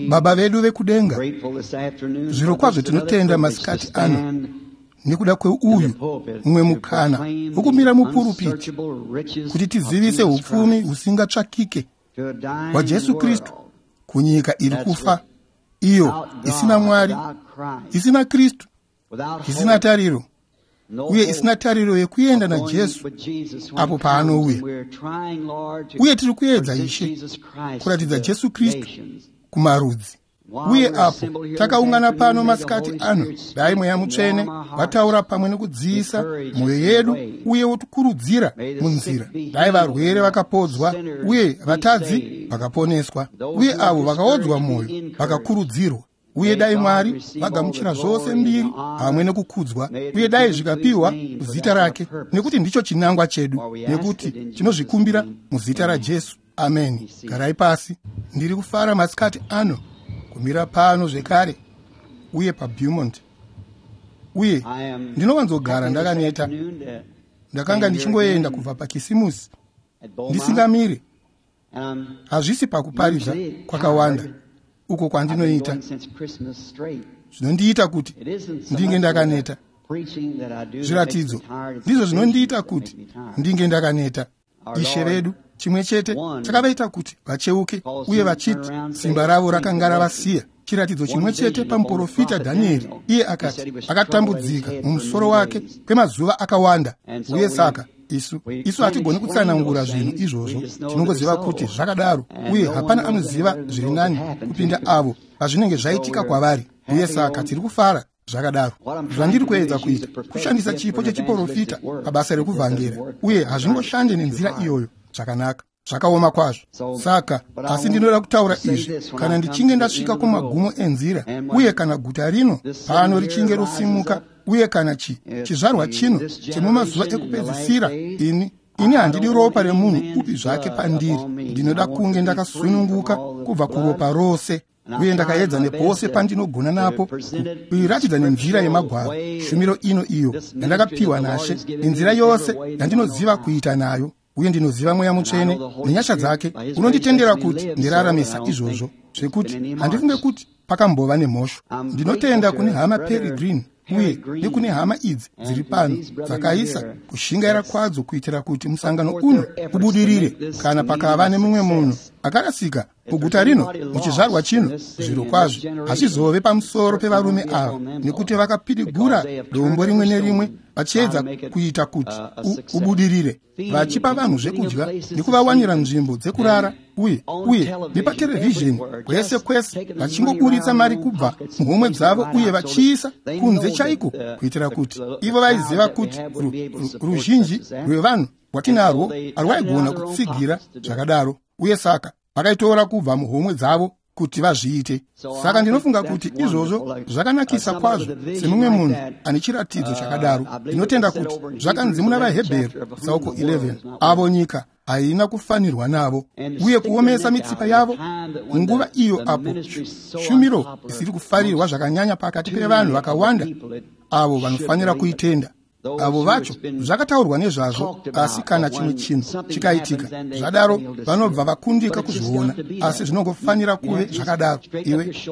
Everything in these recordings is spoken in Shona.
Baba vedu vekudenga, zvirokwazvo tinotenda masikati ano nekuda kweuyu mumwe mukana wokumira mupurupiti kuti tizivise upfumi husingatsvakike hwaJesu Kristu kunyika iri kufa, iyo isina Mwari, isina Kristu, isina tariro, uye isina tariro yekuenda naJesu apo paanouya. Uye tiri kuedza, Ishe, kuratidza Jesu Kristu kumarudzi. Uye apo takaungana pano masikati ano, dai Mweya Mutsvene vataura pamwe nekudziisa mwoyo yedu uye wotikurudzira munzira. Dai varwere vakapodzwa uye vatadzi vakaponeswa, uye avo vakaodzwa mwoyo vakakurudzirwa. Uye dai Mwari vagamuchira zvose mbiri pamwe nekukudzwa, uye dai zvikapiwa muzita rake, nekuti ndicho chinangwa chedu, nekuti tinozvikumbira muzita raJesu. Ameni. Garai pasi. Ndiri kufara masikati ano kumira pano zvekare uye paBeaumont, uye ndinowanzogara ndakaneta. Ndakanga ndichingoenda kubva paKisimusi ndisingamiri. Hazvisi pakuparidza kwakawanda uko kwandinoita zvinondiita kuti ndinge ndakaneta. Zviratidzo ndizvo zvinondiita kuti ndinge ndakaneta. Ishe vedu chimwe chete chakavaita kuti vacheuke uye vachiti simba ravo rakanga ravasiya. Chiratidzo chimwe chete pamuprofita Dhanieri, iye akati akatambudzika mumusoro wake kwemazuva akawanda. Uye saka isu hatigoni kutsanangura zvinhu izvozvo, tinongoziva kuti zvakadaro, uye hapana anoziva zviri nani kupinda avo pazvinenge zvaitika kwavari. Uye saka tiri kufara zvakadaro. Zvandiri kuedza kuita kushandisa chipo chechiprofita pabasa rekuvhangera, uye hazvingoshande nenzira iyoyo zvakanaka, zvakaoma kwazvo. Saka asi ndinoda kutaura izvi kana ndichinge ndasvika kumagumo enzira, uye kana guta rino pano richinge rosimuka, uye kana chizvarwa chino chemumazuva ekupedzisira, ini handidi ropa remunhu upi zvake pandiri. Ndinoda kunge ndakasununguka kubva kuropa rose, uye ndakaedza nepose pandinogona napo kuiratidza nenzira yemagwaro shumiro ino iyo yandakapiwa naShe, nenzira yose yandinoziva kuita nayo. Uye ndinoziva Mweya Mutsvene nenyasha dzake unonditendera kuti ndiraramisa izvozvo, zvekuti handifunge kuti pakambova nemhosho. Ndinotenda kune hama Perry Green uye nekune hama idzi dziri pano dzakaisa kushingaira kwadzo kuitira kuti musangano uno ubudirire. Kana pakava nemumwe munhu akarasika muguta rino muchizvarwa chino, zvirokwazvo hazvizove pamusoro pevarume ava, nekuti vakapidigura dombo rimwe nerimwe vachiedza kuita kuti ubudirire, vachipa vanhu zvekudya nekuvawanira nzvimbo dzekurara, uye nepaterevhizheni kwese kwese, vachingoburitsa mari kubva muhomwe dzavo uye vachiisa kunze chaiko, kuitira kuti ivo vaiziva kuti ruzhinji rwevanhu rwatinarwo harwaigona kutsigira zvakadaro. Uye saka vakaitora kubva muhomwe dzavo kuti vazviite. Saka ndinofunga kuti izvozvo zvakanakisa kwazvo semumwe munhu ane chiratidzo chakadaro. Ndinotenda kuti zvakanzi muna vaHebheru tsauko 11, avo nyika haina kufanirwa navo, uye kuomesa mitsipa yavo nguva iyo apo shumiro isiri kufarirwa zvakanyanya pakati pevanhu vakawanda avo vanofanira kuitenda. Avo vacho zvakataurwa nezvazvo, asi kana chimwe chinhu chikaitika zvadaro vanobva vakundika kuzviona. Asi zvinongofanira kuve zvakadaro.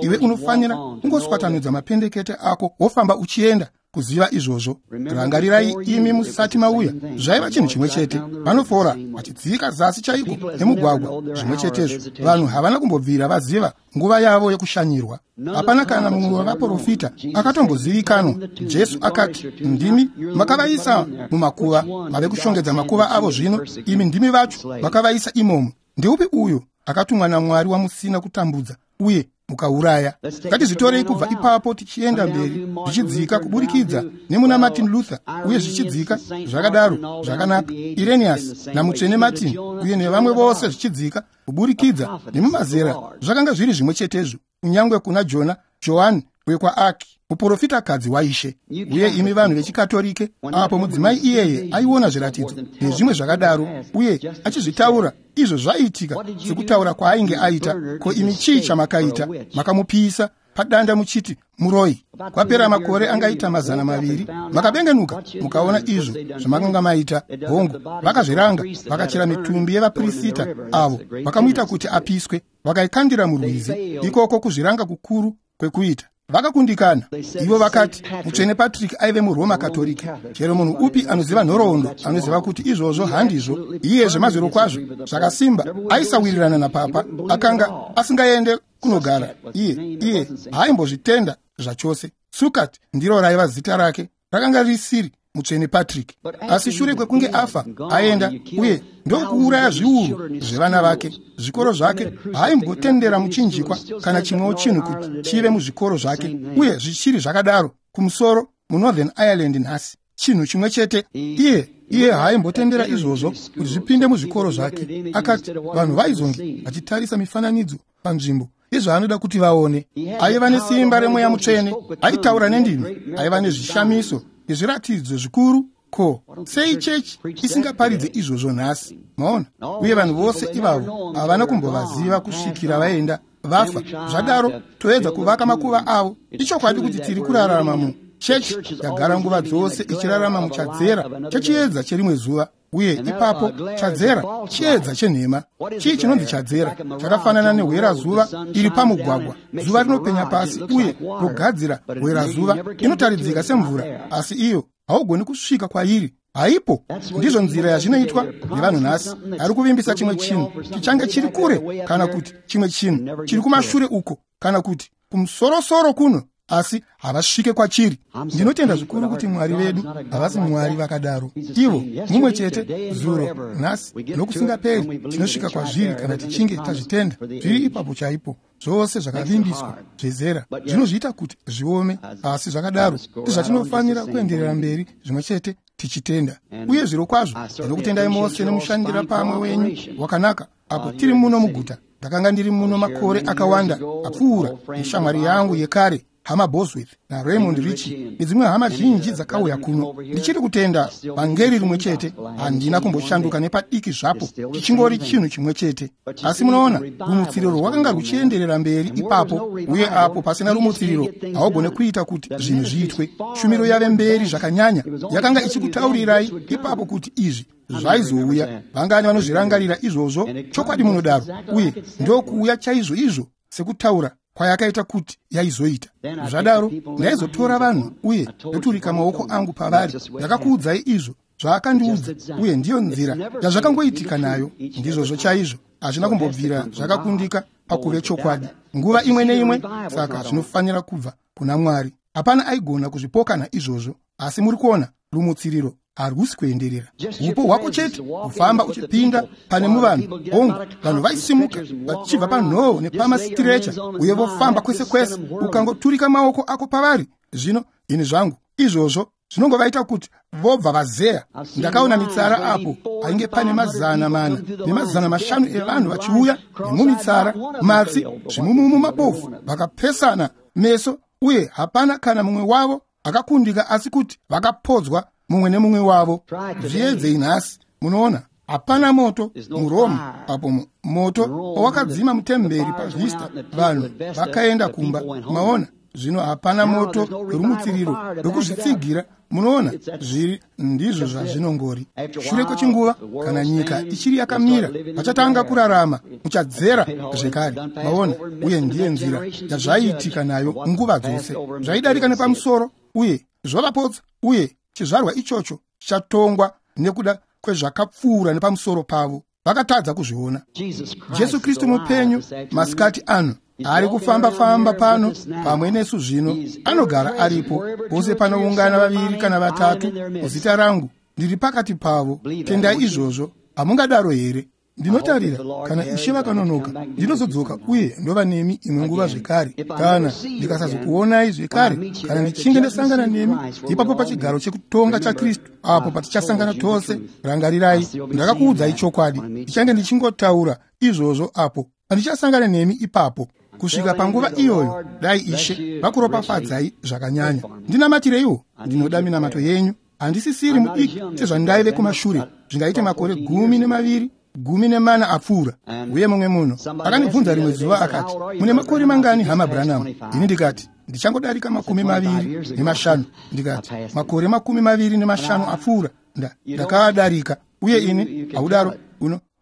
Iwe unofanira kungoswatanudza mapendekete ako wofamba uchienda kuziva izvozvo. Rangarirai imi musati mauya, zvaiva chinhu chimwe chete. Vanofora vachidzika zasi chaiko nemugwagwa zvimwe chetezvo. Vanhu havana kumbobvira vaziva nguva yavo yekushanyirwa. Hapana kana mumwe wavaprofita akatombozivikanwa. Jesu akati, ndimi makavaisa mumakuva, mave kushongedza makuva avo zvino, imi ndimi vacho makavaisa imomo. Ndeupi uyo akatumwa naMwari wamusina kutambudza uye mukauraya? Ngatizvitorei kubva ipapo tichienda mberi, zvichidzika kuburikidza nemuna Martin Luther, uye zvichidzika zvakadaro zvakanaka, Irenaeus namutsvene Martin uye nevamwe vose, zvichidzika kuburikidza nemumazera zvakanga zviri zvimwe chetezvo, kunyangwe kuna Jona, Johani wekwaAki, muprofitakadzi waIshe. Uye imi vanhu vechikatorike, apo mudzimai iyeye aiona zviratidzo nezvimwe zvakadaro uye achizvitaura izvo zvaiitika sekutaura kwaainge aita, ko imi chii chamakaita? Makamupisa padanda muchiti muroi. Kwapera makore angaita 200, makabengenuka mukaona izvo zvamakanga maita. Hongu, vakazviranga, vakachera mitumbi yevaprista avo vakamuita kuti apiswe. Vakaikandira murwizi. Ikoko kuzviranga kukuru kwekuita. Vakakundikana. Ivo vakati Mutsvene Patrick aive muRoma Katolika. Chero munhu upi anoziva nhoroondo anoziva kuti izvozvo handizvo. Iye zvemazviro kwazvo zvakasimba aisawirirana napapa, akanga asingaende kunogara. Iye haaimbozvitenda zvachose. Sukat ndiro raiva zita rake, rakanga risiri Mutsvene Patrick. Asi shure kwekunge afa aenda uye ndokuuraya zviuru zvevana vake, zvikoro zvake haaimbotendera muchinjikwa kana chimwewo chinhu kuti chive muzvikoro zvake, uye zvichiri zvakadaro kumusoro muNorthern Ireland nhasi. Chinhu chimwe chete. Iye haaimbotendera izvozvo kuti zvipinde muzvikoro zvake. Akati vanhu vaizonge vachitarisa mifananidzo panzvimbo izvaanoda kuti vaone. Aiva nesimba remweya mutsvene, aitaura nendimi, aiva nezvishamiso nezviratidzo zvikuru. Ko sei chechi isingaparidze izvozvo nhasi? Maona? Uye vanhu vose ivavo havana kumbovaziva kusvikira vaenda vafa. Zvadaro toedza kuvaka makuva avo. Ichokwadi kuti tiri kurarama mu chechi yagara nguva dzose ichirarama muchadzera chechiedza cherimwe zuva. Uye ipapo chadzera chiedza chenhema. Chii chinonzi chadzera? Chakafanana nehwerazuva iri pamugwagwa. Zuva rinopenya pasi uye rogadzira hwerazuva inotaridzika semvura, asi iyo haugoni kusvika kwairi. Haipo. Ndizvo nzira yazvinoitwa nevanhu nhasi. Ari kuvimbisa chimwe chinhu chichange chiri kure, kana kuti chimwe chinhu chiri kumashure uko, kana kuti kumusorosoro kuno, asi havasvike kwachiri. Ndinotenda zvikuru kuti Mwari vedu havasi Mwari vakadaro. Ivo mumwe chete zuro, nhasi nokusingaperi. Tinosvika kwazviri kana tichinge tazvitenda. Zviri ipapo chaipo. Zvose zvakavimbiswa zvezera zvinozviita kuti zviome, asi zvakadaro ndizvatinofanira kuenderera mberi zvimwe chete tichitenda. Uye zviro kwazvo ndinokutendai mose nemushandira pamwe wenyu wakanaka apo tiri muno muguta. Ndakanga ndiri muno makore akawanda apfuura neshamwari yangu yekare Hama Bosworth naRaymond Ritchie nedzimwe hama zhinji dzakauya kuno. Ndichiri kutenda vhangeri rimwe chete, handina kumboshanduka nepadiki zvapo, chichingori chinhu chimwe chete. Asi munoona, rumutsiriro rwakanga ruchienderera mberi ipapo, uye apo pasina rumutsiriro haugone kuita kuti zvinhu zviitwe. Shumiro yave mberi zvakanyanya yakanga ichikutaurirai ipapo kuti izvi zvaizouya. Vangani vanozvirangarira izvozvo? Chokwadi munodaro. Uye ndokuuya chaizvo izvo sekutaura kwayakaita kuti yaizoita. Zvadaro ndaizotora vanhu uye ndoturika maoko angu pavari. Ndakakuudzai izvo zvaakandiudza, uye ndiyo nzira yazvakangoitika nayo. Ndizvozvo chaizvo, hazvina kumbobvira zvakakundika pakuve chokwadi nguva imwe neimwe. Saka zvinofanira kubva kuna Mwari. Hapana aigona kuzvipokana izvozvo. Asi muri kuona, rumutsiriro harusi kuenderera. Upo hwako chete kufamba uchipinda pane muvanhu. Hongu, vanhu vaisimuka vachibva panhoo nepamasikirecha uye vofamba kwese kwese. Ukangoturika maoko ako pavari, zvino ini zvangu izvozvo zvinongovaita kuti vobva vazeya. Ndakaona mitsara apo painge pane 400 ne500 evanhu vachiuya nemumitsara, matsi, zvimumumu, mabofu, vakapesana meso, uye hapana kana mumwe wavo akakundika, asi kuti vakapodzwa mumwe nemumwe wavo. Zviedzei nhasi. Munoona, hapana moto muRoma apo moto pawakadzima mutemberi paVista, vanhu vakaenda kumba. Maona, zvino hapana moto rumutsiriro rwekuzvitsigira. Munoona, zviri ndizvo zvazvinongori. Shure kwechinguva, kana nyika ichiri yakamira, vachatanga kurarama muchadzera zvekare. Maona, uye ndiye nzira yazvaiitika nayo nguva dzose. Zvaidarika nepamusoro uye zvovapotsa, uye chizvarwa ichocho chichatongwa nekuda kwezvakapfuura nepamusoro pavo. Vakatadza kuzviona. Jesu Kristu mupenyu masikati ano ari kufamba-famba pano pamwe nesu zvino. Anogara aripo pose panoungana 2 kana 3 muzita rangu, ndiri pakati pavo. Tendai izvozvo. Hamungadaro here? Ndinotarira kana Ishe vakanonoka, ndinozodzoka uye ndova nemi imwe nguva zvekare. Kana ndikasazokuonai zvekare, kana ndichinge ndasangana nemi ipapo pachigaro chekutonga chaKristu, apo patichasangana tose, rangarirai, ndakakuudzai chokwadi. Ndichange ndichingotaura izvozvo apo pandichasangana nemi ipapo. Kusvika panguva iyoyo, dai Ishe vakuropafadzai zvakanyanya. Ndinamatireiwo, ndinoda minamato yenyu. Handisisiri mudiki sezvandaive kumashure, zvingaite makore 12 14 apfuura. Uye mumwe munhu akandibvunza rimwe zuva akati, mune makore mangani hama Branham? Ini ndikati, ndichangodarika 25. Ndikati, makore 25 apfuura, ndakaadarika. Uye ini haudaro,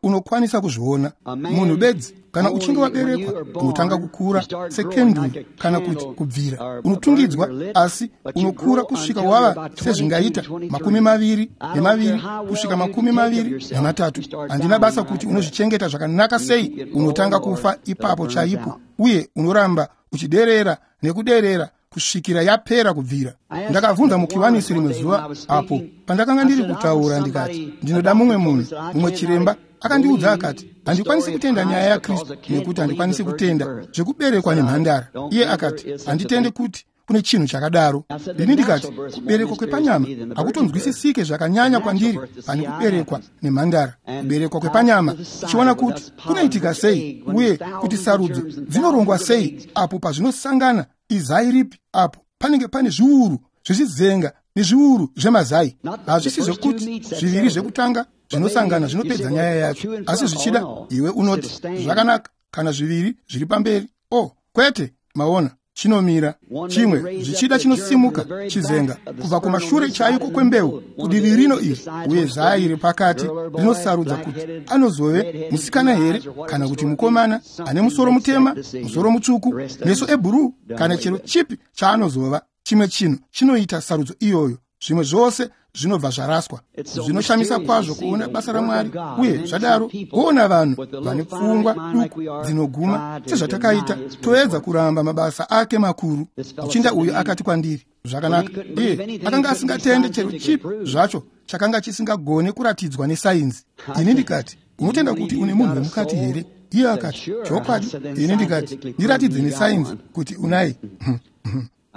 Unokwanisa kuzviona. Munhu bedzi, kana uchinge waberekwa, unotanga kukura sekenduru kana kuti kubvira. Unotungidzwa, asi unokura kusvika wava sezvingaita 22 kusvika 23. Handina basa kuti unozvichengeta zvakanaka sei, unotanga kufa ipapo chaipo, uye unoramba uchiderera nekuderera kusvikira yapera kubvira. Ndakabvunza mukiwanisi rimwe zuva apo pandakanga ndiri kutaura, ndikati, ndinoda mumwe munhu, mumwe chiremba. Akandiudza akati, handikwanisi kutenda nyaya yaKristu nekuti handikwanisi kutenda zvekuberekwa nemhandara. Iye akati, handitende kuti kune chinhu chakadaro. Ini ndikati, kuberekwa kwepanyama hakutonzwisisike zvakanyanya kwandiri pane kuberekwa nemhandara. Kuberekwa kwepanyama, tichiona kuti kunoitika sei uye kuti sarudzo dzinorongwa sei apo pazvinosangana izai ripi, apo panenge pane zviuru zvezvizenga nezviuru zvemazai. Hazvisi zvekuti zviviri zvekutanga zvinosangana zvinopedza nyaya yacho, asi zvichida iwe unoti zvakanaka kana zviviri zviri pamberi. Oh, kwete, maona, chinomira chimwe zvichida chinosimuka chizenga kubva kumashure chaiko kwembeu kudivi rino iri, uye zai repakati rinosarudza kuti anozove musikana here kana kuti mukomana ane musoro mutema, musoro mutsvuku, meso ebhuruu, kana chero chipi chaanozova. Chimwe chinhu chinoita sarudzo iyoyo, zvimwe zvose zvinobva zvaraswa. Zvinoshamisa kwazvo kuona basa raMwari, uye zvadaro kuona vanhu vane pfungwa duku dzinoguma sezvatakaita, toedza kuramba mabasa ake makuru. Muchinda uyu akati kwandiri, zvakanaka, iye akanga asingatende chero chipi zvacho chakanga chisingagone kuratidzwa nesainzi. Ini ndikati, unotenda kuti une munhu wemukati here? Iye akati, chokwadi. Ini ndikati, ndiratidze nesainzi kuti unaye.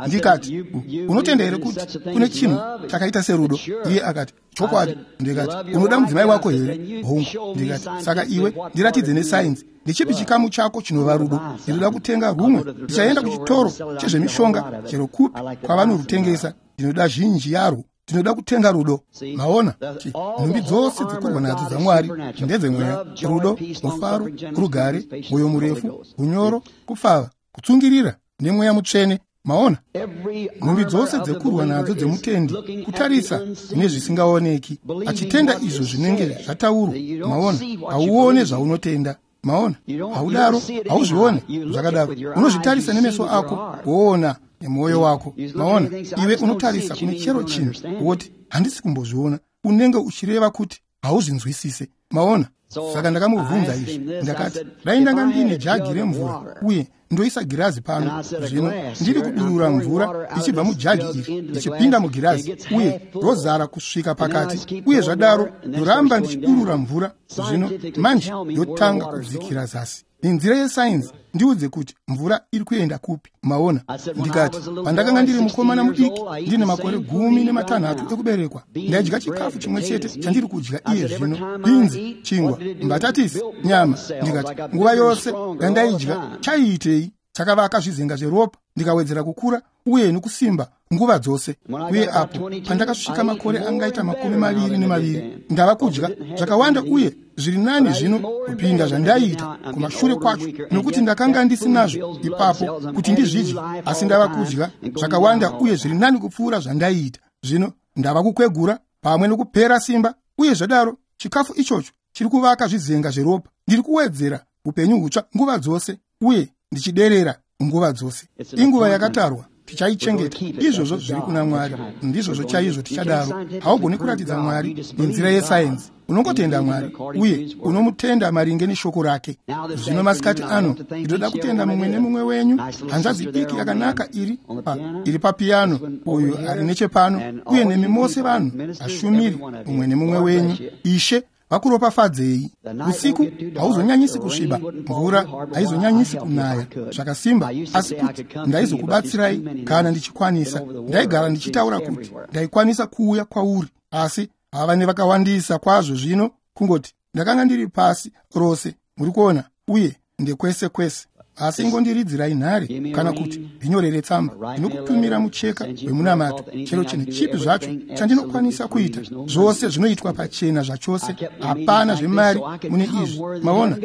Ndikati, unotenda here kuti kune chinhu chakaita serudo? Iye akati, chokwadi. Ndikati, unoda mudzimai wako here? Hongu. Ndikati, saka iwe ndiratidze nesainzi, ndechipi chikamu chako chinova rudo? Ndinoda kutenga rumwe. Ndichaenda kuchitoro chezvemishonga chero kupi kwavanorutengesa. Ndinoda zhinji yarwo. Ndinoda kutenga rudo. Maona, nhumbi dzose dzekurwa nadzo dzaMwari ndedzemweya: rudo, mufaro, rugare, mwoyo murefu, unyoro, kupfava, kutsungirira nemweya mutsvene. Maona, nhumbi dzose dzekurwa nadzo dzemutendi kutarisa nezvisingaoneki, achitenda izvo zvinenge zvataurwa. Maona, hauone zvaunotenda. Maona, haudaro, hauzvione zvakadaro. Unozvitarisa nemeso ako, woona nemwoyo wako. Maona, iwe unotarisa kune chero chinhu woti, handisi kumbozviona. Unenge uchireva kuti hauzvinzwisise. Maona, saka ndakamubvunza izvi, ndakati, dai ndanga ndine jagi remvura uye ndoisa girazi pano zvino, ndiri kudurura mvura ichibva mujagi iri ichipinda mugirazi uye rozara kusvika pakati, uye zvadaro ndoramba ndichidurura mvura zvino, manje yotanga kudzikira zasi. Nenzira yesainzi ndiudze kuti mvura iri kuenda kupi. Maona, ndikati, pandakanga ndiri mukomana mudiki ndine makore 16 ekuberekwa, ndaidya chikafu chimwe chete chandiri kudya iye zvino: binzi, chingwa, mbatatisi, nyama. Ndikati, nguva yose yandaidya chaiitei? Chakavaka zvizenga zveropa, ndikawedzera kukura uye nokusimba nguva dzose. Uye apo pandakasvika makore angaita 22, ndava kudya zvakawanda uye zviri nani zvino kupinda zvandaiita kumashure kwacho, nokuti ndakanga ndisinazvo ipapo kuti ndizvidye, asi ndava kudya zvakawanda uye zviri nani kupfuura zvandaiita zvino. Ndava kukwegura pamwe nokupera simba, uye zvadaro chikafu ichocho chiri kuvaka zvizenga zveropa. Ndiri kuwedzera upenyu hutsva nguva dzose uye ndichiderera nguva dzose. Inguva yakatarwa, tichaichengeta. Izvozvo zviri kuna Mwari, ndizvozvo chaizvo tichadaro. Haugoni kuratidza Mwari nenzira yesainzi. Unongotenda Mwari uye unomutenda maringe neshoko rake. Zvino masikati ano ndinoda kutenda mumwe nemumwe wenyu. Hanzvadzi diki yakanaka iri papiyano, uyu ari nechepano, uye nemi mose vanhu vashumiri, mumwe nemumwe wenyu. Ishe vakuropafadzei. Usiku hauzonyanyisi kusviba, mvura haizonyanyisi kunaya zvakasimba, asi kuti ndaizokubatsirai kana ndichikwanisa. Ndaigara ndichitaura kuti ndaikwanisa kuuya kwauri, asi hava nevakawandisa kwazvo zvino, kungoti ndakanga ndiri pasi rose, muri kuona, uye ndekwese kwese. Asi ingondiridzirai nhare kana kuti ndinyorere tsamba, ndinokutumira mucheka wemunamato, chero chinhu chipi zvacho chandinokwanisa kuita. Zvose zvinoitwa pachena zvachose, hapana zvemari mune izvi. Maona,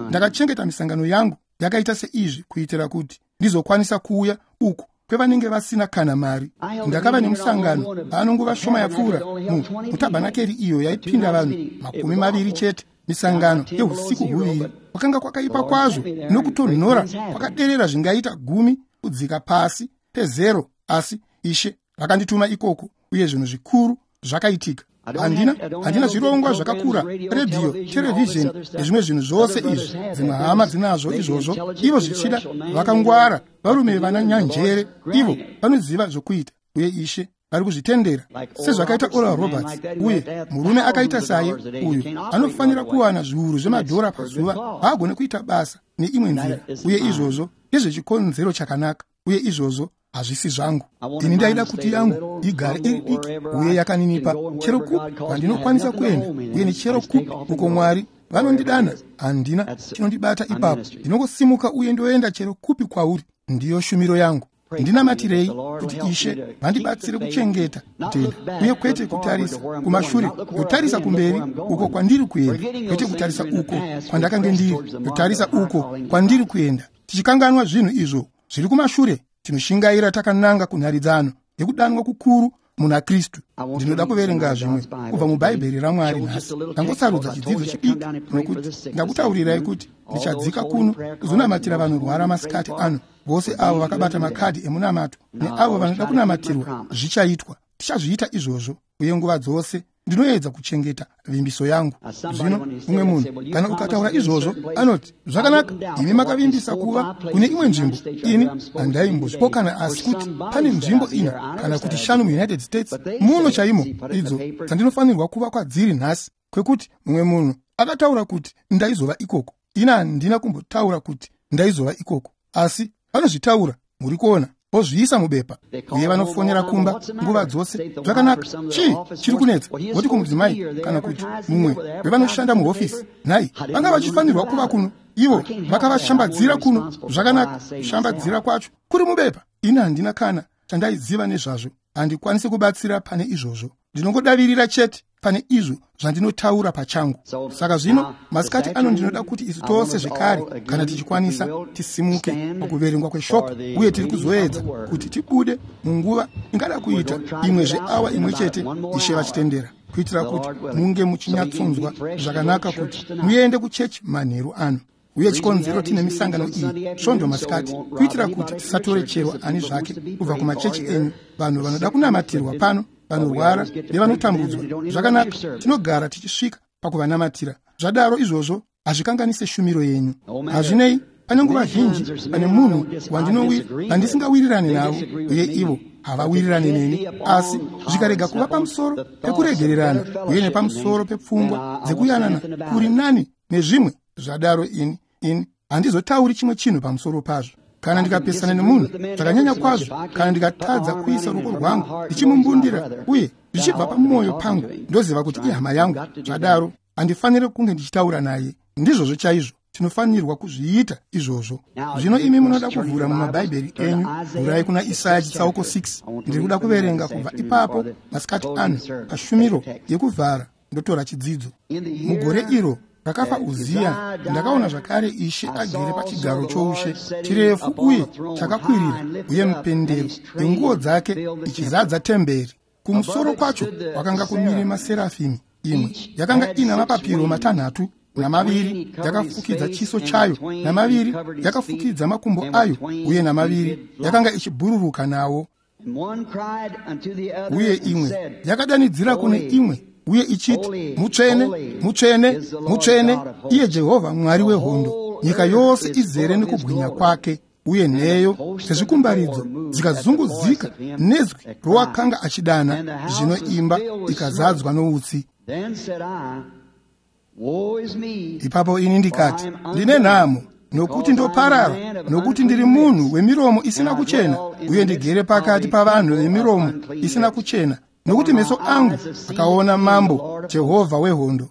ndakachengeta misangano yangu yakaita seizvi kuitira kuti ndizokwanisa kuuya uku kwevanenge vasina kana mari. Ndakava nemusangano pano nguva shoma yapfuura mutabhanakeri iyo yaipinda vanhu 20 chete. Misangano yeusiku huviri kwakanga kwakaipa kwazvo nokutonhora kwakaderera zvingaita 10 kudzika pasi pezero, asi Ishe vakandituma ikoko uye zvinhu zvikuru zvakaitika. Handina zvirongwa zvakakura, redhiyo, terevhizheni nezvimwe zvinhu zvose izvi. Dzimwe hama dzinazvo izvozvo, ivo zvichida vakangwara, varume vana nyanjere, ivo vanoziva zvokuita, uye Ishe vari kuzvitendera sezvakaita Oral Roberts. Uye murume akaita saye uyu anofanira kuwana zviuru zvemadhora pazuva, haagone kuita basa neimwe nzira. Uye izvozvo ndezvechikonzero chakanaka, uye izvozvo hazvisi zvangu. Ini ndaida kuti yangu igare iri diki uye yakaninipa, chero kupi kwandinokwanisa kuenda, uye nechero kupi uko Mwari vanondidana, handina chinondibata ipapo. Ndinongosimuka uye ndoenda chero kupi kwauri. Ndiyo shumiro yangu. Ndinamatirei kuti Ishe vandibatsire kuchengeta kutenda, uye kwete kutarisa kumashure, kutarisa kumberi uko kwandiri kuenda, kwete kutarisa uko kwandakange ndiri, kutarisa uko kwandiri kuenda, tichikanganwa zvinhu izvo zviri kumashure. Tinoshingaira takananga kunharidzano yekudanwa kukuru muna Kristu. Ndinoda kuverenga zvimwe kubva muBhaibheri raMwari nhasi. Ndangosarudza chidzidzo chidiki nokuti ndakutaurirai kuti ndichadzika kuno kuzonamatira vanorwara masikati ano. Vose avo vakabata makadhi emunamato neavo vanoda kunamatirwa, zvichaitwa. Tichazviita izvozvo, uye nguva dzose ndinoedza kuchengeta vimbiso yangu. Zvino mumwe munhu kana ukataura izvozvo anoti, zvakanaka, imi makavimbisa kuva kune imwe nzvimbo. Ini handaimbozvipokana, asi kuti pane nzvimbo 4 kana kuti 5 muUnited States muno chaimo idzo dzandinofanirwa kuva kwadziri nhasi, kwekuti mumwe munhu akataura kuti ndaizova ikoko. Ini handina kumbotaura kuti ndaizova ikoko, asi vanozvitaura, muri kuona, vozviisa mubepa, uye vanofonera kumba nguva dzose. Zvakanaka, chii chiri kunetsa? Voti kumudzimai kana kuti mumwe wevanoshanda muhofisi, nhai, vanga vachifanirwa kuva kuno, ivo vakavashambadzira kuno. Zvakanaka, kushambadzira kwacho kuri mubepa. Ini handina kana chandaiziva nezvazvo, handikwanisi kubatsira pane izvozvo. Ndinongodavirira chete pane izvo zvandinotaura pachangu. Saka zvino masikati ano ndinoda kuti isu tose zvekare, kana tichikwanisa, tisimuke pakuverengwa kweshoko, uye tiri kuzoedza kuti tibude munguva ingada kuita imwe zveawa imwe chete, Ishe vachitendera, kuitira kuti munge muchinyatsonzwa zvakanaka kuti muende kuchechi manheru ano. Uye chikonzero tine misangano iyi svondo masikati, kuitira kuti tisatore chero ani zvake kubva kumachechi enyu, vanhu vanoda kunamatirwa pano, vanorwara nevanotambudzwa. Zvakanaka, tinogara tichisvika pakuvanamatira. Zvadaro izvozvo hazvikanganise shumiro yenyu. Hazvinei, pane nguva zhinji pane munhu wandisingawirirani navo, uye ivo havawirirani neni, asi zvikarega kuva pamusoro pekuregererana uye nepamusoro pepfungwa dzekuyanana kuri nani nezvimwe. Zvadaro ini handizotauri chimwe chinhu pamusoro pazvo. Kana ndikapesana nemunhu zvakanyanya kwazvo, kana ndikatadza kuisa ruoko rwangu ndichimumbundira uye zvichibva pamwoyo pangu, ndoziva kuti ihama yangu. Zvadaro handifaniri kunge ndichitaura naye. Ndizvozvo chaizvo tinofanirwa kuzviita izvozvo. Zvino imi munoda kuvhura mumabhaibheri enyu, vhurai kuna Isaya chitsauko 6. Ndiri kuda kuverenga kubva ipapo masikati ano pashumiro yekuvhara, ndotora chidzidzo. Mugore iro rakafa Uziya, ndakaona zvakare Ishe agere pachigaro choushe chirefu uye chakakwirira, uye mupendero yenguo dzake ichizadza temberi. Kumusoro kwacho kwakanga kumire maserafimi, imwe yakanga ina mapapiro 6, namaviri yakafukidza chiso chayo, namaviri yakafukidza makumbo ayo, uye namaviri yakanga ichibhururuka nawo. Uye imwe yakadanidzira kune imwe uye ichiti, mutsvene, mutsvene, mutsvene, iye Jehovha Mwari wehondo, nyika yose izere nekubwinya kwake. Uye nheyo dzezvikumbaridzo dzikazunguzika nezwi rowakanga achidana, zvino imba ikazadzwa noutsi. Ipapo ini ndikati, ndine nhamo, nokuti ndoparara, nokuti ndiri munhu wemiromo isina kuchena, uye ndigere pakati pavanhu vemiromo isina kuchena, nokuti meso angu akaona Mambo Jehovha wehondo.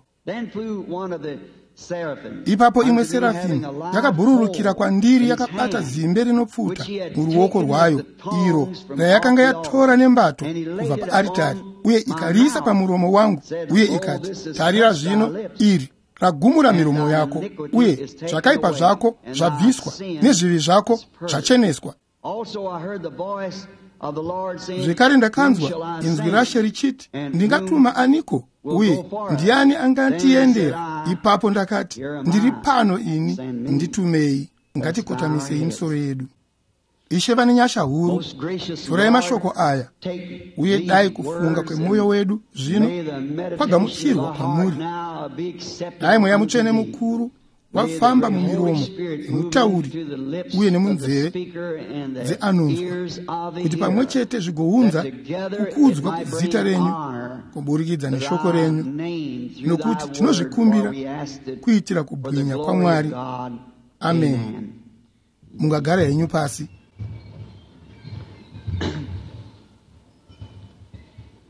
Ipapo imwe serafini yakabhururukira kwandiri yakabata zimbe rinopfuta muruoko rwayo, iro rayakanga yatora nembato kubva paaritari, uye ikariisa pamuromo wangu, uye ikati, tarira zvino, iri ragumura miromo yako, uye zvakaipa zvako zvabviswa, nezvivi zvako zvacheneswa. Zvekare ndakanzwa inzwi raShe richiti, ndingatuma aniko uye ndiani angatiendera? Ipapo ndakati, ndiri pano ini, nditumei. Ngatikotamisei misoro yedu. Ishe vane nyasha huru, torai mashoko aya uye dai kufunga kwemwoyo wedu zvino kwagamuchirwa kwamuri. Dai Mweya Mutsvene mukuru wafamba mumiromo yemutauri uye nemunzeve dzeanonzwa, kuti pamwe chete zvigounza kukudzwa kuzita renyu kuburikidza neshoko renyu, nokuti tinozvikumbira kuitira kubwinya kwaMwari. Amen. Mungagara henyu pasi.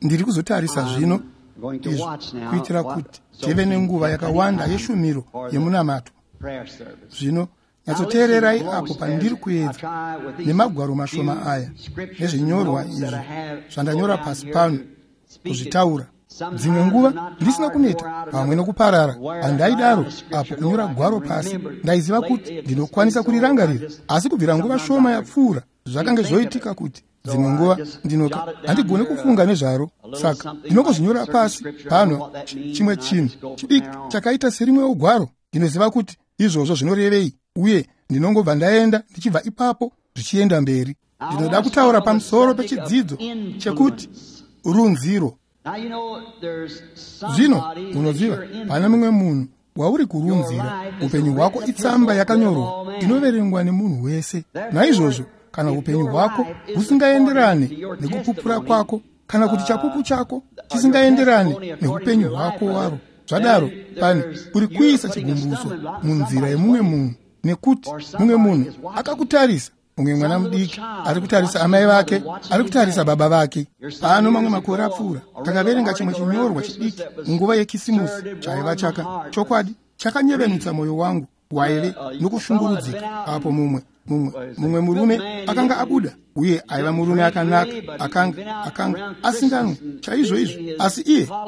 Ndiri kuzotarisa zvino izvi kuitira kuti tive nenguva yakawanda yeshumiro yemunamato. Zvino nyatsoteererai apo pandiri kuedza nemagwaro mashoma aya nezvinyorwa izvi zvandanyora pasi pano kuzvitaura. Dzimwe nguva ndisina kuneta pamwe nokuparara, handaidaro apo kunyora gwaro pasi ndaiziva kuti ndinokwanisa kurirangarira, asi kubvira nguva shoma yapfuura zvakange zvoitika kuti dzimwe nguva ndinoka handigoni kufunga nezvaro, saka ndinongozvinyora pasi pano chimwe chinhu chidiki chakaita serimwewo gwaro. Ndinoziva kuti izvozvo zvinorevei uye ndinongobva ndaenda ndichibva ipapo zvichienda mberi. Ndinoda kutaura pamusoro pechidzidzo chekuti runziro. Zvino unoziva pane mumwe munhu wauri kurunzira. Upenyu hwako itsamba yakanyorwa inoverengwa nemunhu wese. Naizvozvo kana upenyu hwako husingaenderane nekupupura kwako, kana kuti chapupu chako chisingaenderane neupenyu hwako waro, zvadaro pane uri kuisa chigumbuso munzira yemumwe munhu, nekuti mumwe munhu akakutarisa. Mumwe mwana mudiki ari kutarisa amai vake, ari kutarisa baba vake. Pano mamwe makore apfuura takaverenga chimwe chinyorwa chidiki munguva yeKisimusi chaiva chaka chokwadi chakanyevenutsa mwoyo wangu waive nokushungurudzika apo mumwe murume akanga abuda, uye aiva murume akanaka, akanga asinganwi chaizvo izvo, asi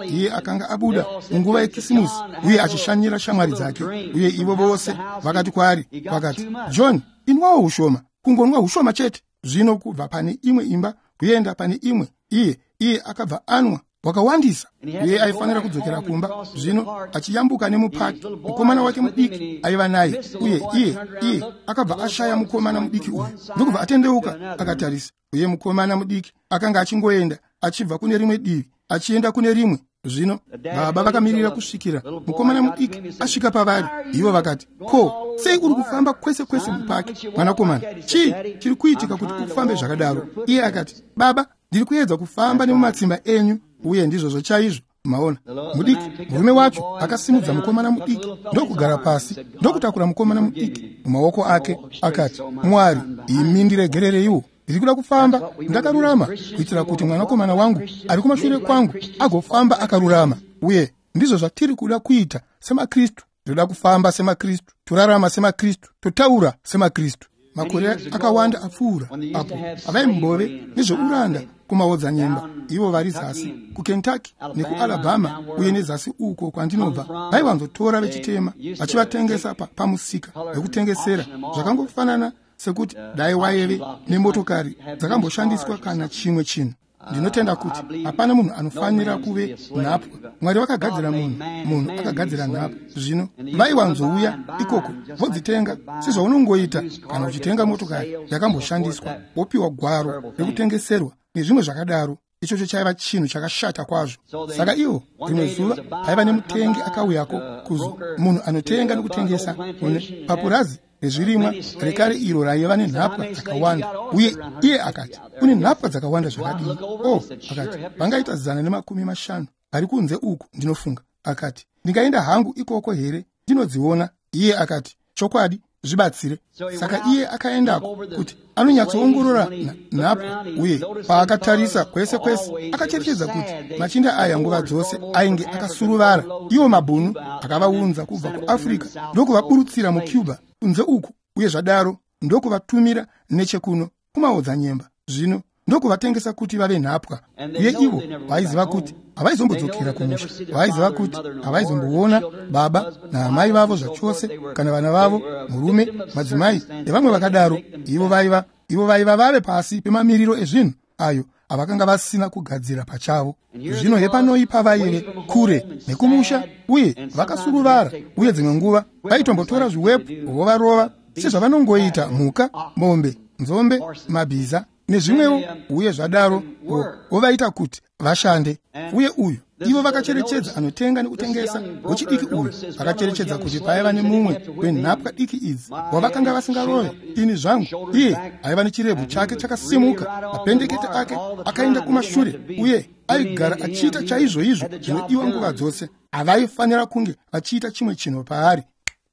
iye akanga abuda munguva yeKisimusi uye achishanyira shamwari dzake, uye ivo vose vakati kwaari, vakati, John, inwawo hushoma, kungonwa hushoma chete. Zvino kubva pane imwe imba kuenda pane imwe, iye akabva anwa wakawandisa, uye aifanira kudzokera kumba. Zvino achiyambuka nemupaki, mukomana wake mudiki aiva naye, uye iye akabva ashaya mukomana mudiki uyu, ndokubva atendeuka akatarisa, uye mukomana mudiki akanga achingoenda achibva kune rimwe divi achienda kune rimwe. Zvino baba vakamirira kusvikira mukomana mudiki asvika pavari. Ivo vakati, ko sei uri kufamba kwese kwese mupaki, mwanakomana? Chii chiri kuitika kuti ufambe zvakadaro? Iye akati, baba, ndiri kuedza kufamba nemumatsimba enyu. Uye ndizvozvo chaizvo. Maona, mudiki murume wacho akasimudza mukomana mudiki ndokugara pasi, ndokutakura mukomana mudiki mumaoko ake, akati, Mwari, imi ndiregerereiwo, ndiri kuda kufamba ndakarurama kuitira kuti mwanakomana wangu ari kumashure kwangu agofamba akarurama. Uye ndizvo zvatiri kuda kuita semaKristu. Tinoda kufamba semaKristu, torarama semaKristu, totaura semaKristu. Makore akawanda apfuura apo avaimbove nezveuranda kumaodzanyemba, ivo vari zasi kuKentucky nekuAlabama uye nezasi uko kwandinobva, vaiwanzotora vechitema vachivatengesa pamusika wekutengesera, zvakangofanana sekuti dai waive nemotokari dzakamboshandiswa kana chimwe chinhu. Ndinotenda kuti hapana munhu anofanira kuve nhapwa. Mwari vakagadzira munhu, munhu akagadzira nhapwa. Zvino vaiwanzouya ikoko vodzitenga sezvaunongoita kana uchitenga motokari yakamboshandiswa, wopiwa gwaro rekutengeserwa nezvimwe zvakadaro. Ichocho chaiva chinhu chakashata kwazvo. Saka ivo rimwe zuva paiva nemutengi akauyako, kuzo munhu anotenga nokutengesa papurazi rezvirimwa rekare iro raiva nenhapwa dzakawanda. Uye iye akati, kune nhapwa dzakawanda zvakadii? Oh, akati, vangaita 150 vari kunze uku, ndinofunga. Akati, ndingaenda hangu ikoko here ndinodziona? Iye akati, chokwadi, zvibatsire. Saka iye akaendako kuti anonyatsoongorora nhapwa, uye paakatarisa kwese kwese akacherechedza kuti machinda aya nguva dzose ainge akasuruvara. Iwo mabhunu akavaunza kubva kuAfrica ndokuvaburutsira muCuba kunze uku, uye zvadaro ndokuvatumira nechekuno kumaodzanyemba, zvino ndokuvatengesa kuti vave nhapwa. Uye ivo vaiziva kuti havaizombodzokera kumusha, vaiziva kuti havaizomboona baba naamai vavo zvachose, kana vana vavo, murume, madzimai nevamwe vakadaro. Ivo vaiva vave pasi pemamiriro ezvinhu ayo avakanga vasina kugadzira pachavo. Zvino hepanoi pavaive kure nekumusha uye vakasuruvara, uye dzimwe nguva vaitombotora zviwepu vovarova sezvavanongoita mhuka, mombe, nzombe, mabhiza nezvimwewo, uye zvadaro vovaita kuti vashande. Uye uyu ivo vakacherechedza anotenga nekutengesa wechidiki uyu vakacherechedza kuti paiva nemumwe wenhapwa diki idzi wavakanga vasingarove. Ini zvangu, iye aiva nechirebvu chake chakasimuka, mapendekete ake akaenda kumashure, uye aigara achiita chaizvoizvo zvinodiwa nguva dzose. Havaifanira kunge vachiita chimwe chinhu paari,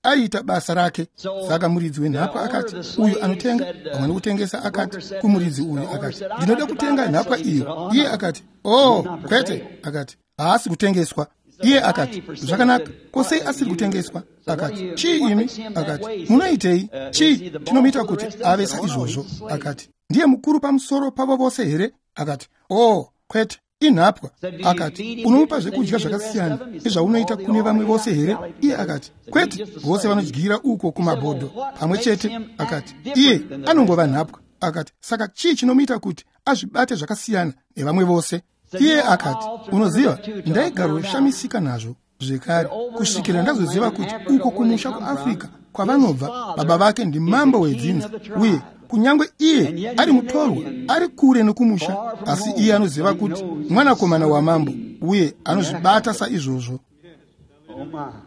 aiita basa rake. Saka muridzi wenhapwa akati, uyu anotenga pamwe nekutengesa akati kumuridzi uyu, akati, ndinoda kutenga nhapwa iyo. Iye akati, oh kwete, akati, haasi kutengeswa. Iye akati, zvakanaka, ko sei asiri kutengeswa? Akati, chii imi? Akati, munoitei? Chii chinomuita kuti ave saizvozvo? Akati, ndiye mukuru pamusoro pavo vose here? Akati, oh kwete, inhapwa. Akati, unomupa zvekudya zvakasiyana nezvaunoita kune vamwe vose here? Iye akati, kwete, vose vanodyira uko kumabhodho pamwe chete. Akati, iye anongova nhapwa. Akati, saka chii chinomuita kuti azvibate zvakasiyana nevamwe vose? Iye akati, unoziva, ndaigaroshamisika nazvo zvekare kusvikira ndazoziva kuti uko kumusha kuAfrica kwavanobva, baba vake ndimambo wedzinza, uye kunyange iye ari mutorwa, ari kure nekumusha, asi iye anoziva kuti mwanakomana wamambo, uye anozvibata saizvozvo.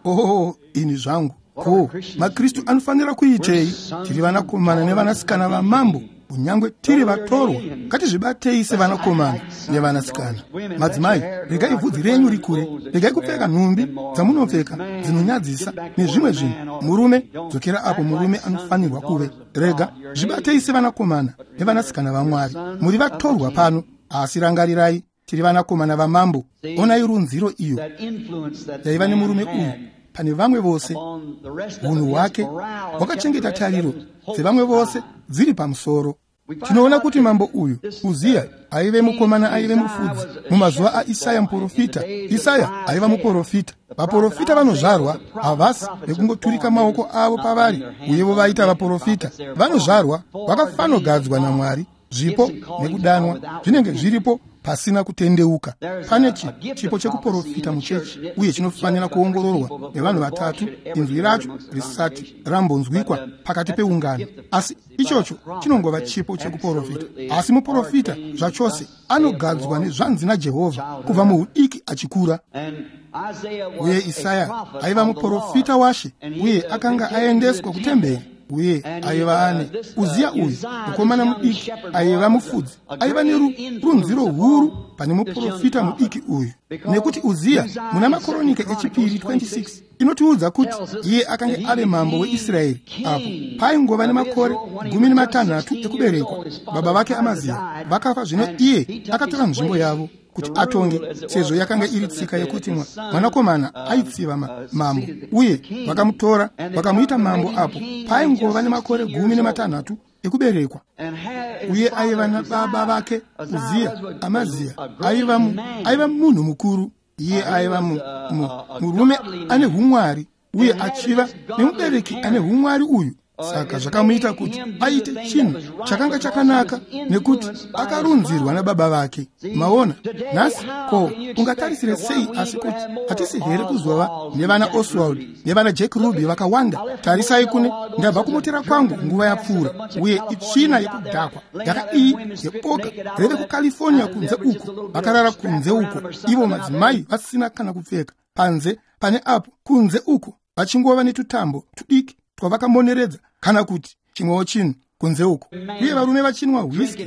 Oh, ini zvangu, ko maKristu anofanira kuitei? Tiri vanakomana nevanasikana vamambo, kunyange tiri vatorwa, ngatizvibatei sevanakomana nevanasikana. Madzimai, regai bvudzi renyu rikure, regai kupfeka nhumbi dzamunopfeka dzinonyadzisa nezvimwe zvinhu. Murume, dzokera apo murume anofanirwa kuve. Rega, zvibatei sevanakomana nevanasikana vaMwari. Muri vatorwa pano, asi rangarirai, tiri vanakomana vamambo. Onai runziro iyo yaiva nemurume uyu pane vamwe vose. Hunhu hwake hwakachengeta tariro dzevamwe vose dziri pamusoro. Tinoona kuti mambo uyu Uziya aive mukomana, aive mufudzi mumazuva aIsaya muprofita. Isaya aiva muprofita. Vaprofita vanozvarwa havasi vekungoturika maoko avo pavari uye vovaita vaprofita. Vanozvarwa vakafanogadzwa naMwari. Zvipo nekudanwa zvinenge zviripo pasina kutendeuka. Pane chipo chekuprofita muchechi, uye chinofanira kuongororwa nevanhu vatatu, inzwi racho risati rambonzwikwa pakati peungano. Asi ichocho chinongova chipo chekuprofita. Asi muprofita zvachose anogadzwa nezvanzi naJehovha kubva muudiki achikura. Uye Isaya aiva muprofita washe, uye akanga aendeswa kutemberi, uye aiva ane Uziya uyu mukomana mudiki aiva mufudzi, aiva nerunziro huru pane muprofita mudiki uyu. Nekuti Uziya muna Makoronike echipiri 26 inotiudza kuti iye akanga ave mambo weIsraeri apo paingova nemakore 16 ekuberekwa. Baba vake Amaziya vakafa, zvino iye akatora nzvimbo yavo kuti atonge, sezvo yakanga iri tsika yekuti mwanakomana aitsiva mambo, uye vakamutora vakamuita mambo apo paingova nemakore 16 ekuberekwa. Uye aiva nababa vake Uziya, Amaziya aiva munhu mukuru. Iye aiva murume ane humwari, uye achiva nemubereki ane humwari uyu. Saka zvakamuita kuti aite chinhu chakanga chakanaka, nekuti akarunzirwa nababa vake. Maona nhasi, ko ungatarisire sei asi kuti hatisi here kuzova nevana Oswald nevana Jack Ruby vakawanda? Tarisai kune ndabva kumotera kwangu nguva yapfuura, uye itsvina yekudhakwa yakadii yeboka reve kuCalifornia kunze uko, vakarara kunze uko, ivo madzimai vasina kana kupfeka panze pane apo kunze uko, vachingova netutambo tudiki twavakamoneredza kana kuti chimwewo chinhu kunze uko, uye varume vachinwa whisky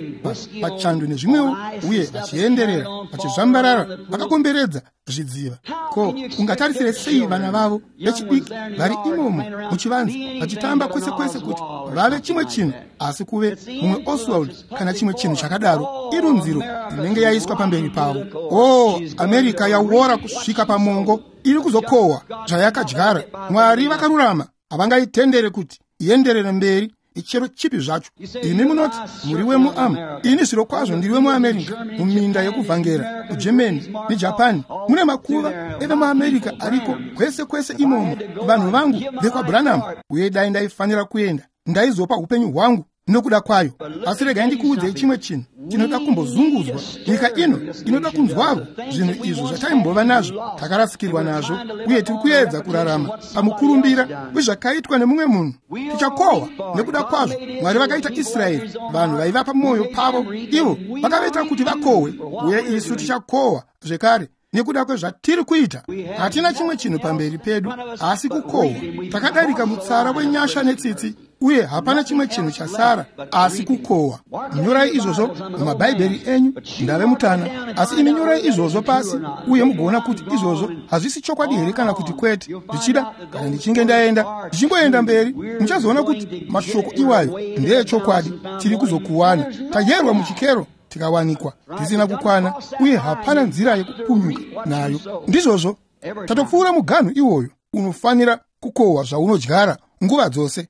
pachando nezvimwewo, uye vachienderera vachizvambarara vakakomberedza zvidziva. Ko ungatarisire sei vana vavo vechidiki vari imomo muchivanze vachitamba kwese kwese kuti vave chimwe chinhu asi kuve mumwe Oswald kana chimwe chinhu chakadaro? Irunziro inenge yaiswa pamberi pavo. Oh, America yawora kusvika pamongo, iri kuzokohwa zvayakadyara. Mwari vakarurama havangaitendere kuti ienderere mberi ichero chipi zvacho. Imi munoti muri wemuAm, ini zvirokwazvo ndiri wemuAmerica. Muminda yekuvhangera kuGermany neJapan mune makuva evemuAmerica ariko kwese kwese imomo, vanhu vangu vekwaBranham. Uye dai ndaifanira kuenda, ndaizopa upenyu hwangu nokuda kwayo. Asi regai ndikuudzei chimwe chinhu chinoda kumbozunguzwa. Nyika ino inoda kunzwarwo zvinhu izvo zvataimbova nazvo, takarasikirwa nazvo, uye tiri kuedza kurarama pamukurumbira wezvakaitwa nemumwe munhu. Tichakohwa nekuda kwazvo. Mwari vakaita Israeri vanhu vaiva pamwoyo pavo, ivo vakavaita kuti vakohwe, uye isu tichakohwa zvekare nekuda kwezvatiri kuita. Hatina chimwe chinhu pamberi pedu asi kukohwa. Takadarika mutsara wenyasha netsitsi, uye hapana chimwe chinhu chasara asi kukohwa. Nyorai izvozvo mumabhaibheri enyu. Ndave mutana, asi imi nyorai izvozvo pasi uye mugoona kuti izvozvo hazvisi chokwadi here kana kuti kwete. Zvichida kana ndichinge ndaenda, ndichingoenda mberi, muchazoona kuti mashoko iwayo ndeechokwadi. Tiri kuzokuwana tayerwa muchikero, tikawanikwa tisina kukwana, uye hapana nzira yekupunyuka nayo. Ndizvozvo, tatopfuura muganhu iwoyo. Unofanira kukohwa zvaunodyara nguva dzose.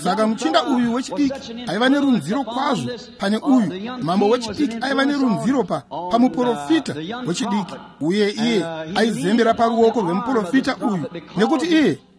Saka muchinda uyu wechidiki aiva nerunziro kwazvo pane uyu mambo wechidiki aiva nerunziro pamuprofita wechidiki, uye iye aizembera paruoko rwemuprofita uyu, nekuti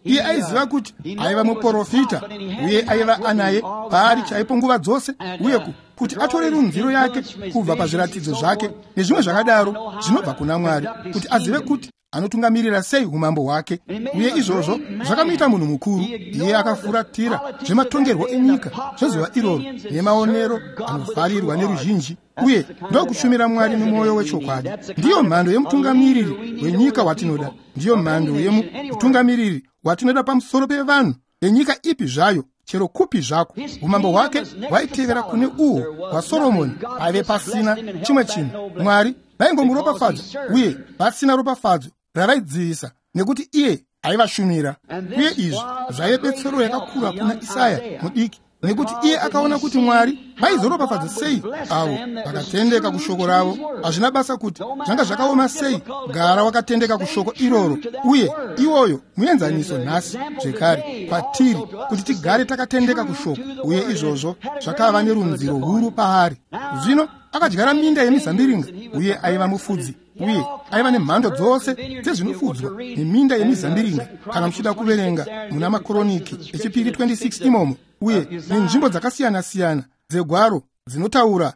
iye aiziva kuti aiva muprofita, uye aiva anaye paari chaipo nguva dzose, uye kuti atore runziro yake kubva pazviratidzo zvake nezvimwe zvakadaro zvinobva kuna Mwari, kuti azive kuti anotungamirira sei umambo hwake. Uye izvozvo zvakamuita munhu mukuru. Iye akafuratira zvematongerwo enyika zvezuva iroro nemaonero anofarirwa neruzhinji, uye ndokushumira Mwari nemwoyo wechokwadi. Ndiyo mhando yemutungamiriri wenyika watinoda. Ndiyo mhando yemutungamiriri watinoda pamusoro pevanhu venyika ipi zvayo, chero kupi zvako. Umambo hwake hwaitevera kune uhwo hwaSoromoni. Paive pasina chimwe chinhu. Mwari vaingomuropafadza, uye vasina ropafadzo ravaidzivisa, nekuti iye aivashumira. Uye izvi zvaive betsero yakakura kuna Isaya mudiki, nekuti iye akaona kuti Mwari vaizoropafadza sei avo vakatendeka kushoko ravo. Hazvina basa kuti zvanga zvakaoma sei, gara wakatendeka kushoko iroro. Uye iwoyo muenzaniso nhasi zvekare kwatiri, kuti tigare takatendeka kushoko. Uye izvozvo zvakava nerunziro huru paari. Zvino akadyara minda yemizambiringa, uye aiva mufudzi, uye aiva nemhando dzose dzezvinofudzwa neminda yemizambiringa. Kana muchida kuverenga muna Makoroniki echipiri 26 imomo, uye nenzvimbo dzakasiyana-siyana dzegwaro dzinotaura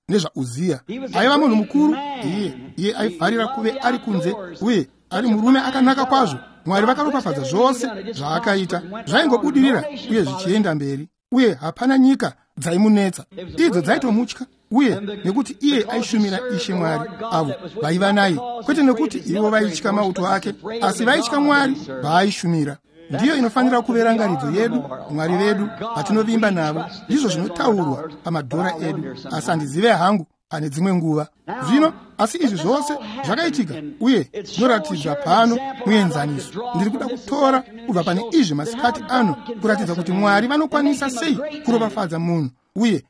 nezvaUziya. Aiva munhu mukuru. Iye aifarira kuve ari kunze, uye ari murume akanaka kwazvo. Mwari vakaropafadza zvose zvaakaita, zvaingobudirira uye zvichienda mberi, uye hapana nyika dzaimunetsa. Idzo dzaitomutya, uye nekuti iye aishumira Ishe Mwari avo vaiva naye, kwete nekuti ivo vaitya mauto ake, asi vaitya Mwari vaaishumira. Ndiyo inofanira kuve rangaridzo yedu, Mwari vedu vatinovimba navo. Ndizvo zvinotaurwa pamadhora edu, asi handizive hangu pane dzimwe nguva. Zvino asi izvi zvose zvakaitika, uye zvinoratidza pano muenzaniso. Ndiri kuda kutora kubva pane izvi masikati ano, kuratidza kuti Mwari vanokwanisa sei kuropafadza munhu uye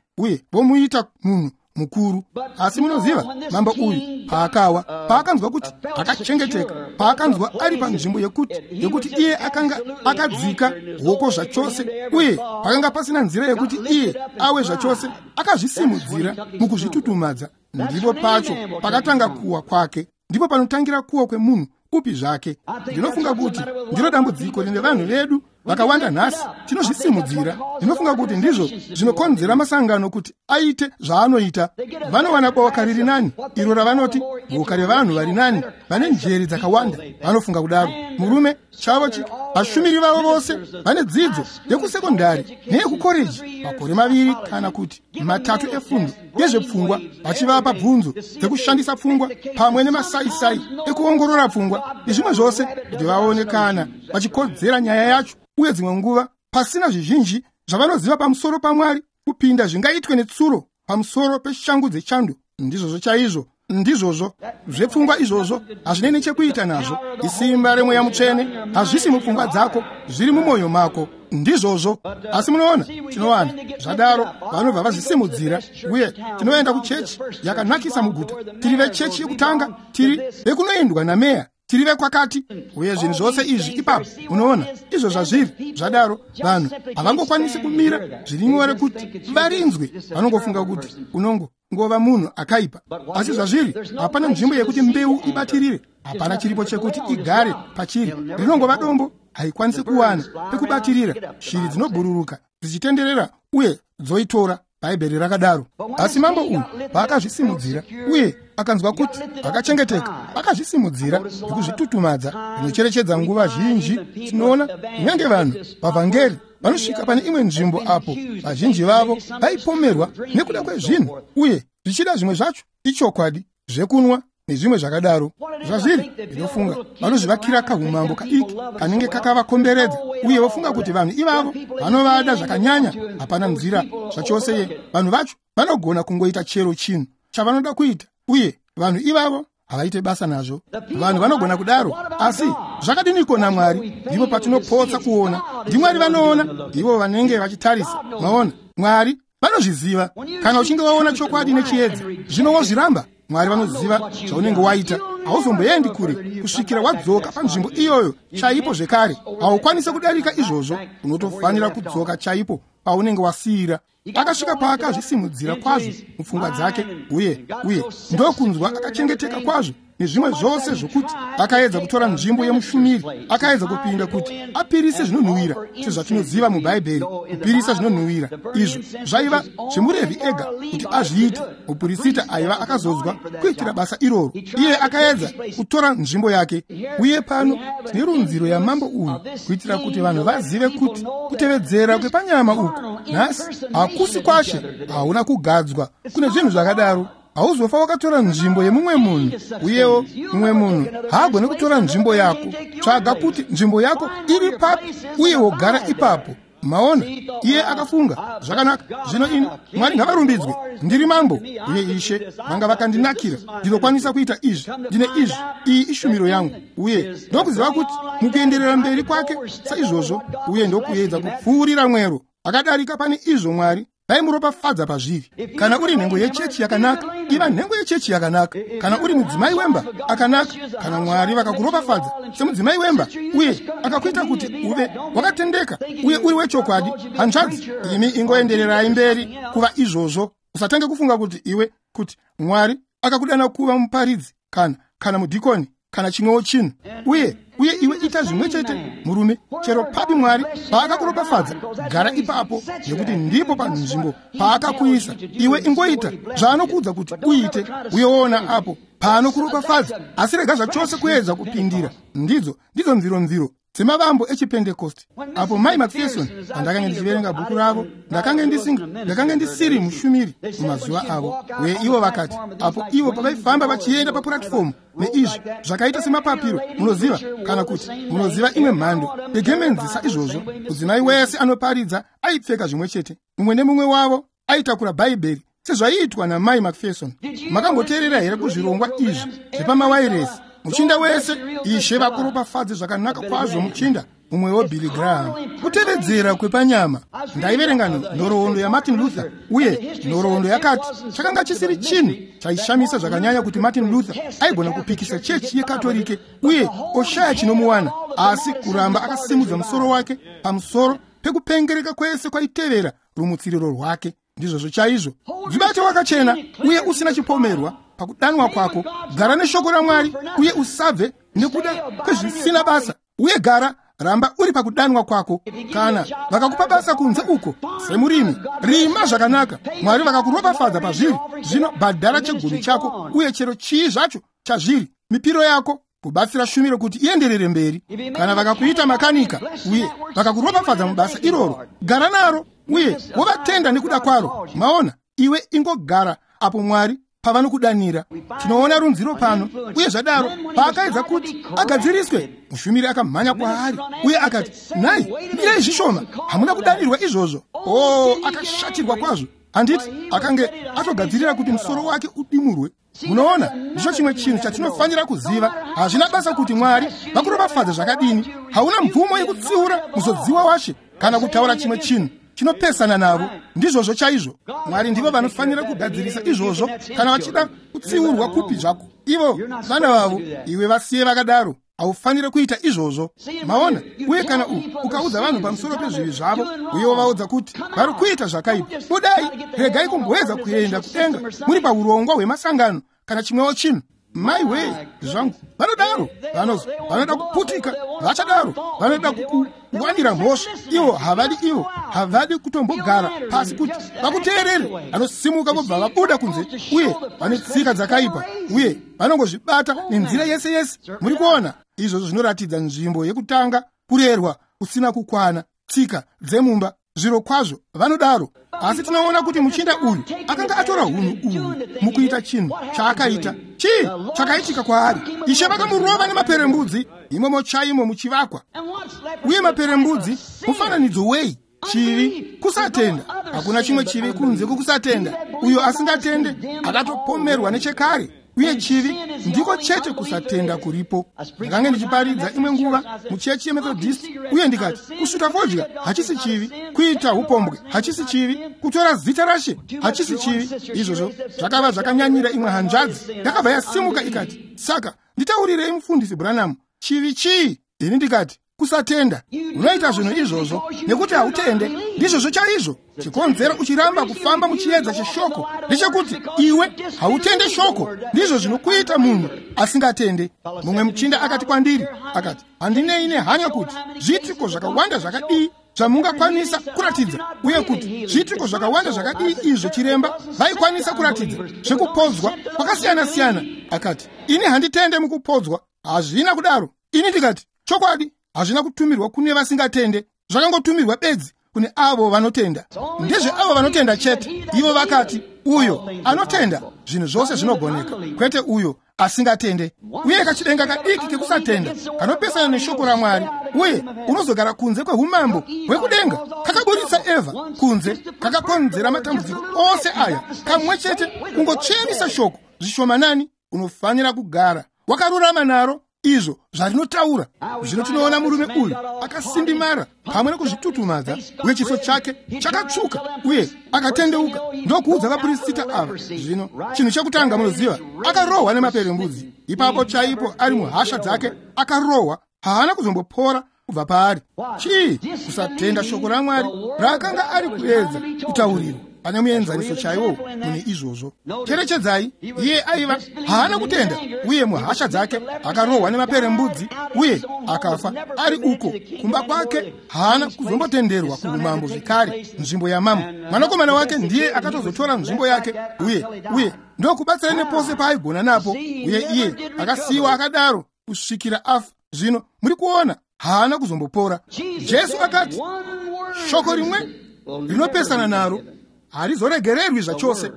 vomuita munhu mukuru. Asi munoziva, mambo uyu paakawa, paakanzwa kuti akachengeteka, paakanzwa ari panzvimbo yekuti iye akanga akadzika hoko zvachose, uye pakanga pasina nzira yekuti iye awe zvachose, akazvisimudzira mukuzvitutumadza. Ndipo pacho pakatanga kuwa kwake. Ndipo panotangira kuwa kwemunhu upi zvake. Ndinofunga kuti ndiro dambudziko rine vanhu vedu vakawanda nhasi. Tinozvisimudzira. Ndinofunga kuti ndizvo zvinokonzera masangano kuti aite zvaanoita. Vanowana boka riri nani, iro ravanoti boka revanhu vari nani, vane njere dzakawanda. Vanofunga kudaro. Murume chavo vashumiri vavo vose vane dzidzo yekusekondari neyekukoreji, makore 2 kana kuti 3 efundo yezvepfungwa, vachivapa bvunzo dzekushandisa pfungwa pamwe nemasaisai ekuongorora pfungwa nezvimwe zvose, kuti vaone kana vachikodzera nyaya yacho. Uye dzimwe nguva pasina zvizhinji zvavanoziva pamusoro paMwari kupinda zvingaitwe netsuro pamusoro peshangu dzechando. Ndizvozvo chaizvo, ndizvozvo zvepfungwa izvozvo hazvinei nechekuita nazvo. Isimba remweya mutsvene hazvisi mupfungwa dzako, zviri mumwoyo mako. Ndizvozvo. Asi munoona, tinowana zvadaro vanobva vazvisimudzira, uye tinoenda kuchechi yakanakisa muguta. Tiri vechechi yekutanga, tiri vekunoendwa nameya, tiri vekwakati, uye zvinhu zvose izvi ipapo. Munoona izvo zvazviri. Zvadaro vanhu havangokwanisi kumira zviri nyore kuti varinzwe. Vanongofunga kuti unongova munhu akaipa. Asi zvazviri, hapana nzvimbo yekuti mbeu ibatirire, hapana chiripo chekuti igare pachiri. Rinongova dombo, haikwanisi kuwana pekubatirira. Shiri dzinobhururuka dzichitenderera uye dzoitora. Bhaibheri rakadaro. Asi mambo uyu paakazvisimudzira uye akanzwa kuti akachengeteka, akazvisimudzira nekuzvitutumadza. Ndinocherechedza nguva zhinji tinoona kunyange vanhu vavhangeri vanosvika pane imwe nzvimbo apo vazhinji vavo vaipomerwa nekuda kwezvinhu, uye zvichida zvimwe zvacho ichokwadi, zvekunwa nezvimwe zvakadaro. Zvazviri, ndinofunga vanozvivakira kahumambo kadiki kanenge kakavakomberedza, uye vofunga kuti vanhu ivavo vanovada zvakanyanya. Hapana nzira zvachose. Vanhu vacho vanogona kungoita chero chinhu chavanoda kuita, uye vanhu ivavo havaite basa nazvo. Vanhu vanogona kudaro, asi zvakadiniko naMwari? Ndipo patinopotsa kuona. NdiMwari vanoona, ndivo vanenge vachitarisa. Maona, Mwari vanozviziva. Kana uchinge waona chokwadi nechiedza, zvino wozviramba, Mwari vanoziva zvaunenge waita. Hauzomboendi kure kusvikira wadzoka panzvimbo iyoyo chaipo zvekare. Haukwanisi kudarika izvozvo, unotofanira kudzoka chaipo paunenge wasiyira. Akasvika paakazvisimudzira kwazvo mupfungwa dzake, uye ndokunzwa akachengeteka kwazvo nezvimwe zvose, zvokuti akaedza kutora nzvimbo yemushumiri. Akaedza kupinda kuti apirise zvinonhuwira, sezvatinoziva muBhaibheri. Kupirisa zvinonhuwira izvo zvaiva zvemuRevhi ega kuti azviite. Mupurisita aiva akazodzwa kuitira basa iroro, iye akaedza kutora nzvimbo yake. Uye pano tine runziro yamambo uyu, kuitira kuti vanhu vazive kuti kutevedzera kwepanyama uku nhasi hakusi kwashe. Hauna kugadzwa kune zvinhu zvakadaro. Hauzofa wakatora nzvimbo yemumwe munhu, uyewo mumwe munhu haagoni kutora nzvimbo yako. Tsvaga kuti nzvimbo yako iri papi uye wogara ipapo. Maona, iye akafunga zvakanaka. Zvino ini, Mwari ngavarumbidzwe, ndiri mambo, uye Ishe vanga vakandinakira. Ndinokwanisa kuita izvi, ndine izvi, iyi ishumiro yangu. Uye ndokuziva kuti mukuenderera mberi kwake saizvozvo, uye ndokuedza kupfuurira mwero akadarika pane izvo Mwari vaimuropafadza pazviri. Kana uri nhengo yechechi yakanaka, iva nhengo yechechi yakanaka. Kana uri mudzimai wemba akanaka, kana Mwari vakakuropafadza semudzimai wemba uye akakuita kuti uve wakatendeka uye uri wechokwadi, hanzvadzi, imi ingoendererai mberi kuva izvozvo. Usatange kufunga kuti iwe kuti Mwari akakudana kuva muparidzi kana mudhikoni kana chimwewo chinhu, uye iwe ita zvimwe chete murume. Chero papi Mwari paakakuropafadza, gara ipapo, nekuti ndipo panzvimbo paakakuisa. Iwe ingoita zvaanokuudza kuti uite, uye woona apo paanokuropafadza. Asi rega zvachose kuedza kupindira. Ndidzo mviromviro dzemavambo echipentekosti. Apo Mai McPherson, pandakanga ndichiverenga bhuku ravo, ndakange ndisiri mushumiri mumazuva avo. Uye ivo vakati, apo ivo pavaifamba vachienda papuratifomu neizvi zvakaita semapapiro, munoziva, kana kuti munoziva imwe mhando yegemenzi saizvozvo, mudzimai wese anoparidza aipfeka zvimwe chete. Mumwe nemumwe wavo aitakura Bhaibheri sezvaiitwa naMai McPherson. Makamboteerera here kuzvirongwa izvi zvepamawairesi? Muchinda wese, Ishe vakuropafadze zvakanaka kwazvo muchinda mumwewo Billy Graham. Kutevedzera kwepanyama. Ndaiverenga nhoroondo yaMartin Luther, uye nhoroondo yakati chakanga chisiri chinhu chaishamisa zvakanyanya kuti Martin Luther aigona kupikisa chechi yeKatorike uye oshaya chinomuwana, asi kuramba akasimudza musoro wake pamusoro pekupengereka kwese kwaitevera rumutsiriro rwake. Ndizvozvo chaizvo. Dzibate wakachena uye usina chipomerwa pakudanwa kwako. Gara neshoko raMwari uye usabve nekuda kwezvisina basa, uye gara ramba uri pakudanwa kwako. Kana vakakupa basa kunze uko semurimi, rima zvakanaka. Mwari vakakuropafadza pazviri, zvino bhadhara chegumi chako uye chero chii zvacho chazviri, mipiro yako, kubatsira shumiro kuti ienderere mberi. Kana vakakuita makanika uye vakakuropafadza mubasa iroro, gara naro uye wovatenda nekuda kwaro. Maona, iwe ingogara apo Mwari pavanokudanira. Tinoona runziro pano. Uye zvadaro paakaedza kuti agadziriswe, mushumiri akamhanya kwaari uye akati, nhai, mirai zvishoma, hamuna kudanirwa izvozvo. O, akashatirwa kwazvo. Handiti akange atogadzirira kuti musoro wake udimurwe. Munoona, ndicho chimwe chinhu chatinofanira kuziva. Hazvina basa kuti Mwari vakuropafadza zvakadini, hauna mvumo yekutsiura muzodziwa washe kana kutaura chimwe chinhu chinopesana navo. Ndizvozvo chaizvo. Mwari ndivo vanofanira kugadzirisa izvozvo. Kana vachida kutsiurwa kupi zvako, ivo vana vavo, iwe vasiye vakadaro. Haufaniri kuita izvozvo. Maona, uye kana ukaudza vanhu pamusoro pezvivi zvavo uye wovaudza kuti vari kuita zvakaipa, budai, regai kumboedza kuenda kudenga muri paurongwa hwemasangano kana chimwewo chinhu. Maiwee zvangu, vanodaro. Vanoda kuputika, vachadaro. Vanoda kukuwanira mhosva. Ivo havadi, ivo havadi kutombogara pasi kuti vakuteerere. Vanosimuka vobva vabuda kunze, uye vane tsika dzakaipa, uye vanongozvibata nenzira yese yese. Muri kuona, izvozvo zvinoratidza nzvimbo yekutanga kurerwa kusina kukwana, tsika dzemumba. Zviro kwazvo vanodaro. Asi tinoona kuti muchinda uyu akanga atora hunhu uhu mukuita chinhu chaakaita. Chii chakaitika kwaari? Ishe vakamurova nemaperembudzi imomo chaimo muchivakwa. Uye maperembudzi mufananidzo wei? Chivi, kusatenda. Hakuna chimwe chivi kunze kwokusatenda. Uyo asingatende akatopomerwa nechekare. Uye chivi ndiko chete kusatenda kuripo. Ndakange ndichiparidza imwe nguva muchechi yeMethodist, uye ndikati kusvuta fodya hachisi chivi, kuita upombwe hachisi chivi, kutora zita raShe hachisi chivi. Izvozvo zvakava zvakanyanyira imwe hanzvadzi. Yakabva yasimuka ikati, saka nditaurirei mufundisi Branham, chivi chii? Ini ndikati, kusatenda. Unoita zvinhu izvozvo nekuti hautende. Ndizvozvo chaizvo chikonzero uchiramba kufamba muchiedza cheshoko, ndechekuti iwe hautende shoko. Ndizvo zvinokuita munhu asingatende. Mumwe muchinda akati kwandiri, akati, handinei nehanya kuti zviitiko zvakawanda zvakadii zvamungakwanisa kuratidza, uye kuti zviitiko zvakawanda zvakadii izvo chiremba vaikwanisa kuratidza zvekupodzwa kwakasiyana-siyana. Akati, ini handitende mukupodzwa. Hazvina kudaro. Ini ndikati, chokwadi hazvina kutumirwa kune vasingatende, zvakangotumirwa bedzi kune avo vanotenda. Ndezveavo vanotenda chete. Ivo vakati, uyo anotenda zvinhu zvose zvinogoneka, kwete uyo asingatende. Uye kachidenga kadiki kekusatenda kanopesana neshoko raMwari, uye unozogara kunze kwehumambo hwekudenga. Kakaburitsa Eva kunze, kakakonzera matambudziko ose aya kamwe chete, kungotsvenisa shoko zvishomanani. Unofanira kugara wakarurama naro izvo zvarinotaura. Zvino tinoona murume uyu akasindimara pamwe nekuzvitutumadza, uye chiso chake chakatsvuka, uye akatendeuka ndokuudza vaprista ava. Zvino chinhu chekutanga munoziva, akarohwa nemaperembudzi. Ipapo chaipo ari muhasha dzake akarohwa, haana kuzombopora kubva paari. Chii? Kusatenda shoko raMwari raakanga ari kuedza kutaurirwa. Pane muenzaniso chaiwo mune izvozvo. Cherechedzai, iye aiva haana kutenda, uye muhasha dzake akarohwa nemaperembudzi uye akafa ari uko kumba kwake. Haana kuzombotenderwa kuumambo zvekare, nzvimbo yamambo. Mwanakomana wake ndiye akatozotora nzvimbo yake, uye ndokubatsira nepose paaigona napo, uye iye akasiyiwa akadaro kusvikira afa. Zvino muri kuona, haana kuzombopora. Jesu akati, shoko rimwe rinopesana naro harizoregererwi zvachose.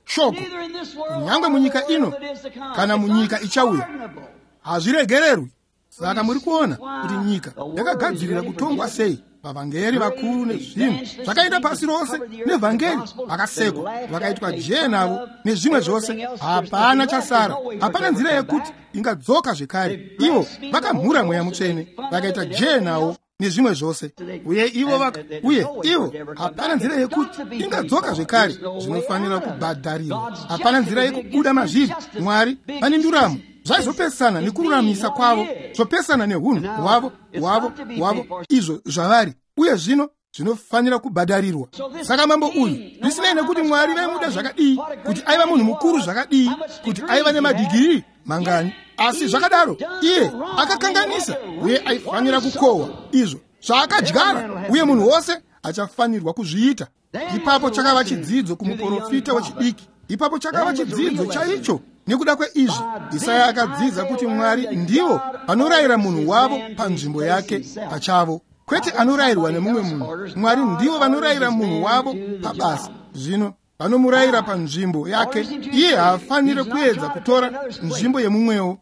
Shoko, kunyangwe munyika ino kana munyika ichauya, hazviregererwi. Saka muri kuona kuti nyika yakagadzirira kutongwa sei. Vavhangeri vakuru nezvinhu zvakaenda pasi rose nevhangeri vakasekwa, vakaitwa jee navo nezvimwe zvose. Hapana chasara, hapana nzira yekuti ingadzoka zvekare. Ivo vakamhura Mweya Mutsvene, vakaita jee nawo nezvimwe zvose, uye ivo uye ivo hapana nzira yekuti ingadzoka zvekare. Zvinofanira kubhadharirwa, hapana nzira yekubuda mazviri. Mwari vane nduramo, zvaizopesana nekururamisa kwavo, zvopesana nehunhu hwavo hwavo izvo zvavari, uye zvino zvinofanira kubhadharirwa. Saka mambo uyu, zvisinei nekuti Mwari vaimuda zvakadii, kuti aiva munhu mukuru zvakadii, kuti aiva nemadhigiri mangani, asi zvakadaro iye akakanganisa, uye aifanira kukohwa izvo zvaakadyara, uye munhu wose achafanirwa kuzviita. Ipapo chakava chidzidzo kumuprofita wechidiki. Ipapo chakava chidzidzo chaicho. Nekuda kweizvi, Isaya akadzidza kuti Mwari ndivo vanorayira munhu wavo panzvimbo yake pachavo, kwete anorayirwa nemumwe munhu. Mwari ndivo vanorayira munhu wavo pabasa. Zvino vanomurayira panzvimbo yake, iye haafaniri kuedza kutora nzvimbo yemumwewo.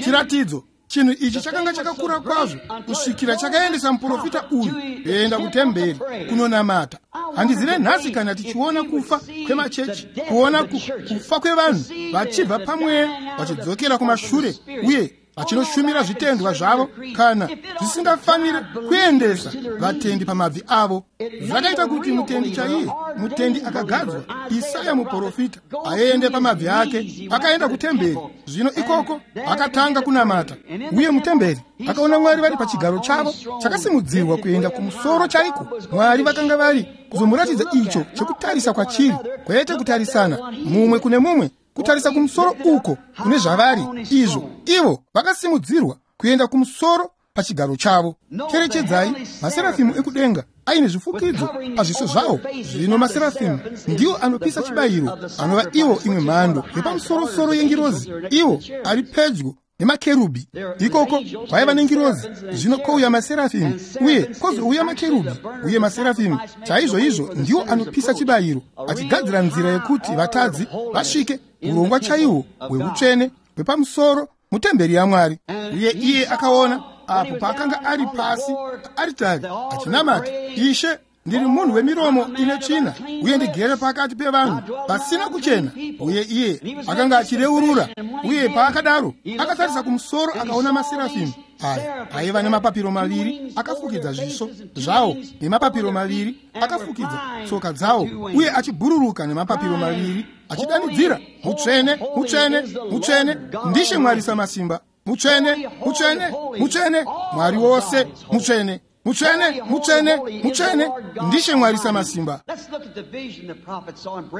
Chiratidzo chinhu ichi chakanga chakakura kwazvo kusvikira chakaendesa muprofita uyu kuenda kutemberi kunonamata. Handizive nhasi kana tichiona kufa kwemachechi, kuona kufa kwevanhu vachibva pamweya vachidzokera kumashure uye vachinoshumira zvitendwa zvavo, kana zvisingafaniri kuendesa vatendi pamabvi avo. Zvakaita kuti mutendi chaiye, mutendi akagadzwa, Isaya muprofita, aende pamabvi ake. Akaenda kutemberi. Zvino ikoko akatanga kunamata, uye mutemberi akaona Mwari vari pachigaro chavo chakasimudzirwa kuenda kumusoro chaiko. Mwari vakanga vari kuzomuratidza icho chekutarisa kwachiri, kwete kutarisana mumwe kune mumwe, Kutarisa kumusoro uko kune zvavari izvo, ivo vakasimudzirwa kuenda kumusoro pachigaro chavo. Cherechedzai maserafimu ekudenga aine zvifukidzo pazviso zvavo. Zvino maserafimu ndiwo anopisa chibayiro, anova ivo imwe mhando yepamusorosoro yengirozi, ivo ari pedyo nemakerubhi. Ikoko kwaiva nengirozi, zvino kwouya maserafimu, uye kwozouya makerubhi. Uye maserafimu chaizvoizvo ndiwo anopisa chibayiro, achigadzira nzira yekuti vatadzi vasvike urongwa chaihwo hweutsvene hwepamusoro mutemberi yaMwari. Uye iye akaona apo paakanga ari pasi paaritari achinamata, Ishe, ndiri munhu wemiromo ine tsvina, uye ndigere pakati pevanhu vasina kuchena. Uye iye akanga achireurura. Uye paakadaro akatarisa kumusoro akaona maserafimu aya aiva nemapapiro maviri akafukidza zviso zvawo, nemapapiro maviri akafukidza tsoka dzawo, uye achibhururuka nemapapiro maviri, achidanidzira, Mutsvene, mutsvene, mutsvene ndiShe Mwari Samasimba, mutsvene, mutsvene, mutsvene, Mwari wose mutsvene, mutsvene, mutsvene, mutsvene ndiShe Mwari Samasimba.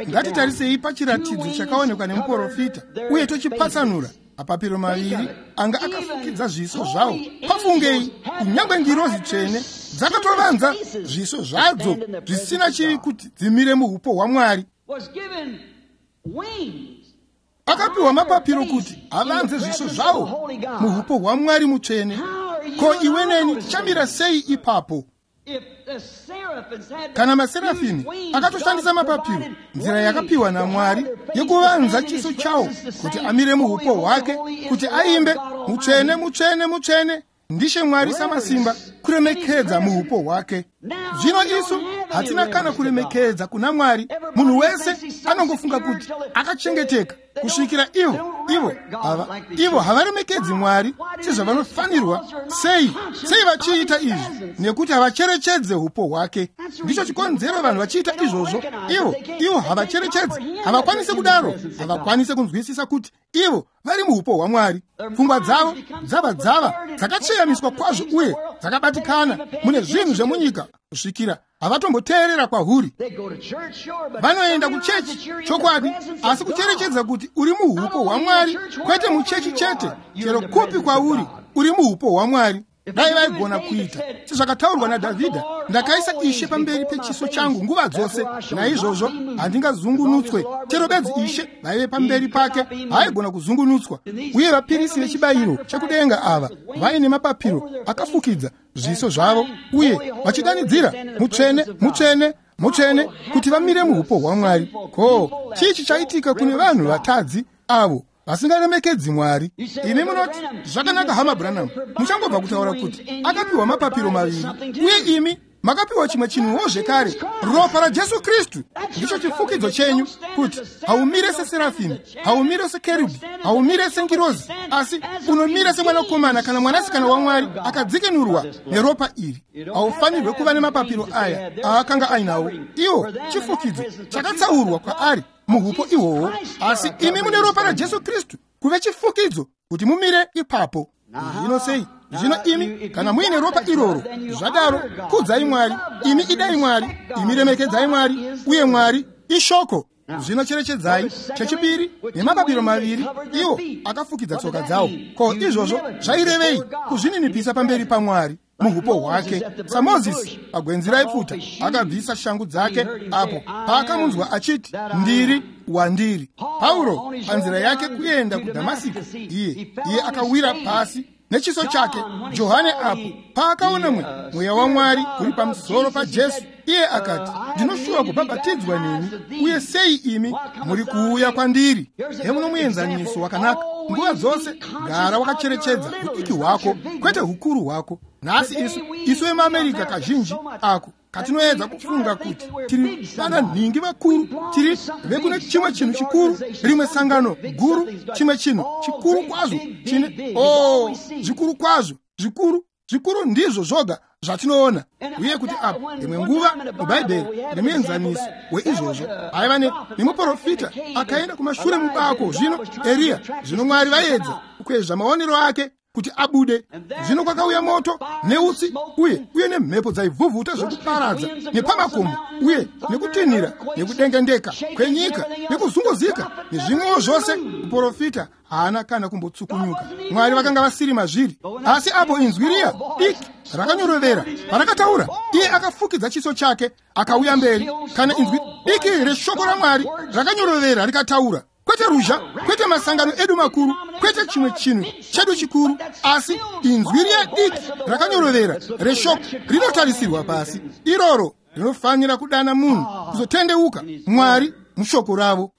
Ngatitarisei pachiratidzo chakaonekwa nemuprofita uye tochipatsanura. Mapapiro maviri anga akafukidza zviso zvawo. Pafungei, kunyange ngirozi tsvene dzakatovanza zviso zvadzo zvisina chivi kuti dzimire muupo hwaMwari. Akapiwa mapapiro kuti avanze zviso zvawo muupo hwaMwari mutsvene. Ko iwe neni tichamira sei ipapo? Kana maserafimi akatoshandisa mapapiro, nzira yakapiwa naMwari yekuvanza chiso chawo kuti amire muupo hwake, kuti aimbe mutsvene, mutsvene, mutsvene ndiShe Mwari Samasimba, kuremekedza muupo hwake. Zvino isu hatina kana kuremekedza kuna Mwari. Munhu wese anongofunga kuti akachengeteka kusvikira ivo havaremekedzi Mwari sezvavanofanirwa. Sei vachiita izvi? Nekuti havacherechedze upo hwake. Ndicho chikonzero vanhu vachiita izvozvo. Ivo havacherechedze, havakwanisi kudaro, havakwanisi kunzwisisa kuti ivo vari muupo hwaMwari. Pfungwa dzavo dzava dzakatsveyamiswa kwazvo uye dzakabatikana mune zvinhu zvemunyika kusvikira havatomboteerera kwahuri. Vanoenda kuchechi chokwadi, asi kucherechedza kuti uri muupo hwaMwari, kwete muchechi chete, chero kupi kwauri uri muupo hwaMwari. Dai vaigona kuita sezvakataurwa naDhavhidha, ndakaisa Ishe pamberi pechiso changu nguva dzose, naizvozvo handingazungunutswe. Chero bedzi Ishe vaive pamberi pake, haaigona kuzungunutswa. Uye vapirisi vechibayiro chekudenga ava vaine mapapiro akafukidza zviso zvavo uye vachidanidzira mutsvene, mutsvene, mutsvene, kuti vamire muupo hwaMwari. Ko chii chichaitika kune vanhu vatadzi avo vasingaremekedzi Mwari? Imi munoti, zvakanaka hama Branham, muchangobva kutaura kuti akapiwa mapapiro maviri, uye imi makapiwa chimwe chinhuwo zvekare, ropa raJesu Kristu. Ndicho chifukidzo chenyu, kuti haumire seserafimi, haumire sekerubhi, haumire sengirozi, asi unomira semwanakomana kana mwanasikana waMwari akadzikinurwa neropa iri. Haufanirwe kuva nemapapiro aya aakanga ainawo. Iwo chifukidzo chakatsaurwa kwaari muhupo ihwohwo, asi imi mune ropa raJesu Kristu kuve chifukidzo kuti mumire ipapo. Zvino sei? Zvino imi kana muine ropa iroro, zvadaro kudzai Mwari, imi idai Mwari, imi remekedzai Mwari, uye Mwari ishoko. Zvino cherechedzai chechipiri, nemapapiro maviri iwo akafukidza tsoka dzawo. Ko izvozvo zvairevei? Kuzvininipisa pamberi paMwari muhupo hwake. SaMozisi pagwenzi raipfuta akabvisa shangu dzake apo paakamunzwa achiti, ndiri wandiri. Pauro panzira yake kuenda kuDhamasiko, iye akawira pasi nechiso chake. Johane apo paakaona mweya waMwari uri pamusoro paJesu, iye akati, ndinoshuva kubhabhatidzwa nemi, uye sei imi muri kuuya kwandiri? Hemuno muenzaniso wakanaka. Nguva dzose gara wakacherechedza udiki hwako, kwete hukuru hwako. Nhasi isu vemuAmerica kazhinji ako katinoedza kufunga kuti tiri vana nhingi vakuru, tiri vekune chimwe chinhu chikuru, rimwe sangano guru, chimwe chinhu chikuru kwazvo chine zvikuru kwazvo, zvikuru zvikuru ndizvo zvoga zvatinoona. Uye kuti apo imwe nguva muBhaibheri nemuenzaniso weizvozvo aiva nemuprofita akaenda kumashure mubako, zvino Eriya, zvino Mwari vaedza kukwezva maonero ake kuti abude. Zvino kwakauya moto neutsi uye nemhepo dzaivhuvhuta zvekuparadza nepamakomo uye nekutinhira nekudengendeka kwenyika nekuzunguzika nezvimwewo zvose. Muprofita haana kana kumbotsukunyuka. Mwari vakanga vasiri mazviri. Asi apo inzwi riya diki rakanyorovera parakataura, iye akafukidza chiso chake akauya mberi. Kana inzwi diki reshoko raMwari rakanyorovera rikataura, kwete ruzha, kwete masangano edu makuru, kwete chimwe chinhu chedu chikuru, asi inzwi riya diki rakanyorovera reshoko rinotarisirwa pasi, iroro rinofanira kudana munhu kuzotendeuka Mwari mushoko ravo.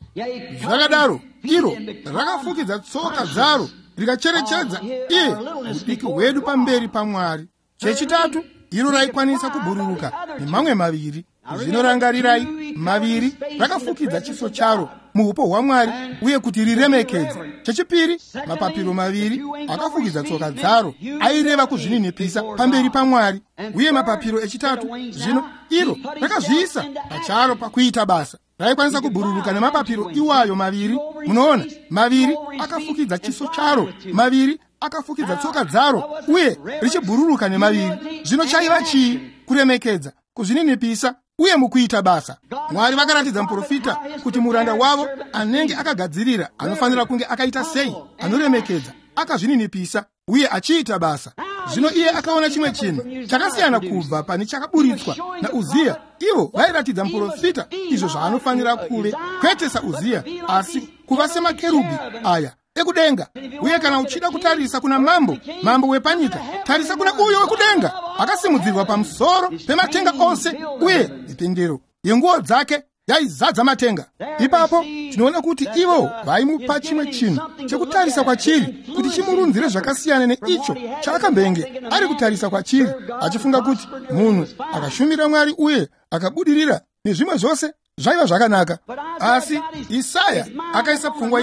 Zvakadaro iro rakafukidza tsoka dzaro rikacherechedza iye udiki hwedu pamberi paMwari. Chechitatu, iro raikwanisa kubhururuka nemamwe maviri. Zvinorangarirai, maviri rakafukidza chiso charo muupo hwaMwari uye kuti riremekedze. Chechipiri, mapapiro maviri akafukidza tsoka dzaro aireva kuzvininipisa pamberi paMwari. Uye mapapiro echitatu, zvino iro rakazviisa pacharo pakuita basa. Raikwanisa kubhururuka nemapapiro iwayo maviri. Munoona, maviri akafukidza chiso charo, maviri akafukidza tsoka dzaro uye richibhururuka nemaviri. Zvino chaiva chii? Kuremekedza, kuzvininipisa uye mukuita basa. Mwari vakaratidza muprofita kuti muranda wavo anenge akagadzirira anofanira kunge akaita sei, anoremekedza, akazvininipisa uye achiita basa. Zvino iye akaona chimwe chinhu chakasiyana kubva pane chakaburitswa naUziya. Ivo vairatidza muprofita izvo zvaanofanira kuve, kwete saUziya, asi kuva semakerubhi aya ekudenga. Uye kana uchida kutarisa kuna mambo, mambo wepanyika, tarisa kuna uyo wekudenga akasimudzirwa pamusoro pematenga ose, uye mipendero yenguo dzake yaizadza matenga. Ipapo tinoona kuti ivo vaimupa chimwe chinhu chekutarisa kwachiri kuti chimurunzire zvakasiyana neicho chaakambenge ari kutarisa kwachiri, achifunga kuti munhu akashumira Mwari uye akabudirira nezvimwe zvose zvaiva zvakanaka. Asi Isaya akaisa pfungwa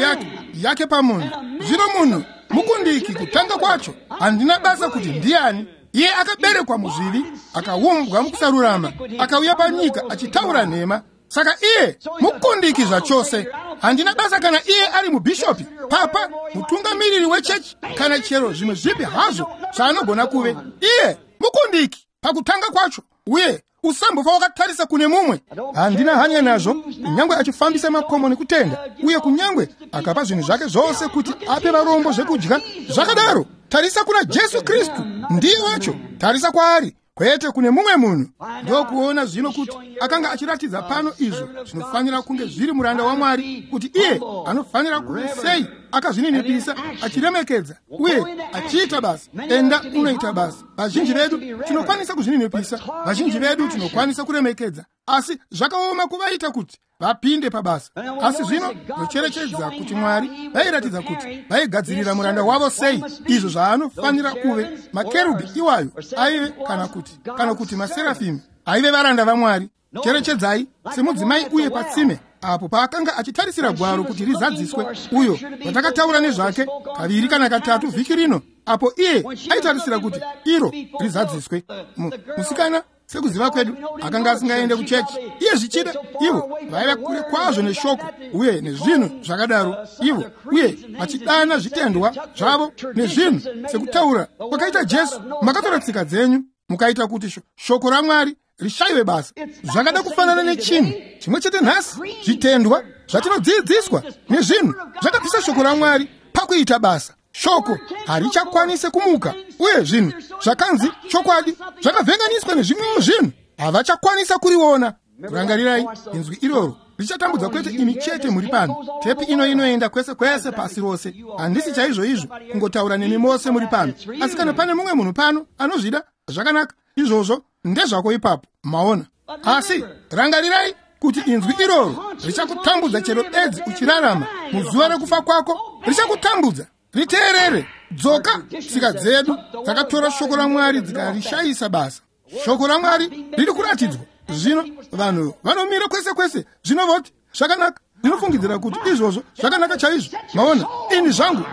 yake pamunhu. Zvino munhu mukundiki kutanga kwacho, handina basa kuti ndiani. Iye akaberekwa muzvivi, akaumbwa mukusarurama, akauya panyika achitaura nhema. Saka iye mukundiki zvachose. Handina basa kana iye ari mubhishopi, papa, mutungamiriri wechechi, kana chero zvimwe zvipi hazvo zvaanogona kuve. Iye mukundiki pakutanga kwacho, uye usambofa wakatarisa kune mumwe. Handina hanya nazvo, kunyangwe achifambisa makomo nekutenda, uye kunyangwe akapa zvinhu zvake zvose kuti ape varombo zvekudya. Zvakadaro, tarisa kuna Jesu Kristu, ndiye wacho. Tarisa kwaari, kwete kune mumwe munhu. Ndokuona zvino kuti akanga achiratidza pano izvo zvinofanira kunge zviri muranda waMwari, kuti iye anofanira kuve sei akazvininipisa, achiremekedza uye achiita basa. Enda unoita basa. Vazhinji vedu tinokwanisa kuzvininipisa, vazhinji vedu tinokwanisa kuremekedza, asi zvakaoma kuvaita kuti vapinde pabasa. Asi zvino nocherechedza kuti Mwari vairatidza kuti vaigadzirira muranda wavo sei izvo zvaanofanira kuve. Makerubhi iwayo aive kana kuti maserafimi aive varanda vaMwari. Cherechedzai, semudzimai uye patsime apo paakanga achitarisira gwaro kuti rizadziswe, uyo watakataura nezvake kaviri kana katatu vhiki rino, apo iye aitarisira kuti iro rizadziswe. Musikana, sekuziva kwedu, akanga asingaende kuchechi. Iye zvichida ivo vaiva kure kwazvo neshoko uye nezvinhu zvakadaro, ivo uye vachidana zvitendwa zvavo nezvinhu sekutaura kwakaita Jesu. Makatora tsika dzenyu mukaita kuti shoko raMwari rishayiwe basa. Zvakada kufanana nechinhu chimwe chete nhasi. Zvitendwa zvatinodzidziswa nezvinhu zvakabvisa shoko raMwari pakuita basa. Shoko harichakwanise kumuka, uye zvinhu zvakanzi chokwadi zvakavhenganiswa nezvimwewo zvinhu, havachakwanisa kuriona. Rangarirai, inzwi iroro richatambudza kwete imi chete muri pano. Tepi ino inoenda kwese kwese pasi rose. Handisi chaizvo izvo kungotaura nemi mose muri pano, asi kana pane mumwe munhu pano anozvida, zvakanaka, izvozvo ndezvako ipapo, maona. Asi rangarirai kuti inzwi iroro richakutambudza chero bedzi uchirarama muzuva rekufa kwako. Richakutambudza. Riteerere. Dzoka. Tsika dzedu dzakatora shoko raMwari dzikarishayisa basa. Shoko raMwari riri kuratidzwa. Zvino vanhu vanomira kwese kwese, zvino voti zvakanaka. Ndinofungidzira kuti izvozvo zvakanaka chaizvo. Maona, ini zvangu,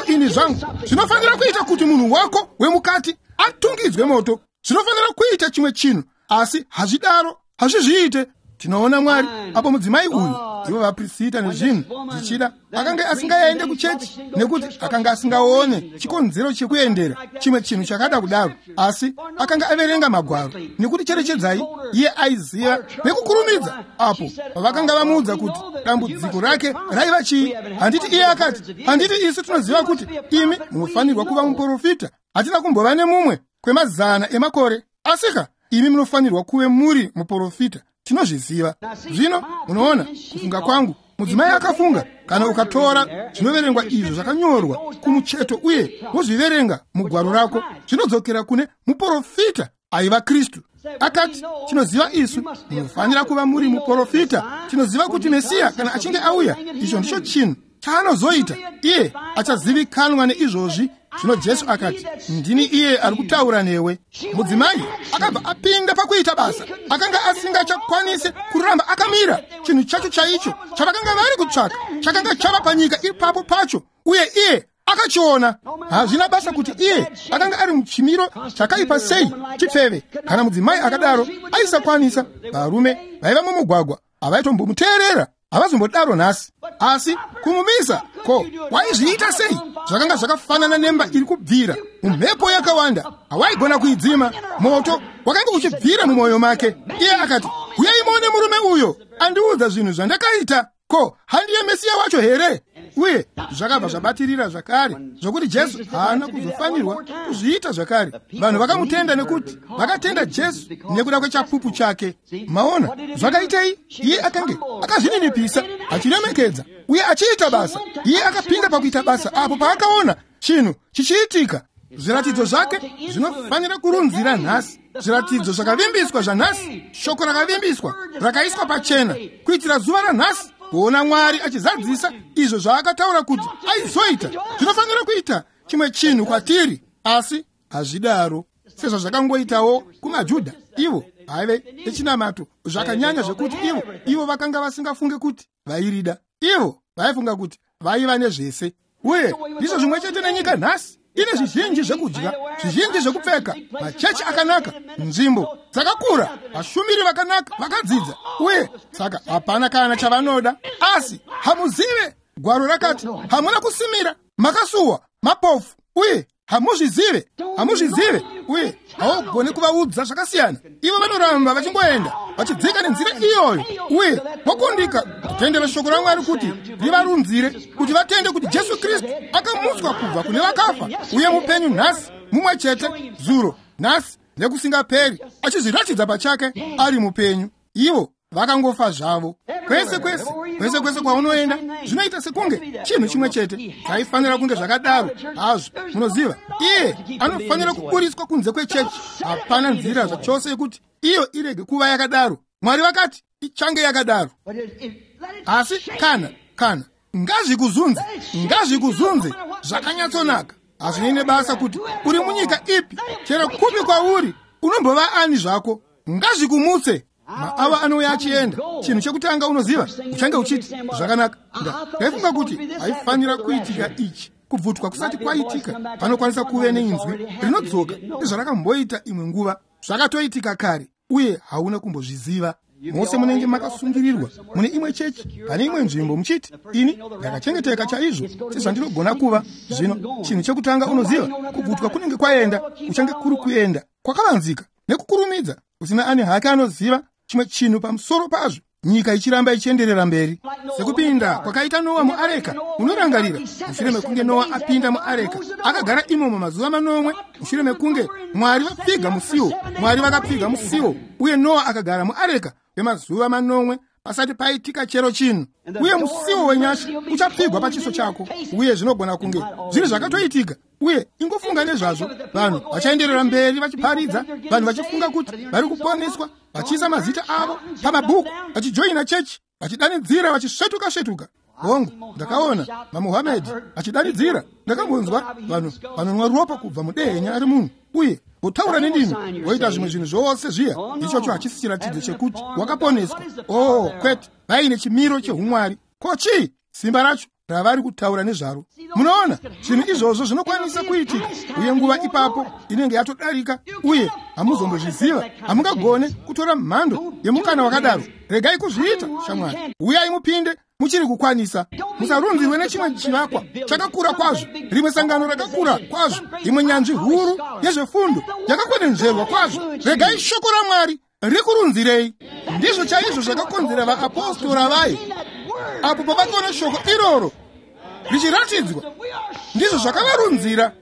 ini zvangu. Zvinofanira kuita kuti munhu wako wemukati atungidzwe moto. Zvinofanira kuita chimwe chinhu, asi hazvidaro, hazvizviite. Tinoona Mwari apo mudzimai uyu, ivo vaprisita nezvinhu zvichida akanga asingaende kuchechi nekuti akanga asingaone chikonzero chekuendera chimwe chinhu chakada kudaro, asi akanga averenga magwaro. Nekuti cherechedzai, iye aiziva nekukurumidza apo pavakanga vamuudza kuti dambudziko rake raiva chii. Handiti iye akati, handiti isu tinoziva kuti imi munofanirwa kuva muprofita, hatina kumbova nemumwe kwemazana emakore, asika imi munofanirwa kuve muri muprofita, tinozviziva. Zvino munoona kufunga kwangu, mudzimai akafunga, kana ukatora zvinoverengwa izvo zvakanyorwa kumucheto uye wozviverenga mugwaro rako, zvinodzokera kune muprofita aiva Kristu. Akati, tinoziva isu munofanira kuva muri muprofita, tinoziva kuti Mesiya kana achinge auya, icho ndicho chinhu chaanozoita, iye achazivikanwa neizvozvi. Zvino Jesu akati, ndini iye ari kutaura newe. Mudzimai akabva apinda pakuita basa, akanga asingachakwanisi kuramba akamira. Chinhu chacho chaicho chavakanga vari kutsvaka chakanga chava panyika ipapo pacho, uye iye akachiona. Hazvina basa kuti iye akanga ari muchimiro chakaipa sei, chipfeve kana mudzimai akadaro aisakwanisa. Varume vaiva mumugwagwa havaitombomutevera, havazombodaro nhasi. Asi kumumisa ko waizviita sei? Zvakanga zvakafanana nemba iri kubvira mumhepo yakawanda, hawaigona kuidzima. Moto wakanga uchibvira mumwoyo make. Iye akati, uyai muone murume uyo andiudza zvinhu zvandakaita. Ko handiye Mesiya wacho here? Uye zvakabva zvabatirira zvakare, zvokuti Jesu haana kuzofanirwa kuzviita zvakare. Vanhu vakamutenda nekuti vakatenda Jesu nekuda kwechapupu chake. Maona zvakaitei? Iye akange akazvininipisa, achiremekedza uye achiita basa. Iye akapinda pakuita basa apo paakaona chinhu chichiitika. Zviratidzo zvake zvinofanira kurunzira nhasi, zviratidzo zvakavimbiswa zvanhasi, shoko rakavimbiswa rakaiswa pachena kuitira zuva ranhasi, kuona Mwari achizadzisa izvo zvaakataura kuti aizoita. Zvinofanira kuita chimwe chinhu kwatiri, asi hazvidaro sezvazvakangoitawo kumaJudha. Ivo haive echinamato zvakanyanya zvekuti ivo vakanga vasingafunge kuti vairida. Ivo vaifunga kuti vaiva nezvese. Uye ndizvo zvimwe chete nenyika nhasi, ine zvizhinji zvekudya, zvizhinji zvekupfeka, machechi akanaka, nzvimbo dzakakura, vashumiri vakanaka vakadzidza, uye saka hapana kana chavanoda. Asi hamuzive, gwaro rakati hamuna kusimira, makasuwa, mapofu, uye hamuzvizive, hamuzvizive, uye haugoni kuvaudza zvakasiyana. Ivo vanoramba vachingoenda vachidzika nenzira iyoyo, uye vokundika kutendera shoko raMwari kuti rivarunzire, kuti vatende kuti Jesu Kristu akamutswa kubva kune vakafa uye mupenyu nhasi, mumwe chete zuro, nhasi nekusingaperi, achizviratidza pachake ari mupenyu. Ivo vakangofa zvavo. Kwese kwese kwese kwese kwaunoenda zvinoita sekunge chinhu chimwe chete. Zvaifanira kunge zvakadaro hazvo. Munoziva, iye anofanira kuburiswa kunze kwechechi. Hapana nzira zvachose yekuti iyo irege kuva yakadaro. Mwari vakati ichange yakadaro. Asi kana ngazvikuzunze, ngazvikuzunze zvakanyatsonaka. Hazvinei nebasa kuti uri munyika ipi, chero kupi kwauri, unombova ani zvako, ngazvikumutse. Maawa anouya achienda, chinhu chekutanga unoziva, uchange uchiti zvakanaka. Ndaifunga kuti haifanira kuitika ichi, kubvutwa kusati kwaitika. Panokwanisa kuve neinzwi rinodzoka sezvarakamboita imwe nguva. Zvakatoitika kare uye hauna kumbozviziva. Mose munenge makasungirirwa mune imwe chechi pane imwe nzvimbo, muchiti ini ndakachengeteka chaizvo sezvandinogona kuva. Zvino chinhu chekutanga unoziva, kubvutwa kunenge kwaenda, kuchange kuri kuenda kwakavanzika nekukurumidza, usina ani hake anoziva chimwe chinhu pamusoro pazvo, nyika ichiramba ichienderera mberi. Sekupinda kwakaita Noa muareka, unorangarira mushure mekunge Noa apinda muareka, akagara imomo mazuva manomwe mushure mekunge Mwari vapfiga musiwo. Mwari vakapfiga musiwo, uye Noa akagara muareka kwemazuva manomwe pasati paitika chero chinhu. Uye musiwo wenyasha uchapfigwa pachiso chako, uye zvinogona kunge zviri zvakatoitika. Uye ingofunga nezvazvo, vanhu vachaenderera mberi vachiparidza, vanhu vachifunga kuti vari kuponeswa, vachiisa mazita avo pamabhuku, vachijoina chechi, vachidanidzira, vachisvetuka svetuka. Hongu, ndakaona maMuhamedi achidanidzira. Ndakambonzwa vanhu vanonwa ropa kubva mudehenya ari munhu, uye votaura nendimi, voita zvimwe zvinhu zvose zviya. Ichocho hachisi chiratidzo chekuti wakaponeswa. Oh, kwete, vaine chimiro chehumwari. Ko chii simba racho? ravari kutaura nezvaro. Munoona, zvinhu izvozvo zvinokwanisa kuitika, uye nguva ipapo inenge yatodarika, uye hamuzombozviziva. Hamungagone kutora mhando yemukana wakadaro. Regai kuzviita, shamwari. Uyai mupinde muchiri kukwanisa. Musarunzirwe nechimwe chivakwa chakakura kwazvo, rimwe sangano rakakura kwazvo, imwe nyanzvi huru yezvefundo yakakwenenzverwa kwazvo. Regai shoko raMwari rikurunzirei. Ndizvo chaizvo zvakakonzera vaapostora vaye apo pavakaona shoko iroro richiratidzwa. Ndizvo zvakavarunzira.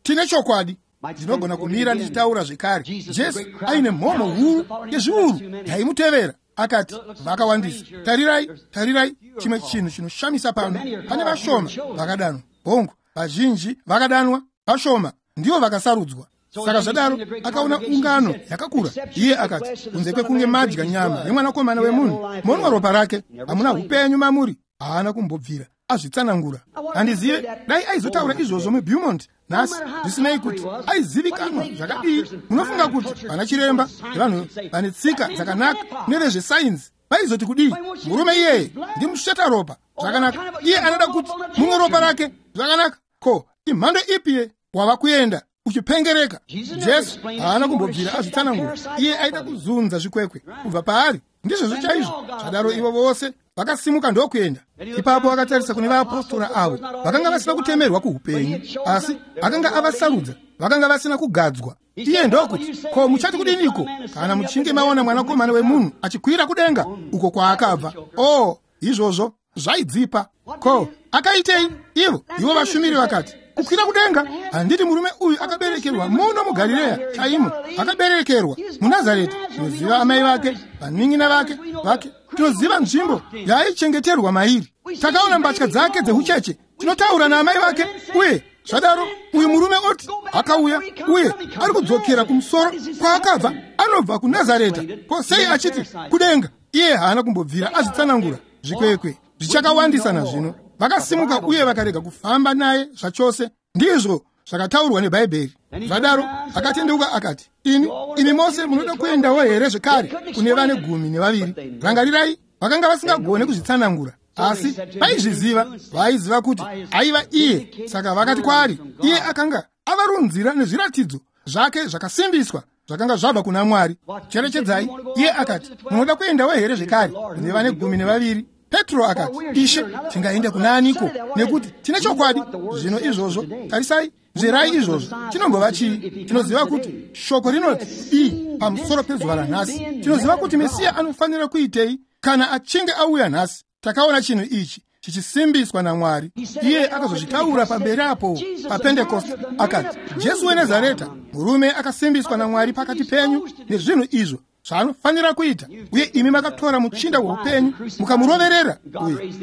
Tine chokwadi. Ndinogona kumira ndichitaura zvekare. Jesu aine mhomho huru yezviuru yaimutevera. Akati, vakawandisa. Tarirai, tarirai, chimwe chinhu chinoshamisa pano. Pane vashoma vakadanwa. Hongu, vazhinji vakadanwa, vashoma ndivo vakasarudzwa. Saka zvadaro akaona ungano yakakura. Iye akati, kunze kwekunge madya nyama yemwanakomana wemunhu, monwa ropa rake, hamuna upenyu mamuri. Haana kumbobvira azvitsanangura. Handizive dai aizotaura izvozvo muBeaumont nhasi, zvisinei kuti aizivikanwa zvakadii. Munofunga kuti vana chiremba nevanhu vane tsika dzakanaka nevezvesainzi vaizoti kudii? Murume iyeye ndimusheta ropa zvakanaka. Iye anoda kuti mumwe ropa rake zvakanaka. Ko imhando ipi wava kuenda uchipengereka? Jesu haana kumbobvira azvitsanangura. Iye aida kuzunza zvikwekwe kubva paari. Ndizvozvo chaizvo. Zvadaro ivo vose vakasimuka ndokuenda. Ipapo akatarisa kune vaapostora avo vakanga vasina kutemerwa kuupenyu, asi akanga avasarudza, vakanga vasina kugadzwa. Iye ndokuti, ko muchati kudiniko kana muchinge maona mwanakomana wemunhu achikwira kudenga uko kwaakabva? Oh, izvozvo zvaidzipa. Ko akaitei? Ivo vashumiri vakati, kukwira kudenga? Handiti murume uyu akaberekerwa muno muGarirea chaimo, akaberekerwa muNazareta. Tinoziva amai vake, vanin'ina vake. Tinoziva nzvimbo yaaichengeterwa mairi. Takaona mbatya dzake dzeucheche. Tinotaura naamai vake. Uye zvadaro uyu murume oti akauya uye ari kudzokera kumusoro kwaakabva, anobva kuNazareta. Ko sei achiti kudenga? Iye haana kumbobvira azvitsanangura. Zvikwekwe zvichakawandisa nazvino. Vakasimuka uye vakarega kufamba naye zvachose. Ndizvo zvakataurwa neBhaibheri. Zvadaro akatendeuka akati, imi mose munoda kuendawo here zvekare kune vane 12? Rangarirai, vakanga vasingagone kuzvitsanangura, asi vaizviziva. Vaiziva kuti aiva iye. Saka vakati kwaari, iye akanga avarunzira nezviratidzo zvake zvakasimbiswa zvakanga zvabva kuna Mwari. Cherechedzai, iye akati, munoda kuendawo here zvekare kune vane 12? Petro akati, Ishe, tingaenda kuna aniko? Nekuti tine chokwadi. Zvino izvozvo, tarisai, nzverai izvozvo. Chinombova chii? Tinoziva kuti shoko rinoti i pamusoro pezuva ranhasi. Tinoziva kuti Mesiya anofanira kuitei kana achinge auya nhasi. Takaona chinhu ichi chichisimbiswa naMwari. Iye akazozvitaura pamberi apo paPentekoste. Akati, Jesu weNazareta, murume akasimbiswa naMwari pakati penyu nezvinhu izvo zvaanofanira kuita, uye imi makatora muchinda weupenyu mukamuroverera,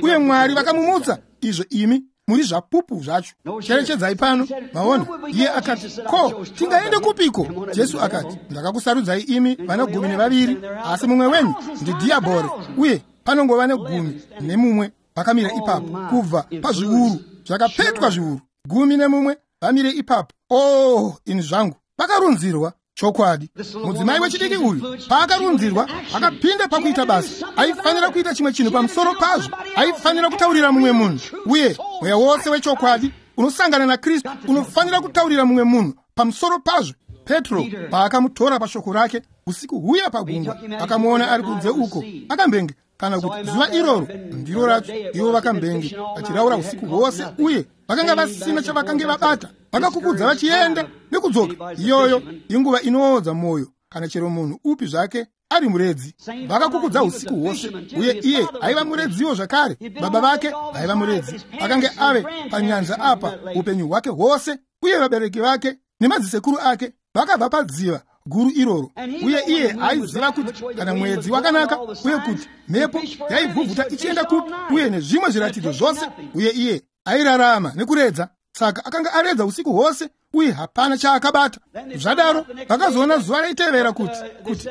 uye Mwari vakamumutsa, izvo imi muri zvapupu zvacho. Cherechedzai pano, maona. Iye akati, ko tingaende kupiko? Jesu akati, ndakakusarudzai imi vana 12, asi mumwe wenyu ndidhiabhori. Uye panongova ne11 vakamira ipapo, kubva pazviuru zvakapetwa zviuru 11 vamire ipapo. Oh, ini zvangu, vakarunzirwa. Chokwadi, mudzimai wechidiki uyu paakarunzirwa akapinda pakuita basa. Aifanira kuita chimwe chinhu pamusoro pazvo. Aifanira kutaurira mumwe munhu. Uye mweya wose wechokwadi unosangana naKristu unofanira kutaurira mumwe munhu pamusoro pazvo. Petro paakamutora pashoko rake usiku huya pagungwa, akamuona ari kunze uko akambenge, kana kuti zuva iroro ndiro racho, ivo vakambenge vachiraura usiku hwose, uye vakanga vasina chavakange vabata. Vakakukudza vachienda nekudzoka. Iyoyo inguva inoodza mwoyo kana chero munhu upi zvake ari muredzi. Vakakukudza usiku hwose, uye iye aiva muredziwo zvakare. Baba vake vaiva muredzi, akange ave panyanza apa upenyu hwake hwose, uye vabereki vake nemadzisekuru ake vakabva padziva guru iroro. Uye iye aiziva kuti kana mwedzi wakanaka, uye kuti mhepo yaivhuvhuta ichienda kupi, uye nezvimwe zviratidzo zvose. Uye iye airarama nekuredza. Saka akanga aredza usiku hwose uye hapana chaakabata. Zvadaro vakazoona zuva raitevera kuti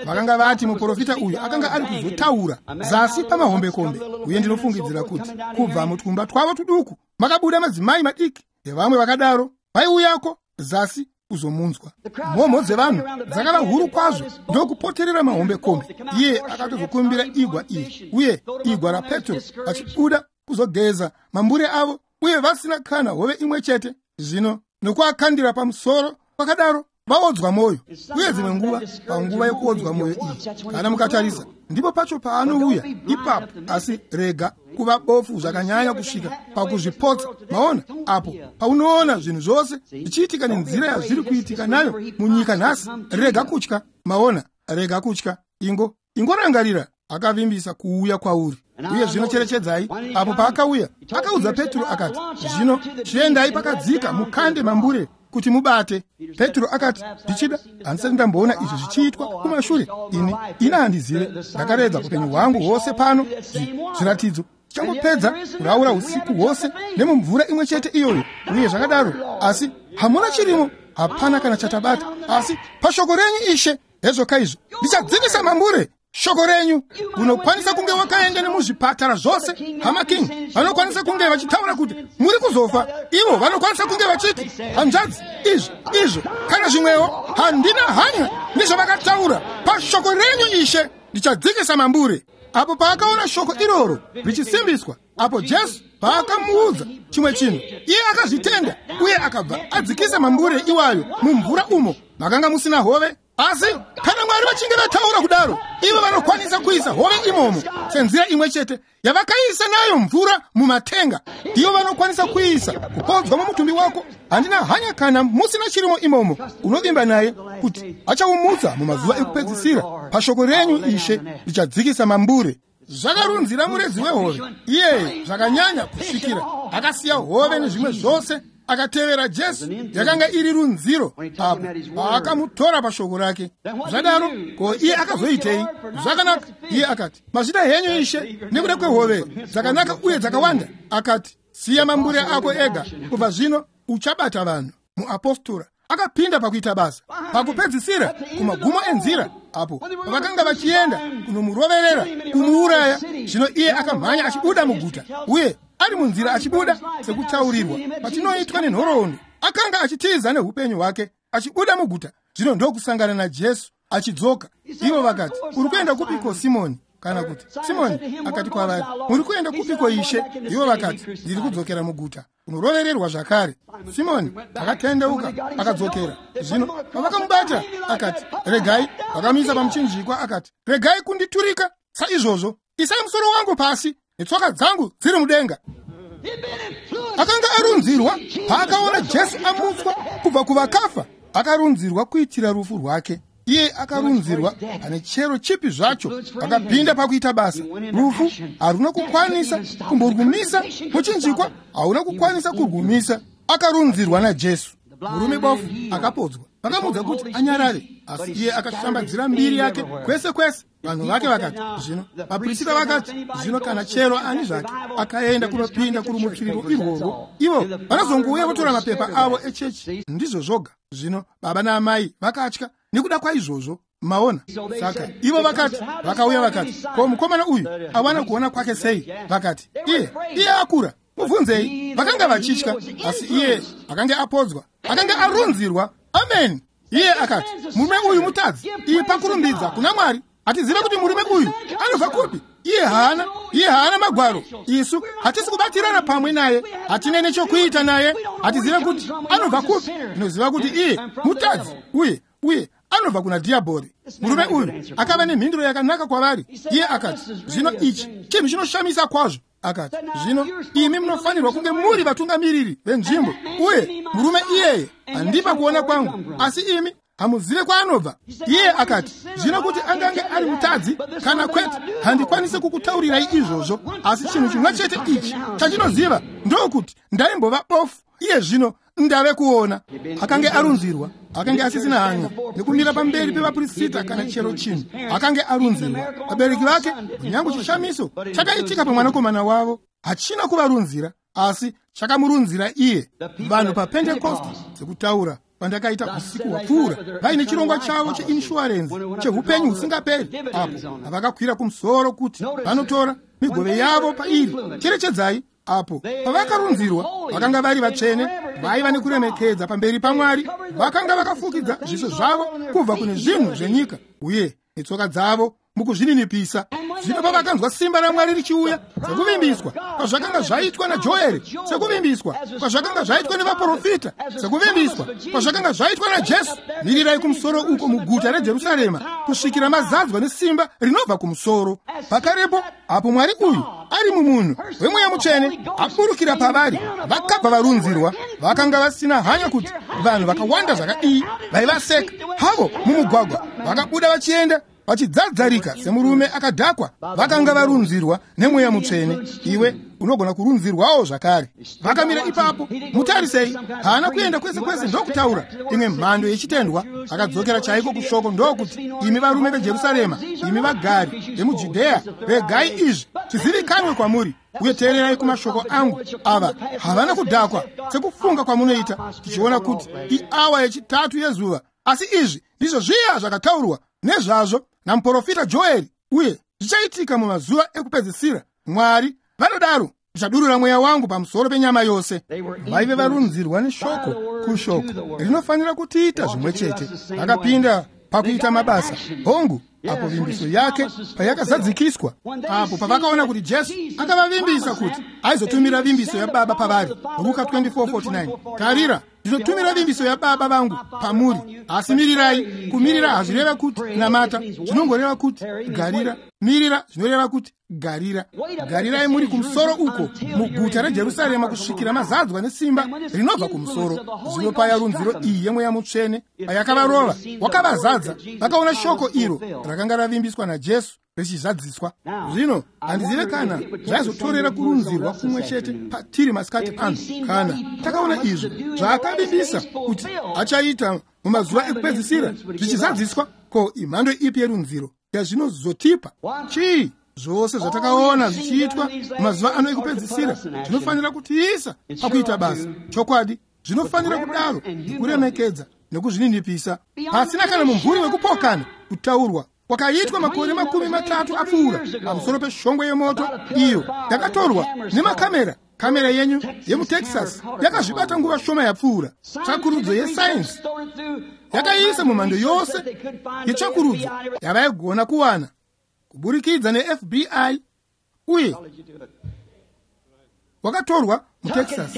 vakanga vati muprofita uyu akanga ari kuzotaura zasi pamahombekombe. Uye ndinofungidzira kuti kubva mutwumba twavo tuduku makabuda madzimai madiki nevamwe vakadaro vaiuyako zasi kuzomunzwa. Mhomho dzevanhu dzakava huru kwazvo ndokupoterera mahombekombe. Iye akatozokumbira igwa iri, uye igwa raPetro vachibuda kuzogeza mambure avo uye vasina kana hove imwe chete, zvino nokuakandira pamusoro pakadaro, vaodzwa mwoyo. Uye dzimwe nguva panguva yekuodzwa mwoyo iyi, kana mukatarisa, ndipo pacho paanouya ipapo. Asi rega kuva bofu zvakanyanya kusvika pakuzvipotsa. Maona, apo paunoona zvinhu zvose zvichiitika nenzira yazviri kuitika nayo munyika nhasi, rega kutya. Maona, rega kutya. Ingorangarira, akavimbisa kuuya kwauri. Uye zvino cherechedzai, apo paakauya, akaudza Petro akati, zvino chiendai pakadzika mukande mambure kuti mubate. Petro akati, ndichida, handisati ndamboona izvi zvichiitwa kumashure. Ini handizive, ndakaredza upenyu hwangu hwose pano, zviratidzo tichangopedza kuraura usiku hwose nemumvura imwe chete iyoyo, uye zvakadaro, asi hamuna chirimo, hapana kana chatabata. Asi pashoko renyu Ishe, hezvoka izvo, ndichadzikisa mambure. Shoko renyu. Unokwanisa kunge wakaenda nemuzvipatara zvose, hama King vanokwanisa kunge vachitaura kuti muri kuzofa. Ivo vanokwanisa kunge vachiti, hanzvadzi, izvi izvo kana zvimwewo. Handina hanya nezvavakataura. Pashoko renyu Ishe, ndichadzikisa mambure. Apo paakaona shoko iroro richisimbiswa, apo Jesu paakamuudza chimwe chinhu, iye akazvitenda uye akabva adzikisa mambure iwayo mumvura umo makanga musina hove. Asi kana Mwari vachinge vataura kudaro, ivo vanokwanisa kuisa hove imomo senzira imwe chete yavakaisa nayo mvura mumatenga. Ivo vanokwanisa kuisa kupodzwa mumutumbi wako. Handina hanya kana musina chirimo imomo, unovimba naye kuti achaumutsa mumazuva ekupedzisira. Pashoko renyu Ishe, ndichadzikisa mambure. Zvakarunzira muredzi wehove iyeye zvakanyanya kusvikira akasiya hove nezvimwe zvose, akatevera Jesu. Yakanga iri runziro apo paakamutora pashoko rake. Zvadaro, ko iye akazoitei? Zvakanaka, iye akati, mazvita henyu Ishe, nekuda kwehove dzakanaka uye dzakawanda. Akati, siya mambure ako ega, kubva zvino uchabata vanhu. Muapostora akapinda pakuita basa. Pakupedzisira, kumagumo enzira, apo pavakanga vachienda kunomuroverera kumuuraya, zvino iye akamhanya achibuda muguta, uye ari munzira achibuda sekutaurirwa patinoitwa nenhoroondo, akanga achitiza neupenyu hwake achibuda muguta, zvino ndokusangana naJesu achidzoka. Ivo vakati, uri kuenda kupiko Simoni? Kana kuti Simoni akati kwavari, muri kuenda kupiko Ishe? Ivo vakati, ndiri kudzokera muguta kunorovererwa zvakare. Simoni akatendeuka akadzokera. Zvino pavakamubata akati, regai. Vakamuisa pamuchinjikwa akati, regai kunditurika saizvozvo, isai musoro wangu pasi netsoka dzangu dziri mudenga. Akanga arunzirwa paakaona Jesu amutswa kubva kuvakafa. Akarunzirwa kuitira rufu rwake. Iye akarunzirwa pane chero chipi zvacho. Akapinda pakuita basa. Rufu haruna kukwanisa kumborwumisa, muchinjikwa hauna kukwanisa kurwumisa. Akarunzirwa naJesu. Murume bofu akapodzwa. Vakamuudza kuti anyarare, asi iye akashambadzira mbiri yake kwese kwese. Vanhu vake vakati, zvino vaprista vakati, zvino kana chero ani zvake akaenda kunopinda kurumutsiriro irworwo, ivo vanozongouya votora mapepa avo echechi. Ndizvo zvoga. Zvino baba naamai vakatya nekuda kwaizvozvo. Maona? Saka ivo vakati, vakauya vakati, ko mukomana uyu awana kuona kwake sei? Vakati, iye akura, mubvunzei. Vakanga vachitya, asi iye akanga apodzwa, akanga arunzirwa. Amen. Iye akati, murume uyu mutadzi, ipa kurumbidza kuna Mwari. Hatizive kuti murume uyu anobva kupi. Iye haana magwaro. Isu hatisi kubatirana pamwe naye, hatine nechokuita naye, hatizive kuti anobva kupi. Tinoziva kuti iye mutadzi uye anobva kuna Dhiabhori. Murume uyu akava nemhinduro yakanaka kwavari. Iye akati, zvino ichi chinhu chinoshamisa kwazvo. Akati, zvino imi munofanirwa kunge muri vatungamiriri venzvimbo, uye murume iyeye handipa kuona kwangu, asi imi hamuzive kwaanobva. Iye akati, zvino kuti angange ari mutadzi kana kwete, handikwanisi kukutaurirai izvozvo, asi chinhu chimwe chete ichi chandinoziva ndokuti ndaimbova bofu, iye zvino ndave kuona. Akange arunzirwa, akange asisina hanya nekumira pamberi pevaprista kana chero chinhu. Akange arunzirwa. Vabereki vake, kunyange chishamiso chakaitika pamwanakomana wavo hachina kuvarunzira, asi chakamurunzira iye. Vanhu paPentekosti, sekutaura pandakaita usiku hwapfuura, vaine chirongwa chavo cheinshuwarenzi cheupenyu husingaperi, apo havakakwira kumusoro kuti vanotora migove yavo pairi. Cherechedzai, apo pavakarunzirwa vakanga vari vatsvene, vaiva nekuremekedza pamberi paMwari, vakanga vakafukidza zviso zvavo kubva kune zvinhu zvenyika uye netsoka dzavo mukuzvininipisa. Zvino pavakanzwa simba raMwari richiuya, sekuvimbiswa kwazvakanga zvaitwa naJoeri, sekuvimbiswa kwazvakanga zvaitwa nevaprofita, sekuvimbiswa kwazvakanga zvaitwa naJesu, mirirai kumusoro uko muguta reJerusarema kusvikira mazadzwa nesimba rinobva kumusoro. Pakarepo apo Mwari uyu ari mumunhu wemweya mutsvene aburukira pavari, vakabva varunzirwa. Vakanga vasina hanya kuti vanhu vakawanda zvakadii vaivaseka havo mumugwagwa, vakabuda vachienda vachidzadzarika semurume akadhakwa. Vakanga varunzirwa nemweya mutsvene. Iwe unogona kurunzirwawo zvakare. Vakamira ipapo, mutarisei, haana kuenda kwese kwese ndokutaura imwe mhando yechitendwa. Akadzokera chaiko kushoko ndokuti, imi varume veJerusarema, imi vagari vemuJudhea, regai izvi zvizivikanwe kwamuri uye teererai kumashoko angu. Ava havana kudhakwa sekufunga kwamunoita, tichiona kuti iawa yechitatu yezuva. Asi izvi ndizvo zviya zvakataurwa nezvazvo namuprofita Joeri, uye zvichaitika mumazuva ekupedzisira, Mwari vanodaro, ndichadurura mweya wangu pamusoro penyama yose. Vaive varunzirwa neshoko kushoko rinofanira kutiita zvimwe chete. Vakapinda pakuita mabasa. Hongu, apo vimbiso yake payakazadzikiswa, apo pavakaona kuti Jesu akavavimbisa kuti aizotumira vimbiso yaBaba pavari, Ruka 24:49, tarira, ndinotumira vimbiso yaBaba vangu pamuri, asi mirirai. Kumirira hazvireva kuti namata, zvinongoreva kuti garira. Mirira zvinoreva kuti garira. Garirai muri kumusoro uko muguta reJerusarema kusvikira mazadzwa nesimba rinobva kumusoro. Zvino paya runziro iyi yemweya mutsvene payakavarova, wakavazadza, vakaona shoko iro rakanga ravimbiswa naJesu richizadziswa. Zvino handizive kana zvaizotorera kurunzirwa kumwe chete patiri masikati ano, kana takaona izvo zvaakavimbisa kuti achaita mumazuva ekupedzisira zvichizadziswa. Ko imhando ipi yerunziro yazvinozotipa? Chii? Zvose zvatakaona zvichiitwa mumazuva ano ekupedzisira zvinofanira kutiisa pakuita basa. Chokwadi, zvinofanira kudaro, nekuremekedza nekuzvininipisa, pasina kana mumvuri wekupokana kutaurwa kwakaitwa makore 30 apfuura pamusoro peshongwe yemoto iyo yakatorwa nemakamera. Kamera yenyu yemuTexas yakazvibata nguva shoma yapfuura. Tsvakurudzo yesainzi yakaisa mumhando yose yetsvakurudzo yavaigona kuwana kuburikidza neFBI, uye wakatorwa muTexas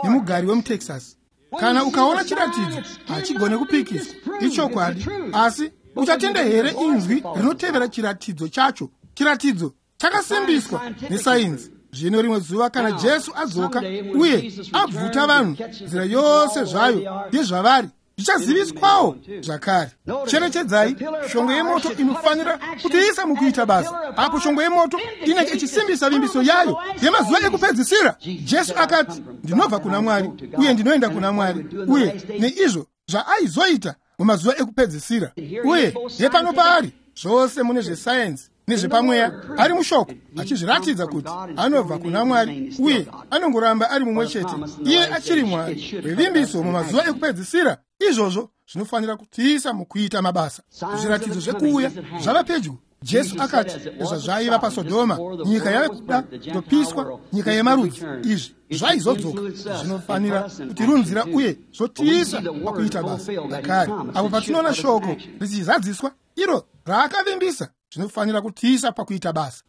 nemugari wemuTexas. Kana ukaona chiratidzo hachigone kupikiswa, ichokwadi. Asi uchatenda here inzwi rinotevera chiratidzo chacho? Chiratidzo chakasimbiswa nesainzi. Zvino rimwe zuva kana Jesu adzoka uye abvuta vanhu nzira yose zvayo yezvavari, zvichaziviswawo zvakare. Cherechedzai, shongwe yemoto inofanira kutiisa mukuita basa. Apo shongwe yemoto inenge ichisimbisa vimbiso yayo yemazuva ekupedzisira, Jesu akati, ndinobva kuna Mwari uye ndinoenda kuna Mwari, uye neizvo zvaaizoita mumazuva ekupedzisira. Uye yepano paari zvose mune zvesayenzi nezvepamweya ari mushoko, achizviratidza kuti anobva kuna Mwari uye anongoramba ari mumwe chete. Iye achiri Mwari wevimbiso mumazuva ekupedzisira. Izvozvo zvinofanira kutiisa mukuita mabasa. Zviratidzo zvekuuya zvava pedyo. Jesu akati zvazvaiva paSodhoma, nyika yave kuda kutopiswa, nyika yemarudzi. Izvi zvaizodzoka. Zvinofanira kutirunzira uye zvotiisa pakuita basa zvakare. Apo patinoona shoko richizadziswa iro raakavimbisa, zvinofanira kutiisa pakuita basa.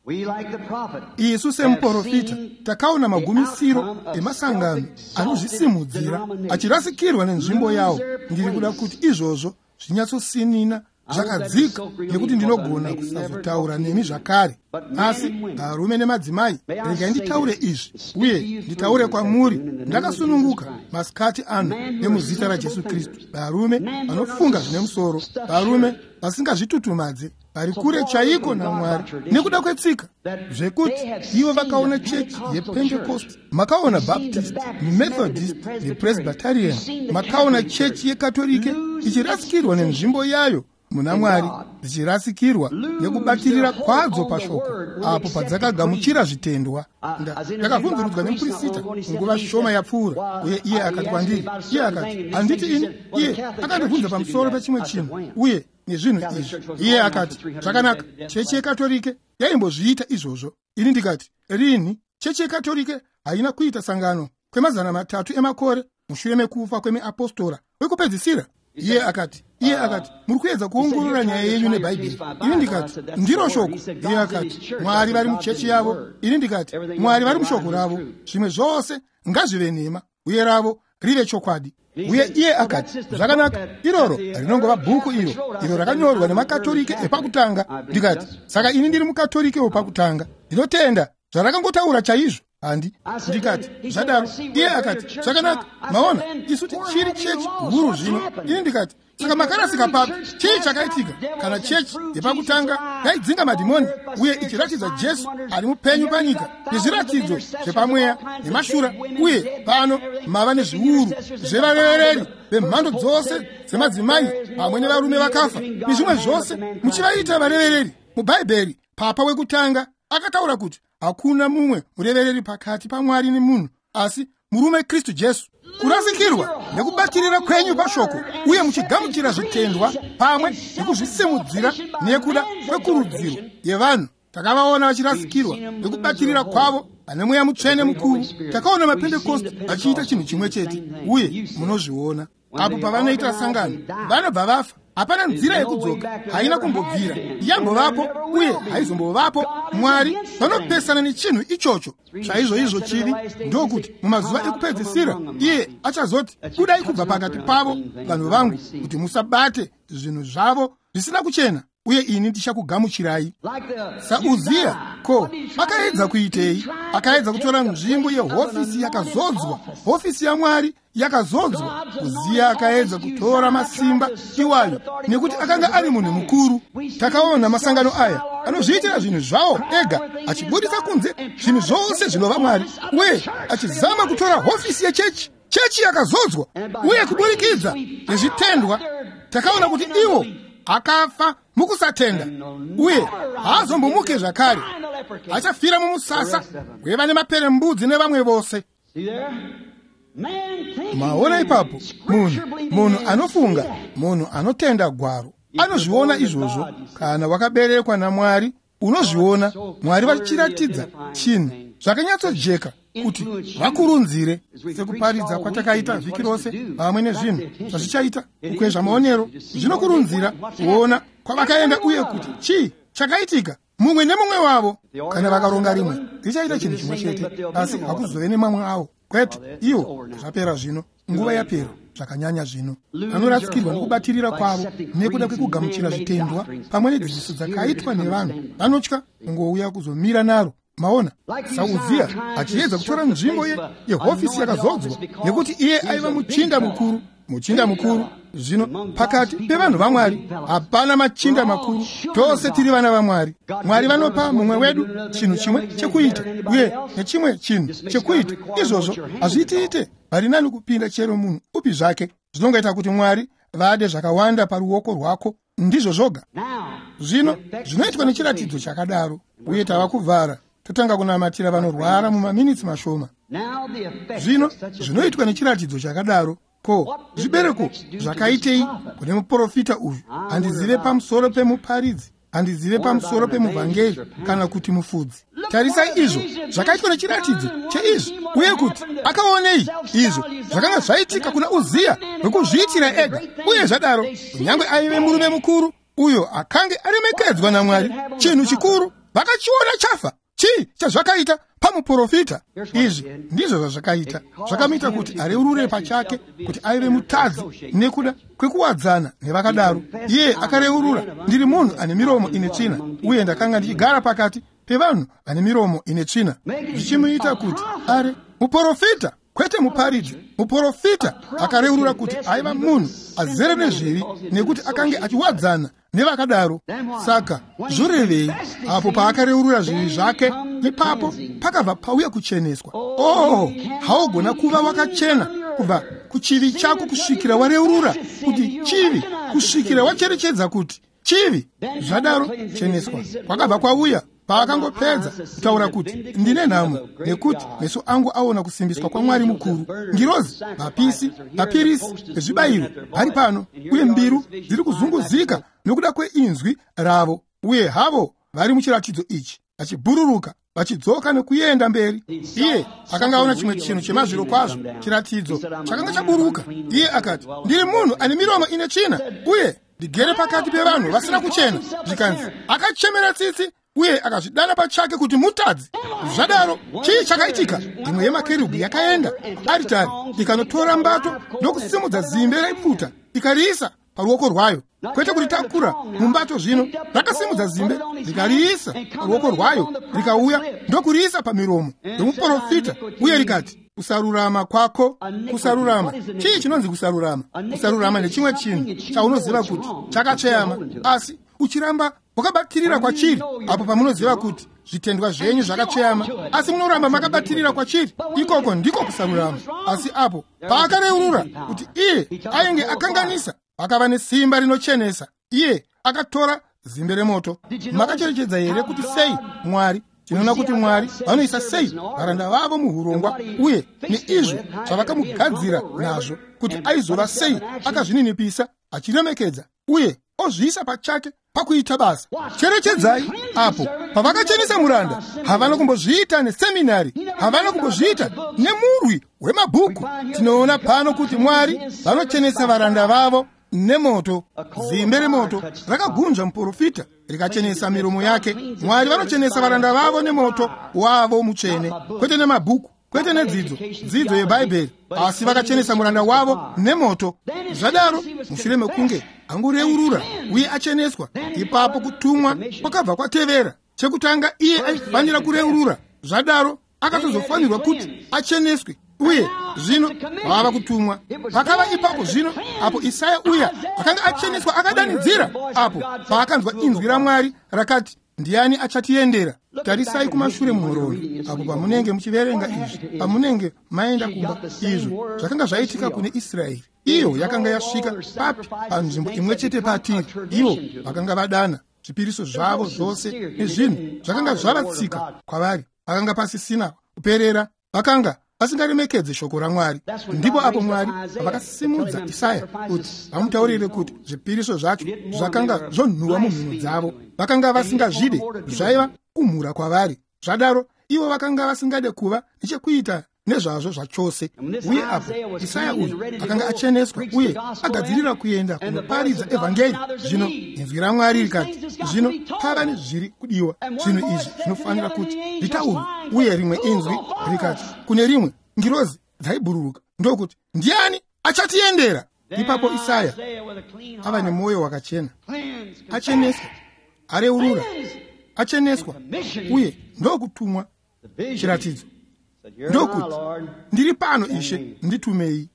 Isu semuprofita takaona magumisiro emasangano anozvisimudzira achirasikirwa nenzvimbo yawo. Ndiri kuda kuti izvozvo zvinyatsosinina zvakadzika, nekuti ndinogona kusazotaura nemi zvakare. Asi varume nemadzimai, regai nditaure izvi uye nditaure kwamuri ndakasununguka masikati ano nemuzita raJesu Kristu. Varume vanofunga zvine musoro, varume vasingazvitutumadze, vari kure chaiko naMwari nekuda kwetsika, zvekuti ivo vakaona chechi yePentecost, makaona Baptist, Methodist nePresbyterian, makaona chechi yeKatorike ichirasikirwa nenzvimbo yayo muna Mwari, dzichirasikirwa nekubatirira kwadzo pashoko apo padzakagamuchira zvitendwa. Ndakabvunzurudzwa nemupurisita nguva shoma yapfuura, uye iye akati kwandiri, iye akati, handiti ini, iye akandibvunza pamusoro pechimwe chinhu uye nezvinhu izvi. Iye akati, zvakanaka, chechi yeKatorike yaimbozviita izvozvo. Ini ndikati, rini? Chechi yeKatorike haina kuita sangano kwemazana 3 emakore mushure mekufa kwemiapostora wekupedzisira. Iye akati, muri kuedza kuongorora nyaya yenyu neBhaibheri. Ini ndikati, ndiro shoko. Iye akati, Mwari vari muchechi yavo. Ini ndikati, Mwari vari mushoko ravo. Zvimwe zvose ngazvive nhema, uye ravo rive chokwadi. Uye iye akati, zvakanaka, iroro rinongova bhuku iro rakanyorwa nemakatorike epakutanga. Ndikati, saka ini ndiri mukatorike wepakutanga. Ndinotenda zvarakangotaura chaizvo. Handi. Ndikati, zvadaro. Iye akati, zvakanaka, maona, isu tichiri chechi huru zvino. Ini ndikati, saka makarasika papi? Chii chakaitika? Kana chechi yepakutanga yaidzinga madhimoni uye ichiratidza Jesu ari mupenyu panyika nezviratidzo zvepamweya nemashura, uye pano mava nezviuru zvevarevereri vemhando dzose dzemadzimai pamwe nevarume vakafa nezvimwe zvose, muchivaita varevereri. MuBhaibheri, Papa wekutanga akataura kuti hakuna mumwe murevereri pakati paMwari nemunhu asi murume Kristu Jesu. Kurasikirwa nekubatirira kwenyu pashoko uye muchigamuchira zvitendwa pamwe nekuzvisimudzira nekuda kwekurudziro yevanhu. Takavaona vachirasikirwa nekubatirira kwavo vane mweya mutsvene mukuru. Takaona maPentekosti vachiita chinhu chimwe chete, uye munozviona apo pavanoita sangano vanobva vafa. Hapana nzira yekudzoka, haina kumbobvira yambovapo uye haizombovapo. Mwari vanopesana nechinhu ichocho. Chaizvo izvo chivi ndokuti mumazuva ekupedzisira iye achazoti, budai kubva pakati pavo vanhu vangu, kuti musabate zvinhu zvavo zvisina kuchena, uye ini ndichakugamuchirai. SaUziya, ko akaedza kuitei? Akaedza kutora nzvimbo yehofisi yakazodzwa, hofisi yaMwari yakazodzwa. Uziya akaedza kutora masimba iwayo nekuti akanga ari munhu mukuru. Takaona masangano aya anozviitira zvinhu zvawo ega, achibudisa kunze zvinhu zvose zvinova Mwari, uye achizama kutora hofisi yechechi, chechi yakazodzwa. Uye kuburikidza nezvitendwa takaona kuti ivo akafa mukusatenda, uye haazombomuke zvakare. Achafira mumusasa weva nemaperembudzi nevamwe vose. Maona ipapo, munhu anofunga, munhu anotenda gwaro anozviona izvozvo. Kana wakaberekwa naMwari unozviona Mwari vachiratidza chinhu zvakanyatsojeka kuti vakurunzire. Sekuparidza kwatakaita vhiki rose pamwe nezvinhu zvazvichaita kukwezva maonero, zvinokurunzira kuona kwavakaenda uye kuti chii chakaitika mumwe nemumwe wavo. Kana vakaronga rimwe richaita chinhu chimwe chete, asi hakuzove nemamwe avo. Kwete, iwo zvapera zvino, nguva yapera zvakanyanya zvino. Vanorasikirwa nekubatirira kwavo nekuda kwekugamuchira zvitendwa pamwe nedzidziso dzakaitwa nevanhu. Vanotya kungouya kuzomira naro. Maona, saUziya achiedza kutora nzvimbo yehofisi yakazodzwa nekuti iye aiva muchinda mukuru. Muchinda mukuru zvino pakati pevanhu vaMwari hapana machinda makuru, tose tiri vana vaMwari. Mwari vanopa mumwe wedu chinhu chimwe chekuita uye nechimwe chinhu chekuita. Izvozvo hazviitiite vari nani kupinda chero munhu upi zvake. Zvinongoita kuti Mwari vade zvakawanda paruoko rwako, ndizvo zvoga. Zvino zvinoitwa nechiratidzo chakadaro. Uye tava kuvhara, totanga kunamatira vanorwara mumaminitsi mashoma. Zvino zvinoitwa nechiratidzo chakadaro. Ko zvibereko zvakaitei kune muprofita uyu? Handizive pamusoro pemuparidzi, handizive pamusoro pemuvhangeri kana kuti mufudzi. Tarisai izvo zvakaitwa nechiratidzo cheizvi, uye kuti akaonei izvo zvakanga zvaitika kuna Uziya wekuzviitira ega. Uye zvadaro, kunyange aive murume mukuru uyo akange aremekedzwa naMwari, chinhu chikuru vakachiona chafa. Chii chazvakaita pamuprofita? Izvi ndizvo zvazvakaita. Zvakamuita kuti areurure pachake kuti aive mutadzi nekuda kwekuwadzana nevakadaro. Iye akareurura, ndiri munhu ane miromo ine tsvina, uye ndakanga ndichigara pakati pevanhu vane miromo ine tsvina. Zvichimuita kuti are muprofita, kwete muparidzi. Muprofita akareurura kuti aiva munhu azere nezvivi nekuti akange achiwadzana nevakadaro. Saka zvorevei apo paakareurura zvivi zvake? Ipapo pakabva pauya kucheneswa. Oh, haugona kuva wakachena kubva kuchivi chako kusvikira wareurura kuti chivi, kusvikira wacherechedza kuti chivi. Zvadaro cheneswa kwakabva kwauya paakangopedza kutaura kuti ndine nhamo nekuti meso angu aona kusimbiswa kwaMwari mukuru. Ngirozi, vapisi, vapirisi vezvibayiro vari pano, uye mbiru dziri kuzunguzika nokuda kweinzwi ravo, uye havo vari muchiratidzo ichi vachibhururuka. vachidzoka nekuenda mberi. Iye akanga aona chimwe chinhu chemazviro kwazvo, chiratidzo chakanga chaburuka. Iye akati, ndiri munhu ane miromo ine tsvina, uye ndigere pakati pevanhu vasina kuchena. Zvikanzi akachemera tsitsi uye akazvidana pachake kuti mutadzi. Zvadaro chii chakaitika? Imwe yemakerubhi yakaenda kuaritari ikanotora mbato ndokusimudza zimbe raipfuta ikariisa paruoko rwayo, kwete kuritakura mumbato. Zvino rakasimudza zimbe rikariisa paruoko rwayo, rikauya ndokuriisa pamiromo yomuprofita, uye rikati, kusarurama kwako. Kusarurama, chii chinonzi kusarurama? Kusarurama ndechimwe chinhu chaunoziva kuti chakatsveyama, asi uchiramba wakabatirira kwachiri. Apo pamunoziva kuti zvitendwa zvenyu zvakatsveyama, asi munoramba makabatirira kwachiri, ikoko ndiko kusarurama. Asi apo paakareurura kuti iye ainge akanganisa, akava nesimba rinochenesa. Iye akatora zimbe remoto. Makacherechedza here kuti sei Mwari, tinoona kuti Mwari vanoisa sei varanda vavo muhurongwa, uye neizvo zvavakamugadzira nazvo, kuti aizova sei akazvininipisa, achiremekedza uye ozviisa pachake pakuita basa. Cherechedzai, apo pavakachenesa muranda, havana kumbozviita neseminari, havana kumbozviita nemurwi wemabhuku. Tinoona pano kuti Mwari vanochenesa varanda vavo nemoto. Zimbe remoto rakagunzva muprofita rikachenesa miromo yake. Mwari vanochenesa varanda vavo nemoto wavo mutsvene, kwete nemabhuku, kwete nedzidzo dzidzo yebhaibheri, asi vakachenesa muranda wavo nemoto. Zvadaro mushure mekunge angoreurura uye acheneswa, ipapo kutumwa kwakabva kwatevera. Chekutanga iye aifanira kureurura, zvadaro akatozofanirwa kuti acheneswe, uye zvino vava kutumwa. Pakava ipapo zvino apo Isaya uya akanga acheneswa akadanidzira apo paakanzwa inzwi raMwari rakati, ndiani achatiendera? Tarisai kumashure munhoroondo apo pamunenge muchiverenga izvi, pamunenge maenda kumba. Izvo zvakanga zvaitika kune Israeri. Iyo yakanga yasvika papi? Panzvimbo imwe chete patiri. Ivo vakanga vadana zvipiriso zvavo zvose nezvinhu zvakanga zvava tsika kwavari. Vakanga pasisina kuperera, vakanga vasingaremekedze shoko raMwari. Ndipo apo Mwari vakasimudza Isaya kuti vamutaurire kuti zvipiriso zvacho zvakanga zvonhuwa mumhino dzavo. Vakanga vasingazvide, zvaiva kumhura kwavari. Zvadaro ivo vakanga vasingade kuva nechekuita nezvazvo zvachose. Uye apo Isaya uyu akanga acheneswa uye agadzirira kuenda kunoparidza evhangeri, zvino inzwi raMwari rikati, zvino pava nezviri kudiwa, zvinhu izvi zvinofanira kuti zvitaurwe. Uye rimwe inzwi rikati kune rimwe, ngirozi dzaibhururuka ndokuti, ndiani achatiendera? Ipapo Isaya ava nemwoyo wakachena, acheneswa, areurura, acheneswa, uye ndokutumwa chiratidzo ndokuti, ndiri pano Ishe, nditumei,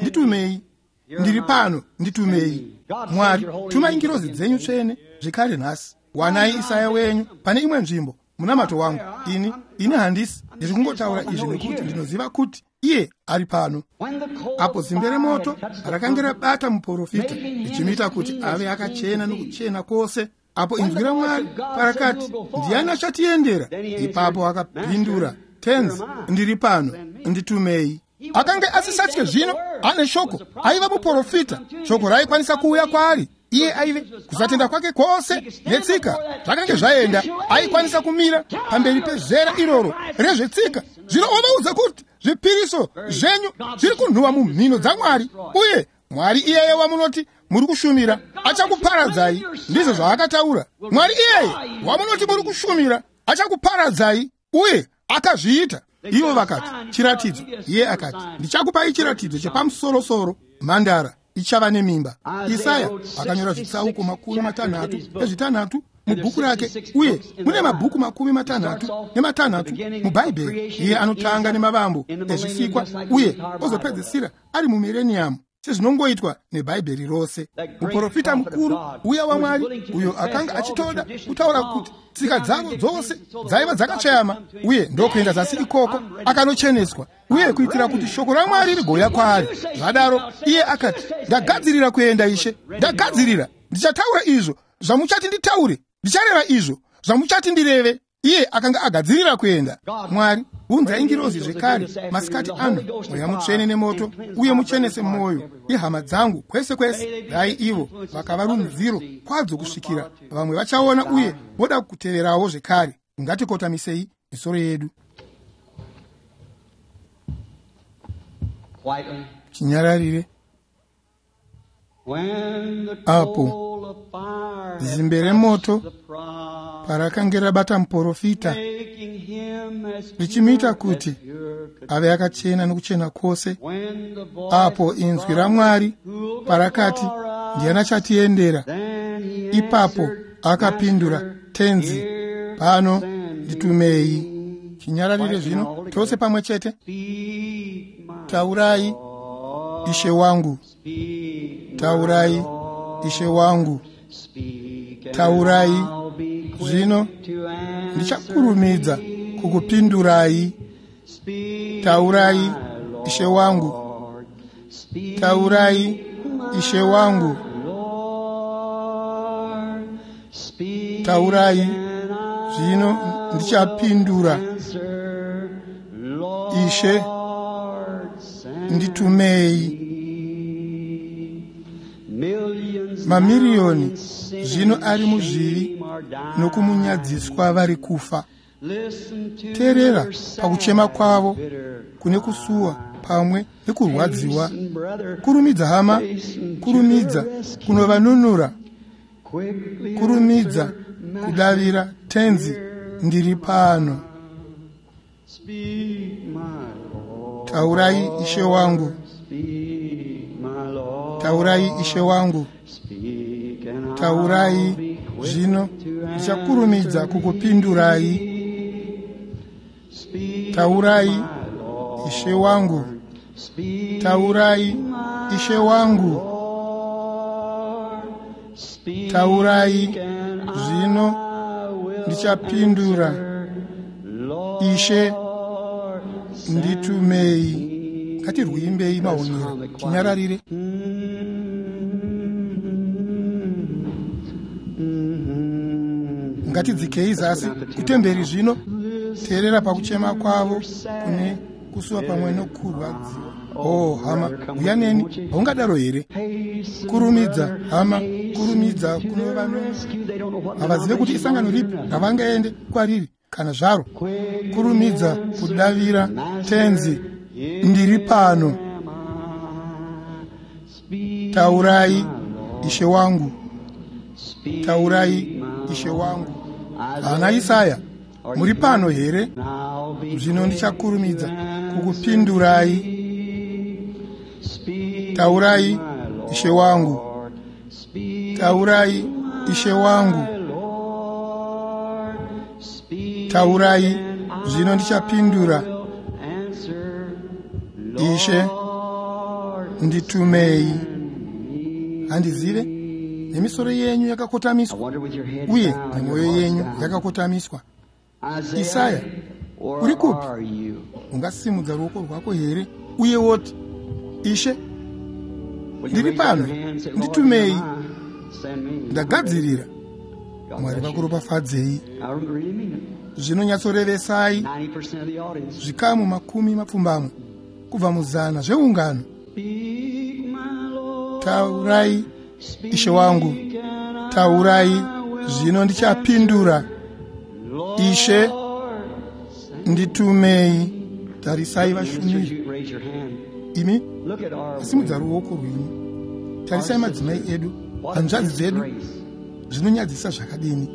nditumei, ndiri pano, nditumei. Mwari, tumai ngirozi dzenyu tsvene zvekare nhasi. Wanai Isaya wenyu pane imwe nzvimbo. Munamato wangu, ini handisi, ndiri kungotaura izvi nekuti ndinoziva kuti iye ari pano. Apo zimbe remoto rakanga rabata muprofita, richimuita kuti ave akachena nokuchena kwose, apo inzwi raMwari parakati, ndiani achatiendera? Ipapo akapindura, Tenzi, ndiri pano, nditumei. Akanga asisatye zvino, ane shoko. Aiva muprofita, shoko raikwanisa kuuya kwaari. Iye aive kusatenda kwake kwose netsika zvakange zvaenda. Aikwanisa kumira pamberi pezera iroro rezvetsika, zvino ovaudza kuti zvipiriso zvenyu zviri kunhuwa mumhino dzaMwari, uye Mwari iyeye wamunoti muri kushumira achakuparadzai. Ndizvo zvaakataura. Mwari iyeye wamunoti muri kushumira achakuparadzai, uye akazviita. Ivo vakati, chiratidzo. Iye akati, ndichakupai chiratidzo chepamusorosoro, mhandara ichava nemimba. Isaya akanyora zvitsauko 36 mubhuku rake, uye mune mabhuku 36 muBhaibheri. Iye anotanga nemavambo ezvisikwa uye ozopedzisira ari mumireniyamu, sezvinongoitwa neBhaibheri rose. Muprofita mukuru uya waMwari, uyo akanga achitoda kutaura kuti tsika dzavo dzose dzaiva dzakatsveyama, uye ndokuenda zasi ikoko akanocheneswa, uye kuitira kuti shoko raMwari rigouya kwaari. Zvadaro iye akati, ndagadzirira kuenda Ishe, ndagadzirira. Ndichataura izvo zvamuchati nditaure, ndichareva izvo zvamuchati ndireve. Iye akanga agadzirira kuenda. Mwari, unzai ngirozi zvekare masikati ano, Mweya Mutsvene nemoto, uye muchenese mwoyo yehama dzangu kwese kwese. Dai ivo vakava runziro kwadzo kusvikira vamwe vachaona uye voda kuteverawo zvekare. Ngatikotamisei Misoro yedu. Chinyararire. Apo zimbe remoto parakange rabata muprofita, richimuita kuti ave akachena nokuchena kwose, apo inzwi raMwari parakati, ndiani achatiendera? Ipapo akapindura, Tenzi, pano nditumei. Chinyararire zvino, tose pamwe chete. Taurai, Ishe wangu. Taurai, Ishe wangu. Taurai, zvino ndichakurumidza kukupindurai. Taurai, Ishe wangu. Taurai, Ishe wangu. Taurai, zvino ndichapindura. Ishe, nditumei. Mamiriyoni zvino ari muzvivi nokumunyadziswa vari kufa. Teerera pakuchema kwavo kune kusuwa pamwe nekurwadziwa. Kurumidza hama, kurumidza kunovanunura. Kurumidza kudavira, Tenzi, ndiri pano. Taurai, Ishe wangu. Taurai, Ishe wangu. Taurai, zvino ndichakurumidza kukupindurai. Taurai, Ishe wangu. Taurai, Ishe wangu. Taurai, zvino ndichapindura. Ishe, nditumei. Ngatirwiimbei maonero, chinyararire. Ngatidzikei zasi kutemberi zvino. Teerera pakuchema kwavo kune kusuwa pamwe nokurwadziwa. Oh hama, uya neni, haungadaro here? Kurumidza hama, kurumidza kunovanunura. Havazive kuti isangano ripi ravangaende kwariri kana zvaro. Kurumidza kudavira, Tenzi, ndiri pano. Taurai, Ishe wangu. Taurai, Ishe wangu. Ana Isaya, muri pano here? Zvino ndichakurumidza kukupindurai. Taurai, Ishe wangu. Taurai, Ishe wangu. Taurai, zvino ndichapindura. Ishe, nditumei. Handizive, nemisoro yenyu yakakotamiswa uye nemwoyo yenyu yakakotamiswa. Isaya, uri kupi? Ungasimudza ruoko rwako here uye woti, Ishe, ndiri pano, nditumei. Ndagadzirira. Mwari vakuropafadzei. Zvinonyatsorevesai zvikamu 80 kubva muzana zveungano. Taurai, Ishe wangu. Taurai, zvino ndichapindura. Ishe, nditumei. Tarisai vashumiri. Imi, simudza ruoko rwenyu. Tarisai madzimai edu, hanzvadzi dzedu, zvinonyadzisa zvakadini.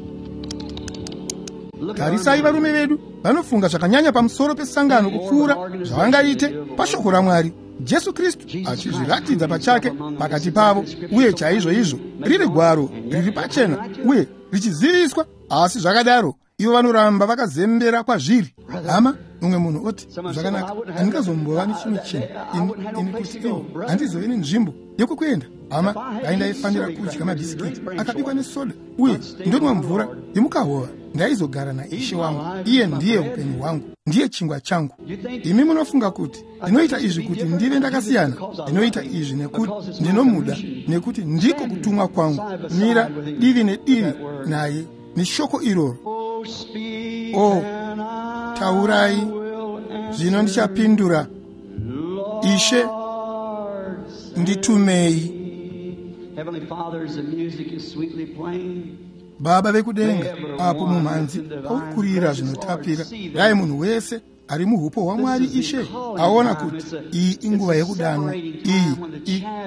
Tarisai varume vedu, vanofunga zvakanyanya pamusoro pesangano kupfuura zvavangaite pashoko raMwari. Jesu Kristu achizviratidza pachake pakati pavo, uye chaizvo izvo riri gwaro riri pachena uye richiziviswa. Asi zvakadaro ivo vanoramba vakazembera kwazviri. Hama, mumwe munhu oti, zvakanaka, handingazombova nechimwe chinhu ini kuti ivo handizove nenzvimbo yekukuenda. Hama, dai ndaifanira kudya mabhisikiti akabikwa nesoda uye ndonwa mvura yemukahova, ndaizogara naIshe wangu. Iye ndiye upenyu hwangu, ndiye chingwa changu. Imi munofunga kuti ndinoita izvi kuti ndive ndakasiyana? Ndinoita izvi nekuti ndinomuda, nekuti ndiko kutumwa kwangu. Mira divi nedivi naye neshoko iroro. Oh, taurai, zvino ndichapindura. Ishe, nditumei. Heavenly Father, as the music is sweetly playing, Baba vekudenga, apo mumhanzi pauri kurira zvinotapira, dai munhu wese ari muhupo hwaMwari Ishe aona kuti iyi inguva yekudanwa,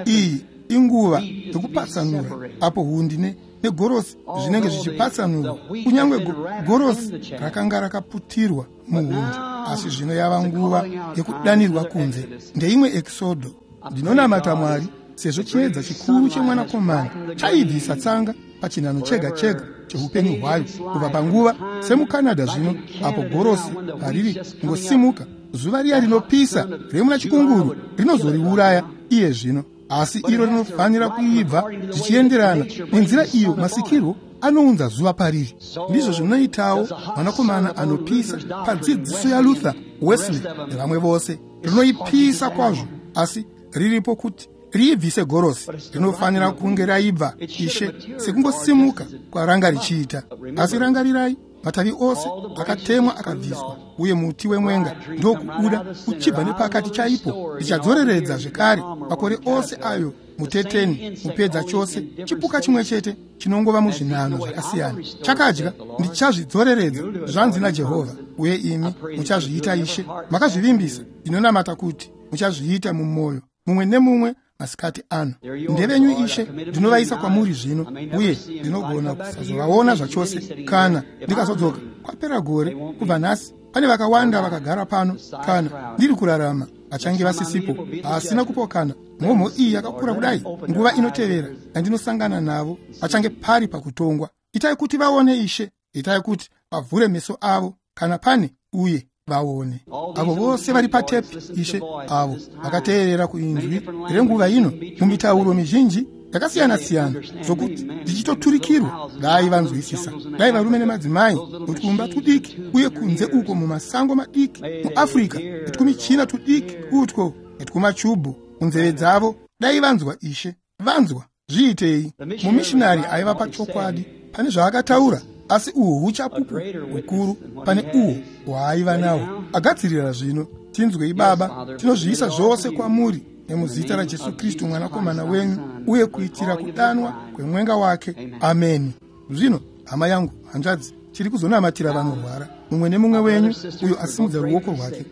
iyi inguva yekupatsanura, apo hundi negorosi zvinenge zvichipatsanurwa. Kunyange gorosi rakanga rakaputirwa muhundi, asi zvino yava nguva yekudanirwa kunze. Ndeimwe ekisodho. Ndinonamata Mwari, sezvo chiedza chikuru chemwanakomana chaibvisa tsanga pachinhano chega chega cheupenyu hwayo kubva panguva semuCanada zvino, apo gorosi pariri ngosimuka, zuva riya rinopisa remuna chikunguru rinozoriuraya iye zvino, asi iro rinofanira kuibva zvichienderana nenzira iyo masikirwo anounza zuva pariri. Ndizvo zvinoitawo mwanakomana anopisa padzidziso yaLuther, Wesley nevamwe vose. Rinoipisa kwazvo, asi riripo kuti riibvise gorosi. Rinofanira kunge raibva, Ishe, sekungosimuka kwaranga richiita. Asi rangarirai, matavi ose akatemwa akabviswa, uye muti wemwenga ndokubuda uchibva nepakati chaipo. Ndichadzoreredza zvekare makore ose ayo muteteni mupedza chose, chipuka chimwe chete chinongova muzvinhano zvakasiyana chakadya. Ndichazvidzoreredza, zvanzi naJehovha, uye imi muchazviita, Ishe. Makazvivimbisa. Ndinonamata kuti muchazviita mumwoyo mumwe nemumwe masikati ano. Ndevenyu, Ishe, ndinovaisa kwamuri zvino, uye ndinogona kusazovaona zvachose kana ndikazodzoka kwapera gore kubva nhasi. Pane vakawanda vakagara pano, kana ndiri kurarama, vachange vasisipo, vasina kupokana. Mhomho iyi yakakura kudai, nguva inotevera yandinosangana navo vachange pari pakutongwa. Itai kuti vaone, Ishe, itai kuti vavhure meso avo kana pane, uye vaone. Avo vose vari patepi, Ishe, avo vakateerera kuinzwi renguva ino mumitauro mizhinji yakasiyana-siyana, zvokuti ndichitoturikirwa, dai vanzwisisa. Dai varume nemadzimai mutwumba tudiki uye kunze uko mumasango madiki muAfrica, netwumichina tudiki utwo netwumachubhu munzeve dzavo, dai vanzwa, Ishe, vanzwa. Zviitei. Mumishinari aiva pachokwadi pane zvaakataura, asi uhu huchapupu hukuru pane uhwo hwaaiva nahwo agadzirira zvino. Tinzwei, Baba, tinozviisa zvose kwamuri nemuzita raJesu Kristu, mwanakomana wenyu, uye kuitira kudanwa kwemwenga wake. Ameni. Zvino, hama yangu, hanzvadzi, tiri kuzonamatira vanorwara. Mumwe nemumwe wenyu uyo asimudza ruoko rwake,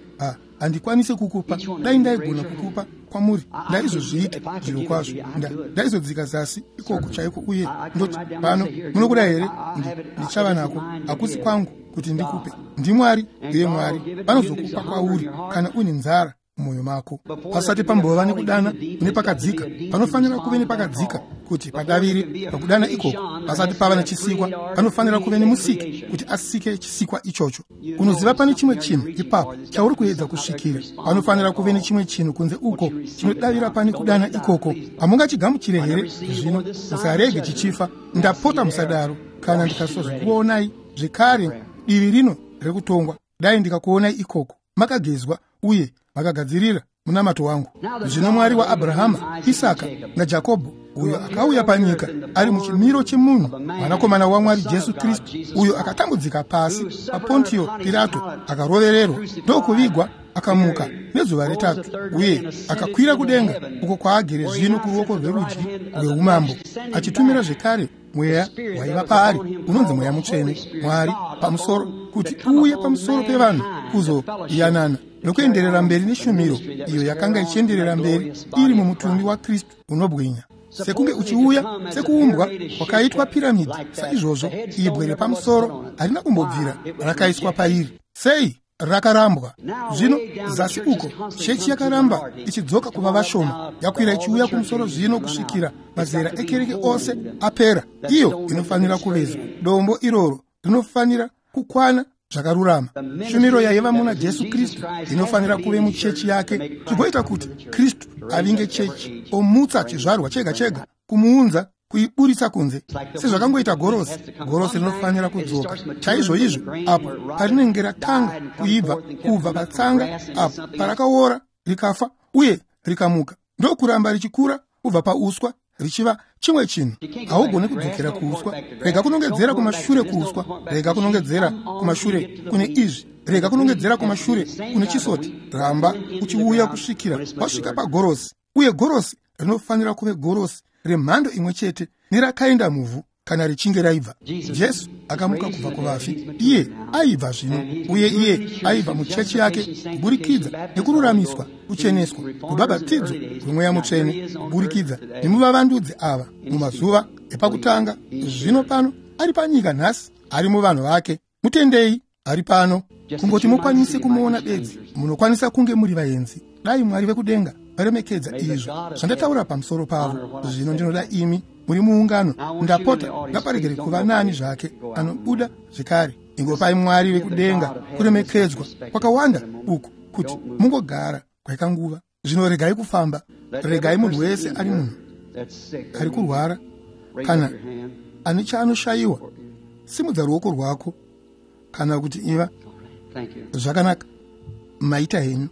handikwanisi kukupa. Dai ndaigona kukupa kwamuri, ndaizozviita zviro kwazvo. Ndaizodzika zasi ikoko chaiko uye ndoti, pano, munokuda here? Ndichava nako. Hakusi kwangu kuti ndikupe, ndiMwari, uye Mwari vanozokupa kwauri kana une nzara mumwoyo mako. Pasati pambova nekudana kune pakadzika, panofanira kuve nepakadzika kuti padavire pakudana ikoko. Pasati pava nechisikwa, panofanira kuve nemusiki kuti asike chisikwa ichocho. Unoziva, pane chimwe chinhu ipapo chauri kuedza kusvikira. Panofanira kuve nechimwe chinhu kunze uko chinodavira pane kudana ikoko. Hamungachigamuchire here zvino? Musarege chichifa, ndapota, musadaro. Kana ndikasozokuonai zvekare divi rino rekutongwa, dai ndikakuonai ikoko makagezwa uye makagadzirira munamato wangu. Zvino Mwari waAbhurahama, Isaka naJakobho, uyo akauya panyika ari muchimiro chemunhu, mwanakomana waMwari Jesu Kristu, uyo akatambudzika pasi paPontio Pirato, akarovererwa ndokuvigwa, akamuka nezuva retatu, uye akakwira kudenga uko kwaagere zvino kuruoko rwerudyi rweumambo, achitumira zvekare mweya waiva paari unonzi Mweya Mutsvene, Mwari pamusoro, kuti uuye pamusoro pevanhu kuzoyanana nokuenderera mberi neshumiro iyo yakanga ichienderera mberi iri mumutumbi waKristu unobwinya, sekunge uchiuya sekuumbwa kwakaitwa piramidhi saizvozvo. Ibwe repamusoro harina kumbobvira rakaiswa pairi. Sei? Rakarambwa. Zvino zasi uko chechi yakaramba ichidzoka kuva vashoma, yakwira ichiuya kumusoro zvino kusvikira mazera ekereke ose apera. Iyo inofanira kuvezwa. Dombo iroro rinofanira kukwana zvakarurama. Shumiro yaiva muna Jesu Kristu inofanira kuve muchechi yake, zvigoita kuti Kristu avinge chechi omutsa chizvarwa chega chega, kumuunza kuiburitsa kunze, sezvakangoita gorosi. Gorosi rinofanira kudzoka chaizvoizvo apo parinenge ratanga kuibva kubva patsanga, apo parakaora rikafa uye rikamuka ndokuramba richikura kubva pauswa richiva chimwe chinhu. Haugoni kudzokera kuuswa. Rega kunongedzera kumashure kuuswa, rega kunongedzera kumashure kune izvi, rega kunongedzera kumashure kune chisoti. Ramba uchiuya kusvikira wasvika pagorosi, uye gorosi rinofanira kuve gorosi remhando imwe chete nerakaenda muvhu. kana richinge raibva. Jesu akamuka kubva kuvafi, iye aibva zvino, uye iye aibva muchechi yake kuburikidza nekururamiswa, kucheneswa, rubhabhatidzo rwemweya mutsvene, kuburikidza nemuvavandudzi ava mumazuva epakutanga. Zvino pano ari panyika nhasi, ari muvanhu vake. Mutendei, ari pano. Kungoti mukwanise kumuona bedzi, munokwanisa kunge muri vaenzi. Dai Mwari vekudenga varemekedza izvo zvandataura pamusoro pavo. Zvino ndinoda imi muri muungano, ndapota ngaparegere kuva nani zvake anobuda zvekare. Ingopai Mwari vekudenga kuremekedzwa kwakawanda uku kuti mungogara kwakanguva. Zvino regai kufamba, regai munhu wese ari munhu ari kurwara kana ane chaanoshayiwa, simudza ruoko rwako kana kuti iva zvakanaka. Maita henyu.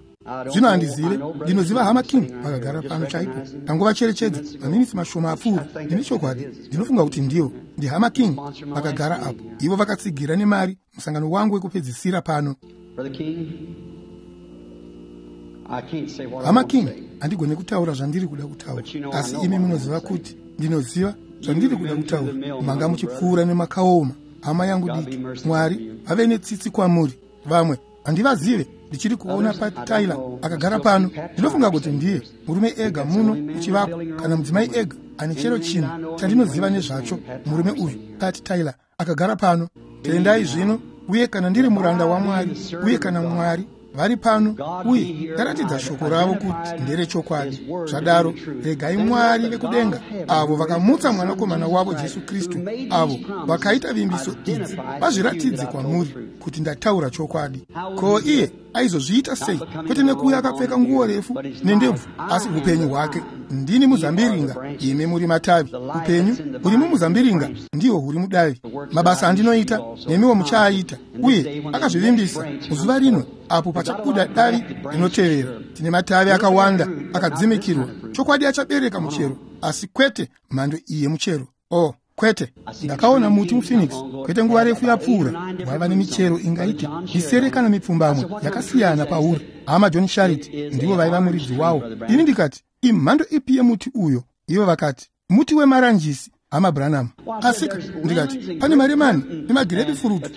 Zvino handizive, ndinoziva hama King vakagara pano chaipo. Tangovacherechedza maminitsi mashoma apfuura. Ndine chokwadi, ndinofunga kuti ndivo ndihama King vakagara apo. Ivo vakatsigira nemari musangano wangu wekupedzisira pano. Hama King, handigone kutaura zvandiri kuda kutaura, asi imi munoziva kuti ndinoziva zvandiri kuda kutaura. Manga muchipfuura nemakaoma, hama yangu diki. Mwari vave netsitsi kwamuri. Vamwe handivazive, ndichiri kuona Pat Tyler akagara pano. Ndinofunga kuti ndiye murume ega muno muchivako, kana mudzimai ega ane chero chinhu chandinoziva nezvacho. Murume uyu Pat Tyler akagara pano. Tendai zvino, uye kana ndiri muranda waMwari, uye kana Mwari vari pano uye ndaratidza shoko ravo kuti nderechokwadi, zvadaro regai Mwari vekudenga avo vakamutsa mwanakomana wavo Jesu Kristu, avo vakaita vimbiso idzi, vazviratidze kwamuri kuti ndataura chokwadi. Ko iye aizozviita sei? Kwete nekuuya akapfeka nguo refu nendebvu, asi upenyu hwake. Ndini muzambiringa, imi muri matavi. Upenyu huri mumuzambiringa ndihwo huri mudavi. Mabasa andinoita nemiwo muchaaita. Uye akazvivimbisa muzuva rino apo pachabuda davi rinotevera. Tine matavi akawanda akadzimikirwa. Chokwadi achabereka muchero, asi kwete mhando iyi yemuchero. Oh, kwete. Ndakaona muti muPhoenix kwete nguva refu yapfuura, waiva nemichero ingaite misere kana mipfumbamwe yakasiyana pauri. Hama John Sharrit ndivo vaiva muridzi wawo. Ini ndikati, imhando ipi yemuti uyo? Ivo vakati, muti wemaranjisi, hama Branham. Asika ndikati, pane maremani nemagirepifurutu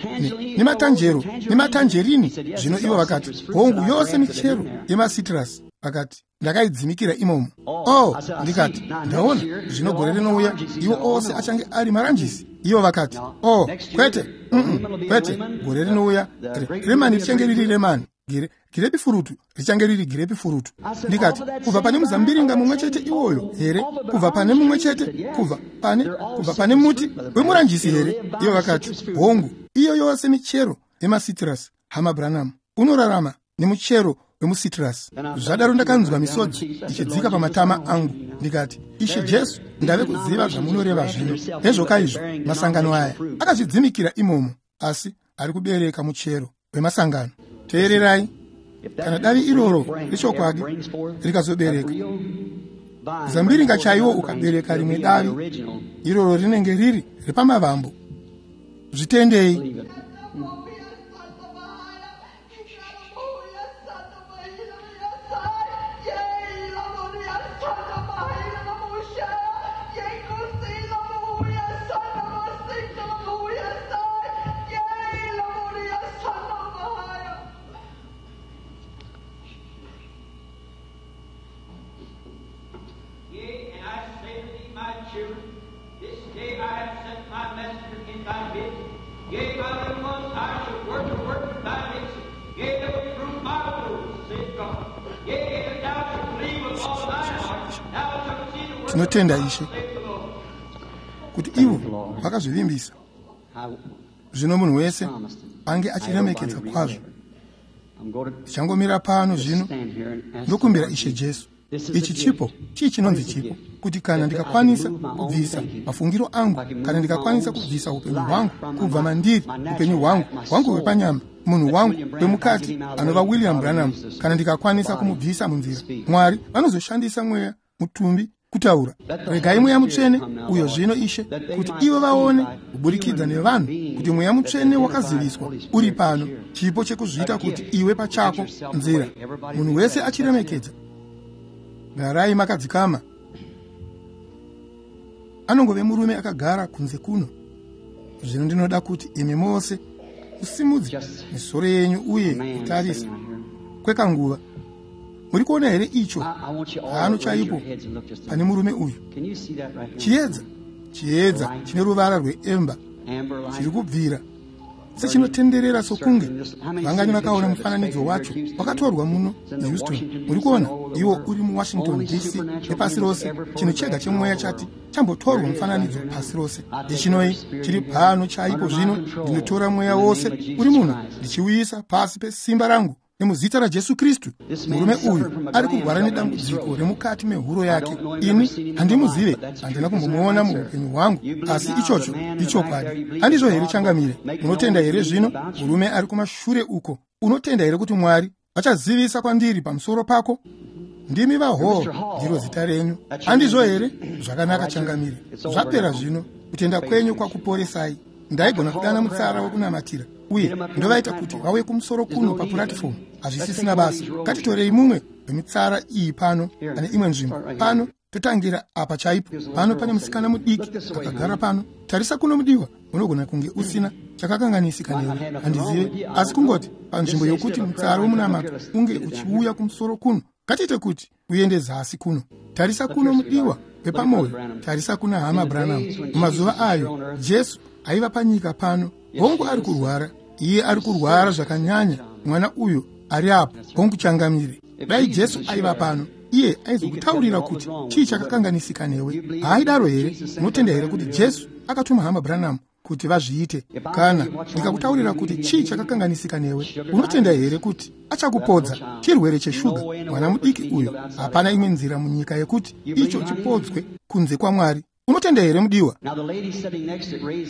nematanjero nematanjerini. Zvino ivo vakati, hongu, yose michero yemasitrasi. Vakati, ndakaidzimikira imomo. Oh, ndikati, ndaona zvino gore rinouya iwo ose achange ari maranjisi. Ivo vakati, oh, kwete, kwete, gore rinouya remani richange riri remani, girepifurutu richange riri girepifurutu. Ndikati, kubva pane muzambiringa mumwe chete iwoyo here? Kubva pane mumwe chete, kubva pane muti wemuranjisi here? Ivo vakati, hongu, iyo yose michero yemasitrasi. Hama Branham, unorarama nemuchero wemusitrasi. Zvadaro ndakanzwa misodzi ichidzika pamatama angu. Ndikati, Ishe Jesu, ndave kuziva zvamunoreva zvino. Hezvoka izvo, masangano aya akazvidzimikira imomo, asi ari kubereka muchero wemasangano. Teererai, kana davi iroro rechokwadi rikazobereka zambiringa chaiwo ukabereka rimwe davi, iroro rinenge riri repamavambo. Zvitendei. Yea, and I say to thee, my children, this day I have sent my messenger in thy midst. Yea, my little ones, I shall work a work in thy midst. Yea, that will prove my words, saith God. Yea, if thou shalt believe with all thine heart, thou shalt see the work of Tinotenda God, Ishe saith the Lord. kuti ivo vakazvivimbisa. Zvino munhu wese ange achiremekedza kwazvo. Ndichangomira pano zvino ndokumbira Ishe Jesu. Ichi chipo, chii chinonzi chipo? Kuti kana ndikakwanisa kubvisa mafungiro angu, kana ndikakwanisa kubvisa upenyu hwangu kubva mandiri, upenyu hwangu hwepanyama, munhu wangu wemukati anova William Branham, kana ndikakwanisa kumubvisa munzira, Mwari vanozoshandisa mweya mutumbi kutaura. Regai mweya mutsvene uyo zvino, Ishe, kuti ivo vaone kuburikidza nevanhu kuti mweya mutsvene wakaziviswa uri pano, chipo chekuzviita kuti iwe pachako nzira, munhu wese achiremekedza. Garai makadzikama. Anongove murume akagara kunze kuno. Zvino ndinoda kuti imi mose musimudze misoro yenyu uye kutarisa kwekanguva. Muri kuona here icho pano chaipo pane murume uyu? Chiedza, chiedza chine ruvara rweemba chiri kubvira sechinotenderera sokunge. Vangani vakaona mufananidzo wacho wakatorwa muno muHouston? Muri kuona iwo uri muWashington DC nepasi rose. Chinhu chega chemweya chati chambotorwa mufananidzo pasi rose. Ndichinoi chiri pano chaipo zvino. Ndinotora mweya wose uri muno ndichiuyisa pasi pesimba rangu nemuzita raJesu Kristu. Murume uyu ari kurwara nedambudziko remukati mehuro yake. Ini handimuzive, handina kumbomuona muupenyu hwangu, asi ichocho ichokwadi. Handizvo here changamire? Munotenda here zvino? Murume ari kumashure uko, unotenda here kuti Mwari vachazivisa kwandiri pamusoro pako? Ndimi vaHall, ndiro zita renyu. Handizvo here? Zvakanaka changamire, zvapera zvino. Kutenda kwenyu kwakuporesai. Ndaigona kudana mutsara wekunamatira uye ndovaita kuti vauye kumusoro kuno papuratifomu. Hazvisisina basa. Ngatitorei mumwe wemitsara iyi pano pane imwe nzvimbo pano, totangira apa chaipo. Pano pane musikana mudiki akagara pano. Tarisa kuno mudiwa, unogona kunge usina chakakanganisika newe, handizive, asi kungoti panzvimbo yokuti mutsara wemunamato unge uchiuya kumusoro kuno, ngatiite kuti uende zasi kuno. Tarisa kuno mudiwa wepamwoyo, tarisa kuna hama Branham. Mumazuva ayo Jesu aiva panyika pano. Hongu ari kurwara, iye ari kurwara zvakanyanya. Mwana uyu ari apo, hongu changamire. Dai Jesu aiva pano, iye aizokutaurira kuti chii chakakanganisika newe. Haaidaro here? Unotenda here kuti Jesu akatuma hama Branham kuti vazviite? Kana ndikakutaurira kuti chii chakakanganisika newe, unotenda here kuti achakupodza chirwere cheshuga? Mwana mudiki uyu, hapana imwe nzira munyika yekuti icho chipodzwe kunze kwaMwari. Unotenda here mudiwa?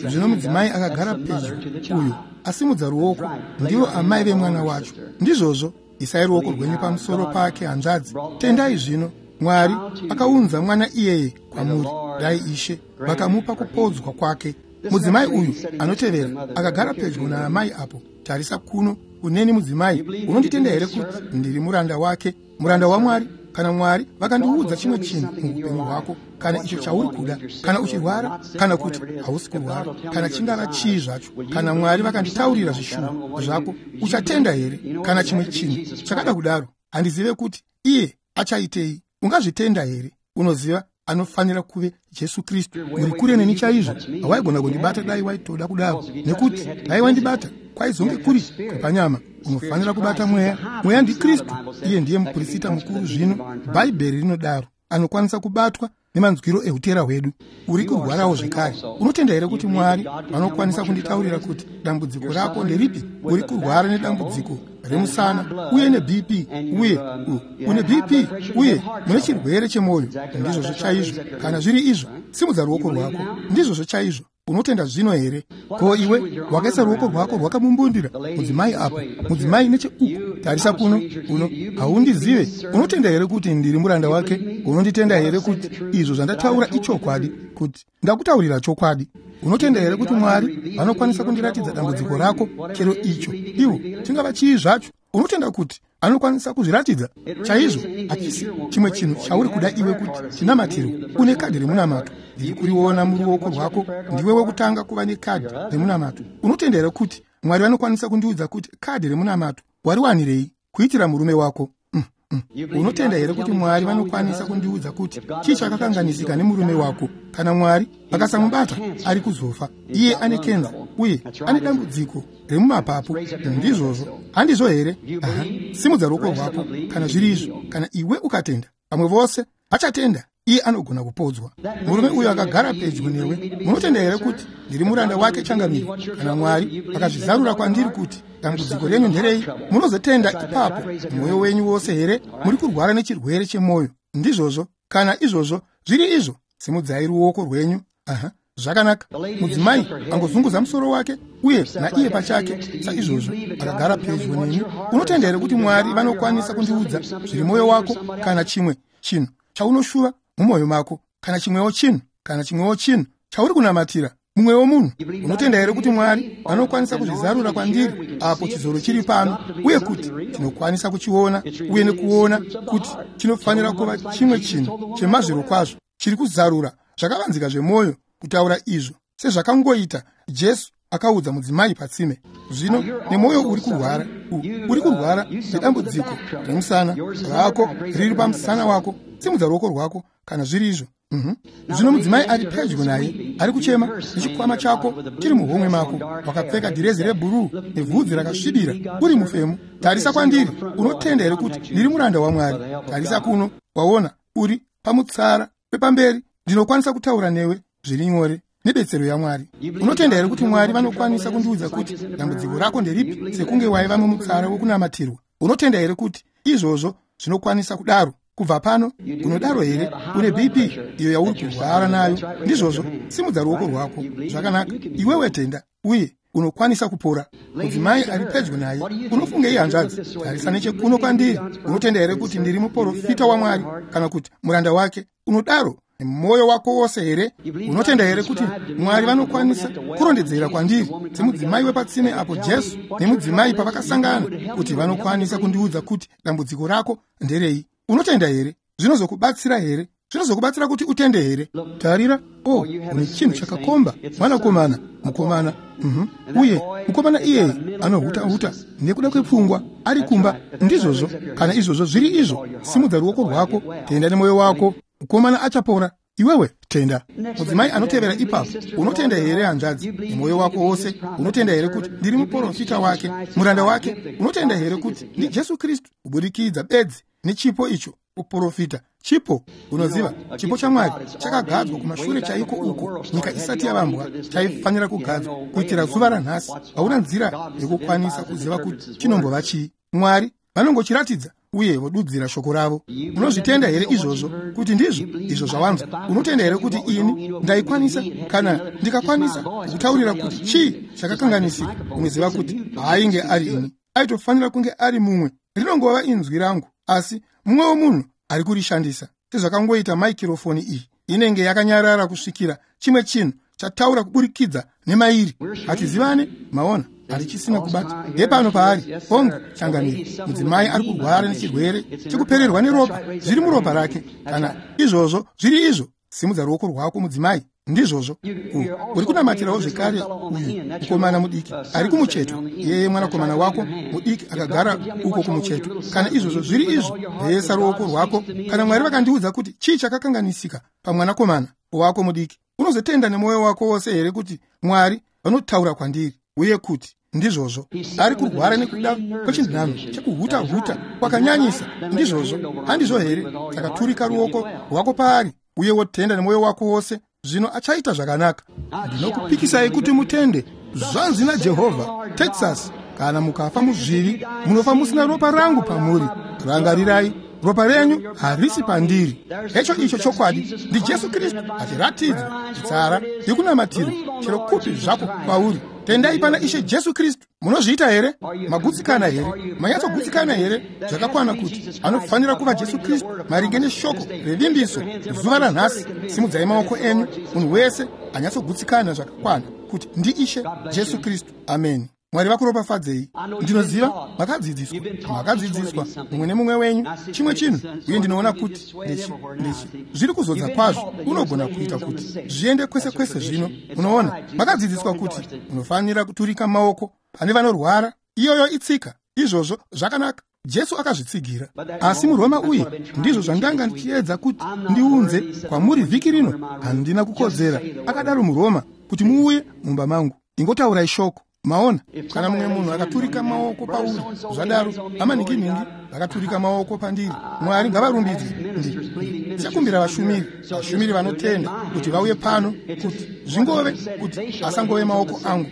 Zvino mudzimai akagara pedyo uyu asimudza ruoko, ndivo amai vemwana wacho. Ndizvozvo, isai ruoko rwenyu pamusoro pake hanzvadzi. Tendai zvino. Mwari akaunza mwana iyeye kwamuri. Dai Ishe vakamupa kupodzwa kwake. Mudzimai uyu anotevera akagara pedyo naamai apo. Tarisa kuno kuneni mudzimai, unonditenda here kuti ndiri muranda wake, muranda waMwari? Kana Mwari vakandiudza chimwe chinhu muupenyu hwako, kana icho chauri kuda, kana uchirwara, kana kuti hausi kurwara, kana chingava chii zvacho, kana Mwari vakanditaurira zvishuwo zvako, uchatenda here? Kana chimwe chinhu chakada kudaro, handizive kuti iye achaitei. Ungazvitenda here? Unoziva anofanira kuve Jesu Kristu. Uri kure neni chaizvo, hawaigona kundibata dai waitoda kudaro, nekuti dai wandibata kwaizonge kuri kwepanyama. Unofanira kubata mweya. Mweya ndiKristu, iye ndiye muprista mukuru zvino. Bhaibheri rinodaro, anokwanisa kubatwa nemanzwiro eutera hwedu. Uri kurwarawo zvekare. Unotenda here kuti Mwari vanokwanisa kunditaurira kuti dambudziko rako nderipi? Uri kurwara nedambudziko remusana uye neBP, uye une BP uye mune chirwere chemwoyo. Ndizvozvo chaizvo. Kana zviri izvo, simudza ruoko rwako. Ndizvozvo chaizvo. Unotenda zvino here? Ko iwe wakaisa ruoko rwako rwakamumbundira mudzimai apo, mudzimai necheuku. Tarisa kuno, uno haundizive. Unotenda here kuti ndiri muranda wake? Unonditenda here kuti izvo zvandataura ichokwadi, kuti ndakutaurira chokwadi? Unotenda here kuti Mwari vanokwanisa kundiratidza dambudziko rako, chero icho iwo chingava chii zvacho? Unotenda kuti anokwanisa kuzviratidza chaizvo? Hachisi chimwe chinhu chauri kuda iwe kuti chinamatirwe. Une kadhi remunamato, ndiri kuriona muruoko rwako. Ndiwe wekutanga kuva nekadhi remunamato. Unotenda here kuti Mwari vanokwanisa kundiudza kuti kadhi remunamato wariwanirei kuitira murume wako? Unotenda here kuti Mwari vanokwanisa kundiudza kuti chii chakakanganisika nemurume wako? Kana Mwari vakasamubata, ari kuzofa. Iye ane kenza uye ane dambudziko remumapapu. Ndizvozvo, handizvo here? Simudza ruoko rwako kana zviri izvo. Kana iwe ukatenda, vamwe vose vachatenda. Iye anogona kupodzwa. Murume uyu akagara pedyo newe, munotenda here kuti ndiri muranda wake changamire? Kana Mwari akazvizarura kwandiri kuti dambudziko renyu nderei, munozotenda ipapo mwoyo wenyu wose here? Muri kurwara nechirwere chemwoyo. Ndizvozvo. Kana izvozvo zviri izvo, simudzai ruoko rwenyu. Zvakanaka. Mudzimai angozunguza musoro wake uye naiye pachake saizvozvo akagara pedyo neni. Unotenda here kuti Mwari vanokwanisa kundiudza zviri mwoyo wako, kana chimwe chinhu chaunoshuva mumwoyo mako, kana chimwewo chinhu, kana chimwewo chinhu chauri kunamatira mumwewo munhu? Unotenda here kuti Mwari vanokwanisa kuzvizarura kwandiri apo chizoro chiri pano, uye kuti tinokwanisa kuchiona uye nekuona kuti chinofanira kuva chimwe chinhu chemazviro kwazvo chiri kuzarura Zvakavanzika zvemwoyo kutaura izvo sezvakangoita Jesu akaudza mudzimai patsime. Zvino nemwoyo uri kurwara, uri kurwara nedambudziko remusana rako riri pamusana wako, simudza ruoko rwako kana zviri izvo. Zvino mudzimai ari pedyo naye ari kuchema nechikwama chako chiri muhomwe mako, wakapfeka dhirezi rebhuruu nebvudzi rakasvibira, uri mufemu. Tarisa kwandiri. Unotenda here kuti ndiri muranda waMwari? Tarisa kuno. Waona, uri pamutsara wepamberi. Ndinokwanisa kutaura newe zviri nyore nebetsero yaMwari. Unotenda here kuti Mwari vanokwanisa kundiudza kuti dambudziko rako nderipi, sekunge waiva mumutsara wokunamatirwa? Unotenda here kuti izvozvo zvinokwanisa kudaro? Kubva pano, unodaro here? Une BP iyo yauri kurwara nayo. Ndizvozvo, simudza ruoko rwako. Zvakanaka, iwewe tenda uye unokwanisa kupora. Mudzimai ari pedyo naye, unofungei hanzvadzi? Tarisa nechekuno kwandiri. Unotenda here kuti ndiri muprofita waMwari, kana kuti muranda wake? Unodaro nemwoyo wako wose here? Unotenda here kuti Mwari vanokwanisa kurondedzera kwandiri semudzimai wepatsime apo Jesu nemudzimai pavakasangana, kuti vanokwanisa kundiudza kuti dambudziko rako nderei? Unotenda here? Zvinozokubatsira here? Zvinozokubatsira kuti utende here? Tarira, o, une chinhu chakakomba, mwanakomana, mukomana. Uye mukomana iyeye anohuta-huta nekuda kwepfungwa, ari kumba. Ndizvozvo. Kana izvozvo zviri izvo, simudza ruoko rwako, tenda nemwoyo wako. Mukomana achapora. Iwewe tenda. Mudzimai anotevera ipapo, unotenda here hanzvadzi nemwoyo wako wose? Unotenda here kuti ndiri muprofita wake, muranda wake? Unotenda here kuti ndiJesu Kristu kuburikidza bedzi nechipo icho kuprofita? Chipo, unoziva, chipo chaMwari chakagadzwa kumashure chaiko uko nyika isati yavambwa, chaifanira kugadzwa kuitira zuva ranhasi. Hauna nzira yekukwanisa kuziva kuti chinombova chii. Mwari vanongochiratidza uye vodudzira shoko ravo. Unozvitenda here izvozvo kuti ndizvo izvo zvawanzwa? Unotenda here kuti ini ndaikwanisa, kana ndikakwanisa kukutaurira kuti chii chakakanganisika, unoziva kuti haainge ari ini, aitofanira kunge ari mumwe. Rinongova inzwi rangu, asi mumwewo munhu ari kurishandisa. Sezvakangoita maikirofoni iyi, inenge yakanyarara kusvikira chimwe chinhu chataura kuburikidza nemairi. Hatizivane, maona, harichisina kubata. Hepano paari, hongu, changamire. Mudzimai ari kurwara nechirwere chekupererwa neropa, zviri muropa rake. Kana izvozvo zviri izvo, simudza ruoko rwako mudzimai. Ndizvozvo. Uri kunamatirawo zvekare uyu mukomana mudiki ari kumucheto. Yeye mwanakomana wako mudiki akagara uko kumucheto. Kana izvozvo zviri izvo, resa ruoko rwako. Kana Mwari vakandiudza kuti chii chakakanganisika pamwanakomana wako mudiki, unozotenda nemwoyo wako wose here kuti Mwari vanotaura kwandiri uye kuti ndizvozvo? Ari kurwara nekuda kwechinhano chekuhuta-huta kwakanyanyisa. Ndizvozvo, handizvo here? Saka turika ruoko rwako paari uye wotenda nemwoyo wako wose. Zvino achaita zvakanaka. Ndinokupikisai kuti mutende. Zvanzi naJehovha, Texas, kana mukafa muzvivi, munofa musina ropa rangu pamuri. Rangarirai, ropa renyu harisi pandiri. Hecho icho chokwadi ndiJesu Kristu achiratidzwa chitsara yekunamatira chero kupi zvako kwauri. Tendai pana Ishe Jesu Kristu. Munozviita here? Magutsikana here? Manyatsogutsikana here zvakakwana kuti anofanira kuva Jesu Kristu maringe neshoko revimbiso zuva ranhasi? Simudzai maoko enyu, munhu wese anyatsogutsikana zvakakwana kuti ndiIshe Jesu Kristu. Ameni. Mwari vakuropafadzei. Ndinoziva makadzidziswa, makadzidziswa mumwe nemumwe wenyu chimwe chinhu, uye ndinoona kuti ndechi zviri kuzodza kwazvo. Unogona kuita kuti zviende kwese kwese. Zvino munoona, makadzidziswa kuti unofanira kuturika maoko pane vanorwara. Iyoyo itsika. Izvozvo zvakanaka. Jesu akazvitsigira. Asi muRoma, uye ndizvo zvandanga ndichiedza kuti ndiunze kwamuri vhiki rino, handina kukodzera, akadaro muRoma, kuti muuye mumba mangu. Ingotaurai shoko. Maona, kana mumwe munhu akaturika maoko pauri, zvadaro amaningi-ningi vakaturika maoko pandiri. Mwari ngavarumbidzwe. Ndichakumbira vashumiri vanotenda kuti vauye pano, kuti zvingove kuti asangove maoko angu.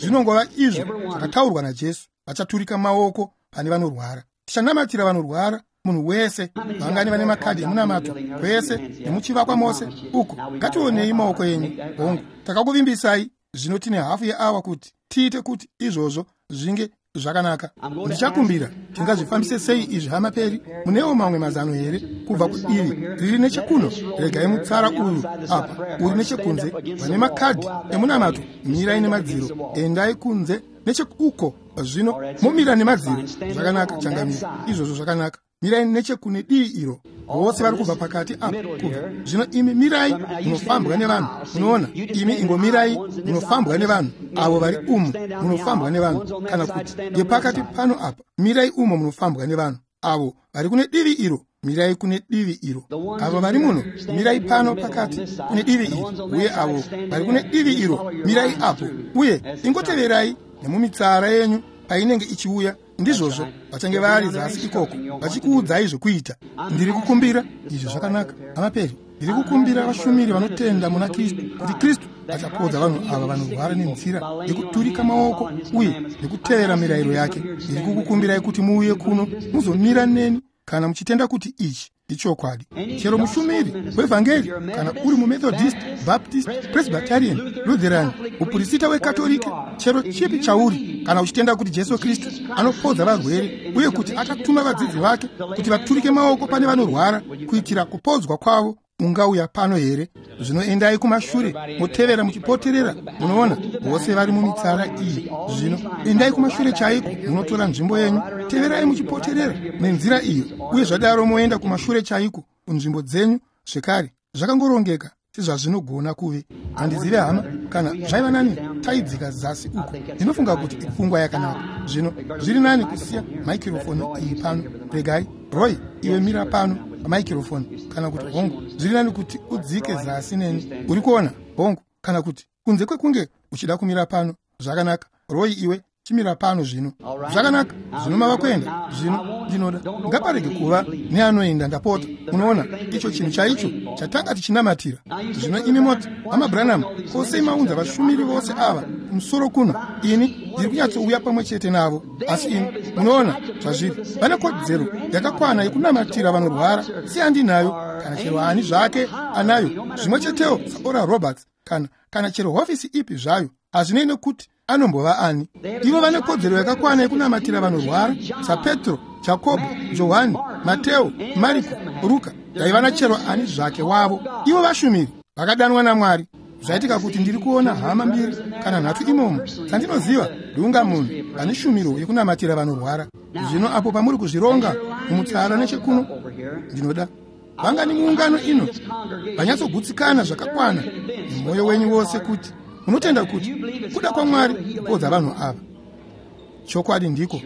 Zvinongova izvo zvakataurwa naJesu. Vachaturika maoko pane vanorwara. Tichanamatira vanorwara, munhu wese. Vangani vane makadhi emunamato kwese nemuchivakwa mose uko? Ngationei maoko enyu. Hongu, takakuvimbisai. Zvino tine hafu yeawa kuti tiite kuti izvozvo zvinge zvakanaka. Ndichakumbira, tingazvifambise sei izvi hama Peri? Munewo mamwe mazano here kubva kudivi riri nechekuno? Regai mutsara uyu apa uri nechekunze. Vane makadhi emunamato, mirai nemadziro, endai kunze necheuko. Zvino momira nemadziro. Zvakanaka, changamire. Izvozvo zvakanaka. mirai nechekune divi iro. Vose vari kubva pakati apa kubva. Zvino imi mirai munofambwa nevanhu. Munoona, imi ingomirai munofambwa nevanhu. Avo vari umu munofambwa nevanhu, kana kuti ngepakati pano apa, mirai umo munofambwa nevanhu. Avo vari kune divi iro, mirai kune divi iro. Avo vari muno, mirai pano pakati kune divi iri, uye avo vari kune divi iro, mirai apo. Uye ingoteverai nemumitsara yenyu painenge ichiuya. Ndizvozvo, vachange vari zasi ikoko vachikuudzai zvekuita. Ndiri kukumbira izvi zvakanaka, amaperi. Ndiri kukumbira vashumiri vanotenda muna Kristu kuti Kristu achapodza vanhu ava vanorwara nenzira yekuturika maoko uye nekutevera mirayiro yake. Ndiri kukukumbirai kuti muuye kuno muzomira neni kana muchitenda kuti ichi ichokwadi. Chero mushumiri wevhangeri, kana uri muMethodist, Baptist, Presbyterian, Lutheran, mupurisita weKatorike, chero chipi chauri, kana uchitenda kuti Jesu Kristu anopodza varwere uye kuti akatuma vadzidzi vake kuti vaturike maoko pane vanorwara kuitira kupodzwa kwavo, ungauya pano here? Zvino endai kumashure motevera muchipoterera. Munoona, vose vari mumitsara iyi. Zvino endai kumashure chaiko, munotora nzvimbo yenyu, teverai muchipoterera nenzira iyo, uye zvadaro moenda kumashure chaiko kunzvimbo dzenyu zvekare. Zvakangorongeka sezvazvinogona kuve. Handizive hama kana zvaiva nani taidzika zasi uko. Ndinofunga kuti ipfungwa yakanaka. Zvino zviri nani kusiya maikirofoni iyi pano. Regai Roy, iwe mira pano pamaikirofoni, kana kuti hongu, zviri nani kuti udzike zasi neni. Uri kuona? Hongu, kana kuti kunze kwekunge uchida kumira pano. Zvakanaka, Roy, iwe chimira pano zvino. Zvakanaka, zvino mava kuenda. Zvino ndinoda ngaparege kuva neanoenda, ndapota. Munoona, icho chinhu chaicho chatanga tichinamatira. Zvino imi moti, Hama Branham, kosei maunza vashumiri vose ava kumusoro kuno? Ini ndiri kunyatsouya pamwe chete navo. Asi imi munoona zvazviri, vane kodzero yakakwana yekunamatira vanorwara seyandinayo, kana chero ani zvake anayo, zvimwe chetewo saOral Roberts, kana chero hofisi ipi zvayo. Hazvinei nekuti anombova ani. Ivo vane kodzero yakakwana yekunamatira vanorwara saPetro, Jakobho, Johani, Mateo, Mariko, Ruka, daiva nachero ani zvake wavo. Ivo vashumiri vakadanwa naMwari. Zvaitika kuti ndiri kuona hama mbiri kana nhatu imomo dzandinoziva ndiunga munhu ane shumiro yekunamatira vanorwara. Zvino apo pamuri kuzvironga mumutsara nechekuno, ndinoda vangani muungano ino vanyatsogutsikana zvakakwana nemwoyo wenyu wose kuti munotenda kuti kuda kwaMwari kupodza vanhu ava. Chokwadi ndiko,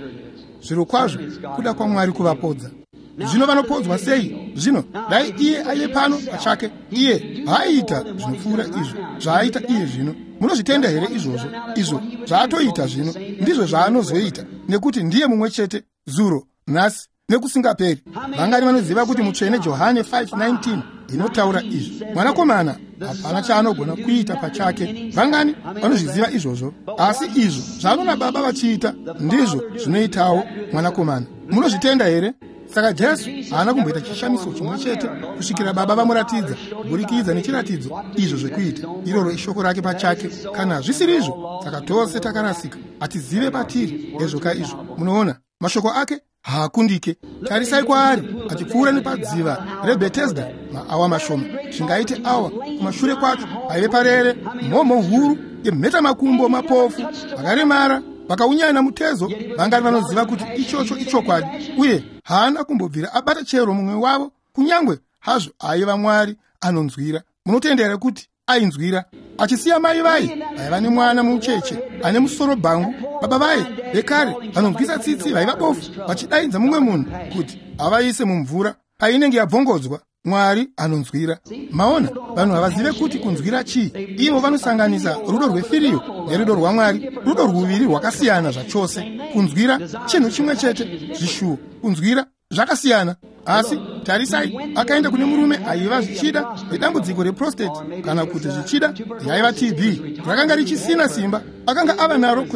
zvirokwazvo kuda kwaMwari kuvapodza. Zvino vanopodzwa sei? Zvino dai iye aive pano pachake, iye haaiita zvinopfuura izvo zvaaita iye zvino. Munozvitenda here izvozvo? Izvo zvaatoita zvino ndizvo zvaanozoita, nekuti ndiye mumwe chete zuro, nhasi nekusingaperi. Vangani vanoziva kuti mutsvene Johane 5:19 inotaura izvi? Mwanakomana hapana chaanogona kuita pachake. Vangani vanozviziva izvozvo? Asi izvo zvaanoona Baba vachiita ndizvo zvinoitawo Mwanakomana. Munozvitenda here? Saka Jesu haana kumboita chishamiso chimwe chete kusvikira Baba vamuratidza kuburikidza nechiratidzo izvo zvekuita. Iroro ishoko rake pachake. Kana zvisirizvo, saka tose takarasika, hatizive patiri. Hezvoka izvo. Munoona, mashoko ake haakundike. Tarisai kwaari achipfuura nepadziva reBethesda maawa mashoma, zvingaite awa kumashure kwacho, paive parere mhomho huru yemhetamakumbo, mapofu, vakaremara, vakaunyana mutezo. Vangani vanoziva kuti ichocho ichokwadi? Uye haana kumbobvira abata chero mumwe wavo, kunyangwe hazvo aiva Mwari anonzwira. Munotenda here kuti ainzwira? Achisiya mai vai vaiva nemwana mucheche ane musoro bhangu, baba vai vekare vanonzwisa tsitsi vaiva bofu, vachidaidza mumwe munhu kuti avaise mumvura painenge yabvongodzwa. Mwari anonzwira. Maona, vanhu havazive kuti kunzwira chii. Ivo vanosanganisa rudo rwefiriyo nerudo rwaMwari, rudo rwuviri rwakasiyana zvachose. Kunzwira chinhu chimwe chete, zvishuwo, kunzwira zvakasiyana. Asi tarisai, akaenda kune murume aiva zvichida nedambudziko reprostate, kana kuti zvichida yaiva TB, rakanga richisina simba. Akanga ava naro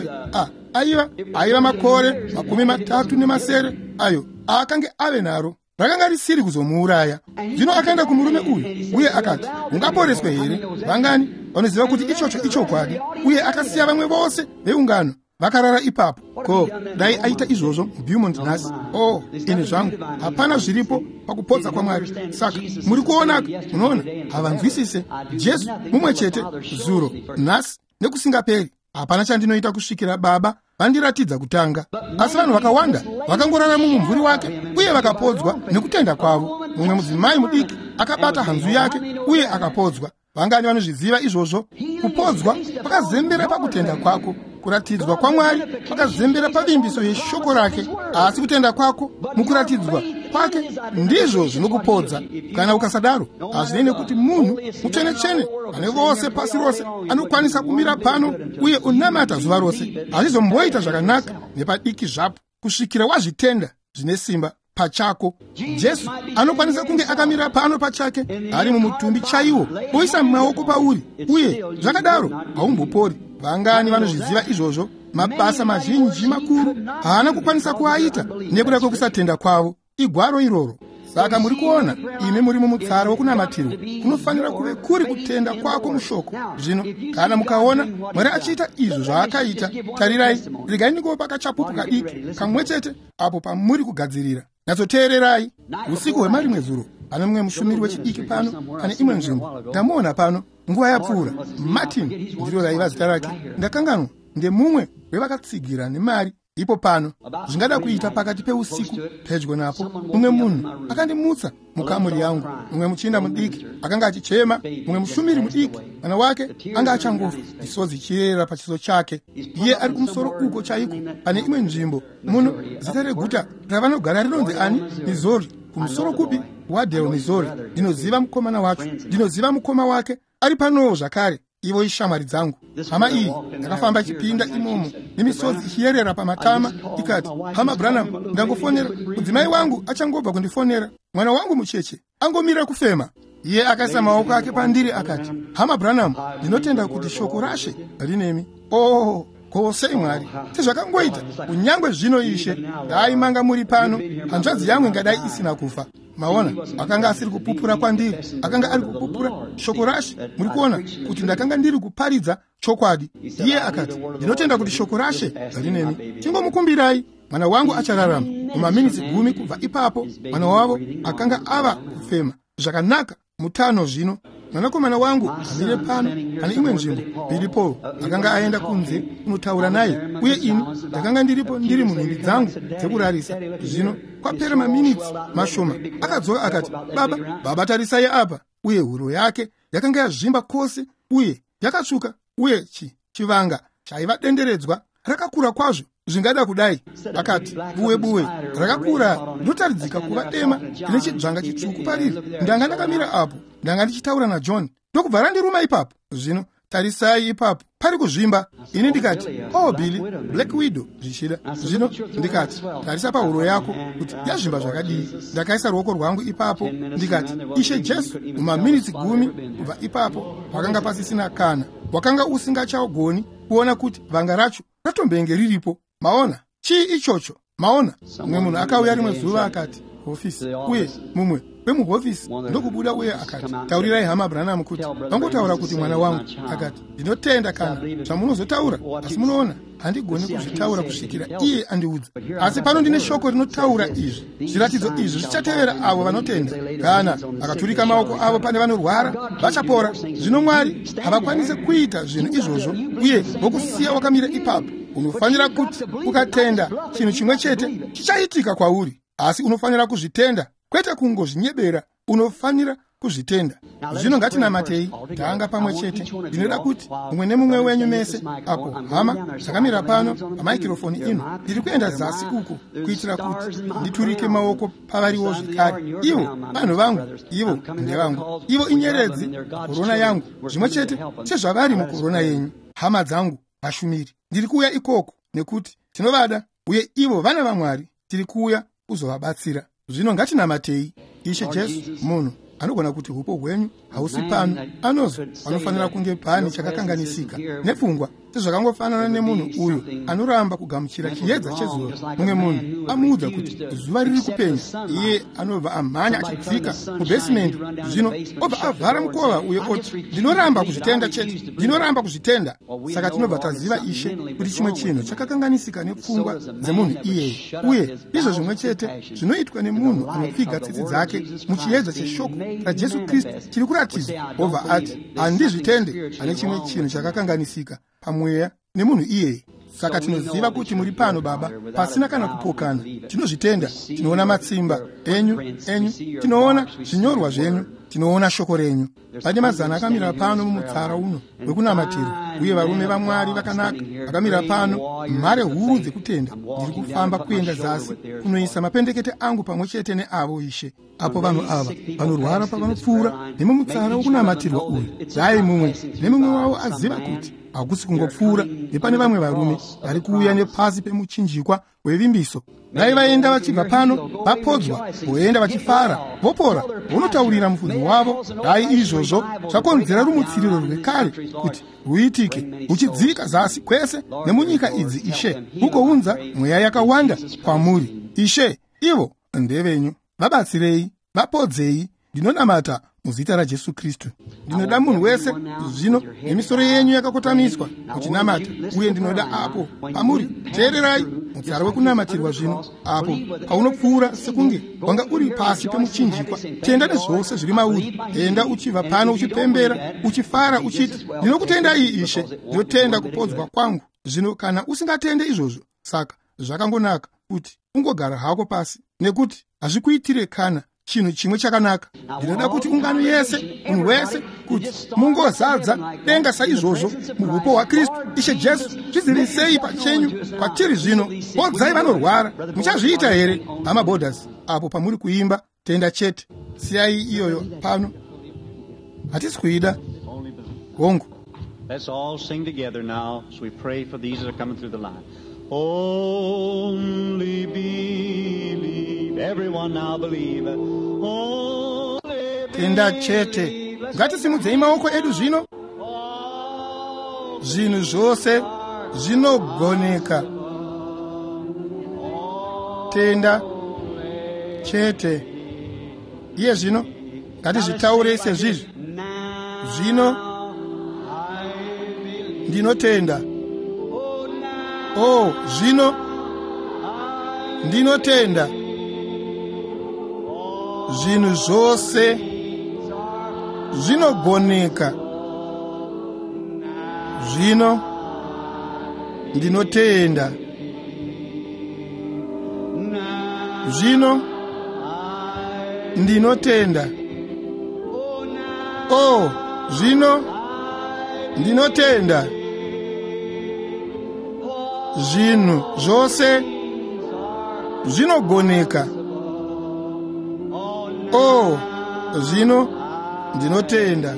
aiva makore 37 ayo akange ave naro, rakanga risiri kuzomuuraya. Zvino akaenda kumurume uyu uye akati, ungaporeswe here? Vangani vanoziva kuti ichocho ichokwadi? Uye akasiya vamwe vose veungano vakarara ipapo. Ko dai aita izvozvo muBeaumont nhasi? Oh, ini zvangu, hapana zviripo pakupodza kwaMwari. Saka muri kuona, munoona, havanzwisise. Jesu mumwe chete zuro, nhasi nekusingaperi. Hapana chandinoita kusvikira Baba vandiratidza kutanga. Asi vanhu vakawanda vakangorara mumumvuri wake, uye Uye vakapodzwa nekutenda kwavo. Mumwe mudzimai mudiki akabata hanzu yake uye akapodzwa. Vangani vanozviziva izvozvo? Kupodzwa kwakazembera pakutenda kwako. Kuratidzwa kwaMwari kwakazembera pavimbiso yeshoko rake. Asi kutenda kwako mukuratidzwa kwake ndizvo zvinokupodza. Kana ukasadaro, hazvinei nekuti munhu mutsvene-tsvene ane vose pasi rose anokwanisa kumira pano uye unamata zuva rose, hazvizomboita zvakanaka nepadiki zvapo kusvikira wazvitenda zvine simba pachako. Jesu anokwanisa kunge akamira pano pachake ari mumutumbi chaiwo, oisa maoko pauri, uye zvakadaro haumbopori. Vangani vanozviziva izvozvo? Mabasa mazhinji makuru haana kukwanisa kuaita nekuda kwekusatenda kwavo. Igwaro iroro. Saka muri kuona, imi muri mumutsara wokunamatirwa, kunofanira kuve kuri kutenda kwako mushoko. Zvino kana mukaona Mwari achiita izvo zvaakaita, tarirai, regai ndingopa kachapupu kadiki kamwe chete apo pamuri kugadzirira. Nyatsoteererai. Usiku hwemarimwe zuro pane mumwe mushumiri wechidiki pano pane imwe nzvimbo. Ndamuona pano nguva yapfuura. Martin ndiro raiva zita rake, ndakanganwa. Ndemumwe wevakatsigira nemari ipo pano. Zvingada kuita pakati peusiku pedyo napo, mumwe munhu akandimutsa mukamuri yangu. Mumwe muchinda mudiki akanga achichema, mumwe mushumiri mudiki, mwana wake anga achangofa, misodzi ichiyerera pachiso chake. Iye ari kumusoro uko chaiko pane imwe nzvimbo muno. Zita reguta ravanogara rinonzi ani? Missouri. Kumusoro kupi? Wadale, Missouri. Ndinoziva mukomana wacho, ndinoziva mukoma wake ari panowo zvakare. Ivo ishamwari dzangu. Hama iyi yakafamba ichipinda imomo nemisodzi ichiyerera pamatama, ikati, "Hama Branham, ndangofonera mudzimai wangu, achangobva kundifonera. Mwana wangu mucheche angomira kufema." Iye akaisa maoko ake pandiri akati, "Hama Branham, ndinotenda kuti shoko raShe rinemi." Oh, ko sei Mwari sezvakangoita kunyange zvino, Ishe, dai manga muri pano, hanzvadzi yangu ingadai isina kufa. Maona, akanga asiri kupupura kwandiri, akanga ari kupupura shoko raShe. Muri kuona kuti ndakanga ndiri kuparidza chokwadi. Iye akati, "Ndinotenda kuti shoko raShe rinemi. Tingomukumbirai, mwana wangu achararama." Mumaminitsi 10 kubva ipapo, mwana wavo akanga ava kufema zvakanaka, mutano zvino. Mwanakomana wangu amire pano pane imwe nzvimbo, Billy Paul, akanga aenda kunze kunotaura naye, uye ini ndakanga ndiripo ndiri munhumbi dzangu dzekurarisa. Zvino kwapera maminitsi mashoma akadzoka akati, "Baba, baba, tarisai apa." Uye huro yake yakanga yazvimba kwose uye yakatsvuka, uye chivanga chaiva denderedzwa rakakura kwazvo zvingada kudai. Akati, "Buwe buwe rakakura rinotaridzika kuva dema rine chidzvanga chitsvuku pariri. Ndanga ndakamira apo, ndanga ndichitaura naJohn, ndokubva randiruma ipapo. Zvino tarisai ipapo pari kuzvimba." Ini ndikati, "Oh Billy, Black Widow zvichida." Zvino ndikati, "Tarisa pahuro yako kuti yazvimba zvakadii." Ndakaisa ruoko rwangu ipapo ndikati, "Ishe Jesu." Mumaminitsi 10 kubva ipapo pakanga pasisina kana wakanga usingachagoni kuona kuti vanga racho ratombenge riripo. Maona chii ichocho? Maona, mumwe munhu akauya rimwe zuva akati hofisi, uye mumwe wemuhofisi ndokubuda uye akati, "Taurirai Hama Branham kuti vangotaura kuti mwana wangu." Akati, "Ndinotenda kana zvamunozotaura, asi munoona, handigoni kuzvitaura kusvikira iye andiudza. Asi pano ndine shoko rinotaura izvi. Zviratidzo izvi zvichatevera avo vanotenda. Kana akaturika maoko avo pane vanorwara, vachapora." Zvino Mwari havakwanisi kuita zvinhu izvozvo uye vokusiya wakamira ipapo. Unofanira kuti ukatenda, chinhu chimwe chete chichaitika kwauri, asi unofanira kuzvitenda, kwete kungozvinyebera. Unofanira kuzvitenda. Zvino ngatinamatei tanga pamwe chete. Ndinoda kuti mumwe nemumwe wenyu mese apo hama dzakamira pano pamaikirofoni ino, ndiri kuenda zasi uko kuitira kuti nditurike maoko pavariwo zvekare. Ivo vanhu vangu, ivo ndevangu, ivo inyeredzi korona yangu, zvimwe chete sezvavari mukorona yenyu. Hama dzangu vashumiri, ndiri kuuya ikoko nekuti tinovada, uye ivo vana vaMwari. Tiri kuuya kuzovabatsira. Zvino ngatinamatei. Ishe Jesu, munhu anogona kuti hupo hwenyu hausi pano, anozo panofanira kunge pane chakakanganisika nepfungwa, sezvakangofanana nemunhu uyu anoramba kugamuchira chiedza chezuva. Mumwe munhu amuudza kuti zuva riri kupenya, iye anobva amhanya achidzika mubhesimendi, zvino obva avhara mukova uye oti, "Ndinoramba kuzvitenda chete, ndinoramba kuzvitenda." Saka tinobva taziva, Ishe, kuti chimwe chinhu chakakanganisika nepfungwa dzemunhu iyeye. Uye ndizvo zvimwe chete zvinoitwa nemunhu anopfiga tsitsi dzake muchiedza cheshoko raJesu Kristu chiri kuratidzwa, obva ati, "Handizvitende." Ane chimwe chinhu chakakanganisika pamweya nemunhu iyeye. Saka tinoziva kuti muri pano, Baba, pasina kana kupokana. Tinozvitenda. Tinoona matsimba enyu tinoona zvinyorwa zvenyu, tinoona shoko renyu. Pane mazana akamira pano mumutsara uno wekunamatirwa, uye varume vaMwari vakanaka vakamira pano, mhare huru dzekutenda. Ndiri kufamba kuenda zasi kunoisa mapendekete angu pamwe chete neavo, Ishe. Apo vanhu ava vanorwara pavanopfuura nemumutsara wokunamatirwa uyu, dai mumwe nemumwe wavo aziva kuti hakusi kungopfuura nepane vamwe varume vari kuuya nepasi pemuchinjikwa wevimbiso. Dai vaenda vachibva pano vapodzwa, voenda vachifara, vopora, vonotaurira mufudzi wavo. Dai izvozvo zvakonzera rumutsiriro rwekare kuti rwuitike, ruchidzika zasi kwese nemunyika idzi, Ishe, kugounza mweya yakawanda kwamuri. Ishe, ivo ndevenyu. Vabatsirei, vapodzei. Ndinonamata muzita raJesu Kristu. Ndinoda munhu wese zvino nemisoro yenyu yakakotamiswa muchinamata, uye ndinoda apo pamuri teererai mutsara wekunamatirwa zvino, apo paunopfuura sekunge wanga uri pasi pemuchinjikwa. Tenda nezvose zviri mauri. Enda uchibva pano uchipembera, uchifara, uchiti, ndinokutendai Ishe, ndinotenda kupodzwa kwangu. Zvino kana usingatende izvozvo, saka zvakangonaka kuti ungogara hako pasi, nekuti hazvikuitire kana chinhu chimwe chakanaka. Ndinoda kuti ungano yese, munhu wese, kuti mungozadza denga saizvozvo muhupo hwaKristu. Ishe Jesu, zvizivisei pachenyu kwatiri zvino. Podzai vanorwara. Muchazviita here, hama Borders? Apo pamuri kuimba tenda chete. Siyai iyoyo pano, hatisi kuida. Hongu. Let's all sing together now as we pray for these that are coming through the line. Only believe. Everyone now believe. Only Tenda chete. believe. Ngatisimudzei maoko edu zvino. Zvinhu zvose zvinogoneka. Tenda chete. Iye zvino ngatizvitaurei sezvizvi. Zvino ndinotenda. Oh, zvino ndinotenda. Zvinhu zvose zvinogoneka. Zvino ndinotenda. Zvino ndinotenda. Oh, zvino ndinotenda. Zvinhu zvose zvinogoneka. Oh, zvino ndinotenda.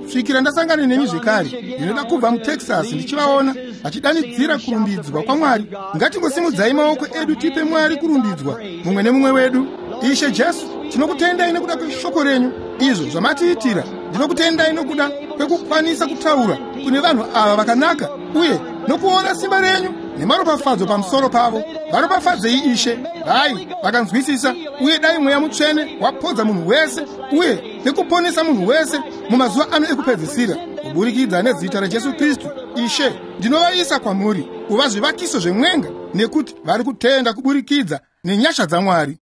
Svikira ndasangana nemi zvekare, ndinoda kubva muTexas ndichivaona vachidanidzira kurumbidzwa kwaMwari. Ngatingosimudzai maoko edu tipe Mwari kurumbidzwa, mumwe nemumwe wedu. Ishe Jesu, tinokutendai nekuda kweshoko renyu, izvo zvamatiitira. Ndinokutendai nokuda kwekukwanisa kutaura kune vanhu ava vakanaka, uye nokuona simba renyu nemaropafadzo pamusoro pavo. Varopafadzei, Ishe. Dai vakanzwisisa, uye dai Mweya Mutsvene wapodza munhu wese uye nekuponesa munhu wese mumazuva ano ekupedzisira, kuburikidza nezita raJesu Kristu. Ishe, ndinovaisa kwamuri kuva zvivakiso zvemwenga, nekuti vari kutenda kuburikidza nenyasha dzaMwari.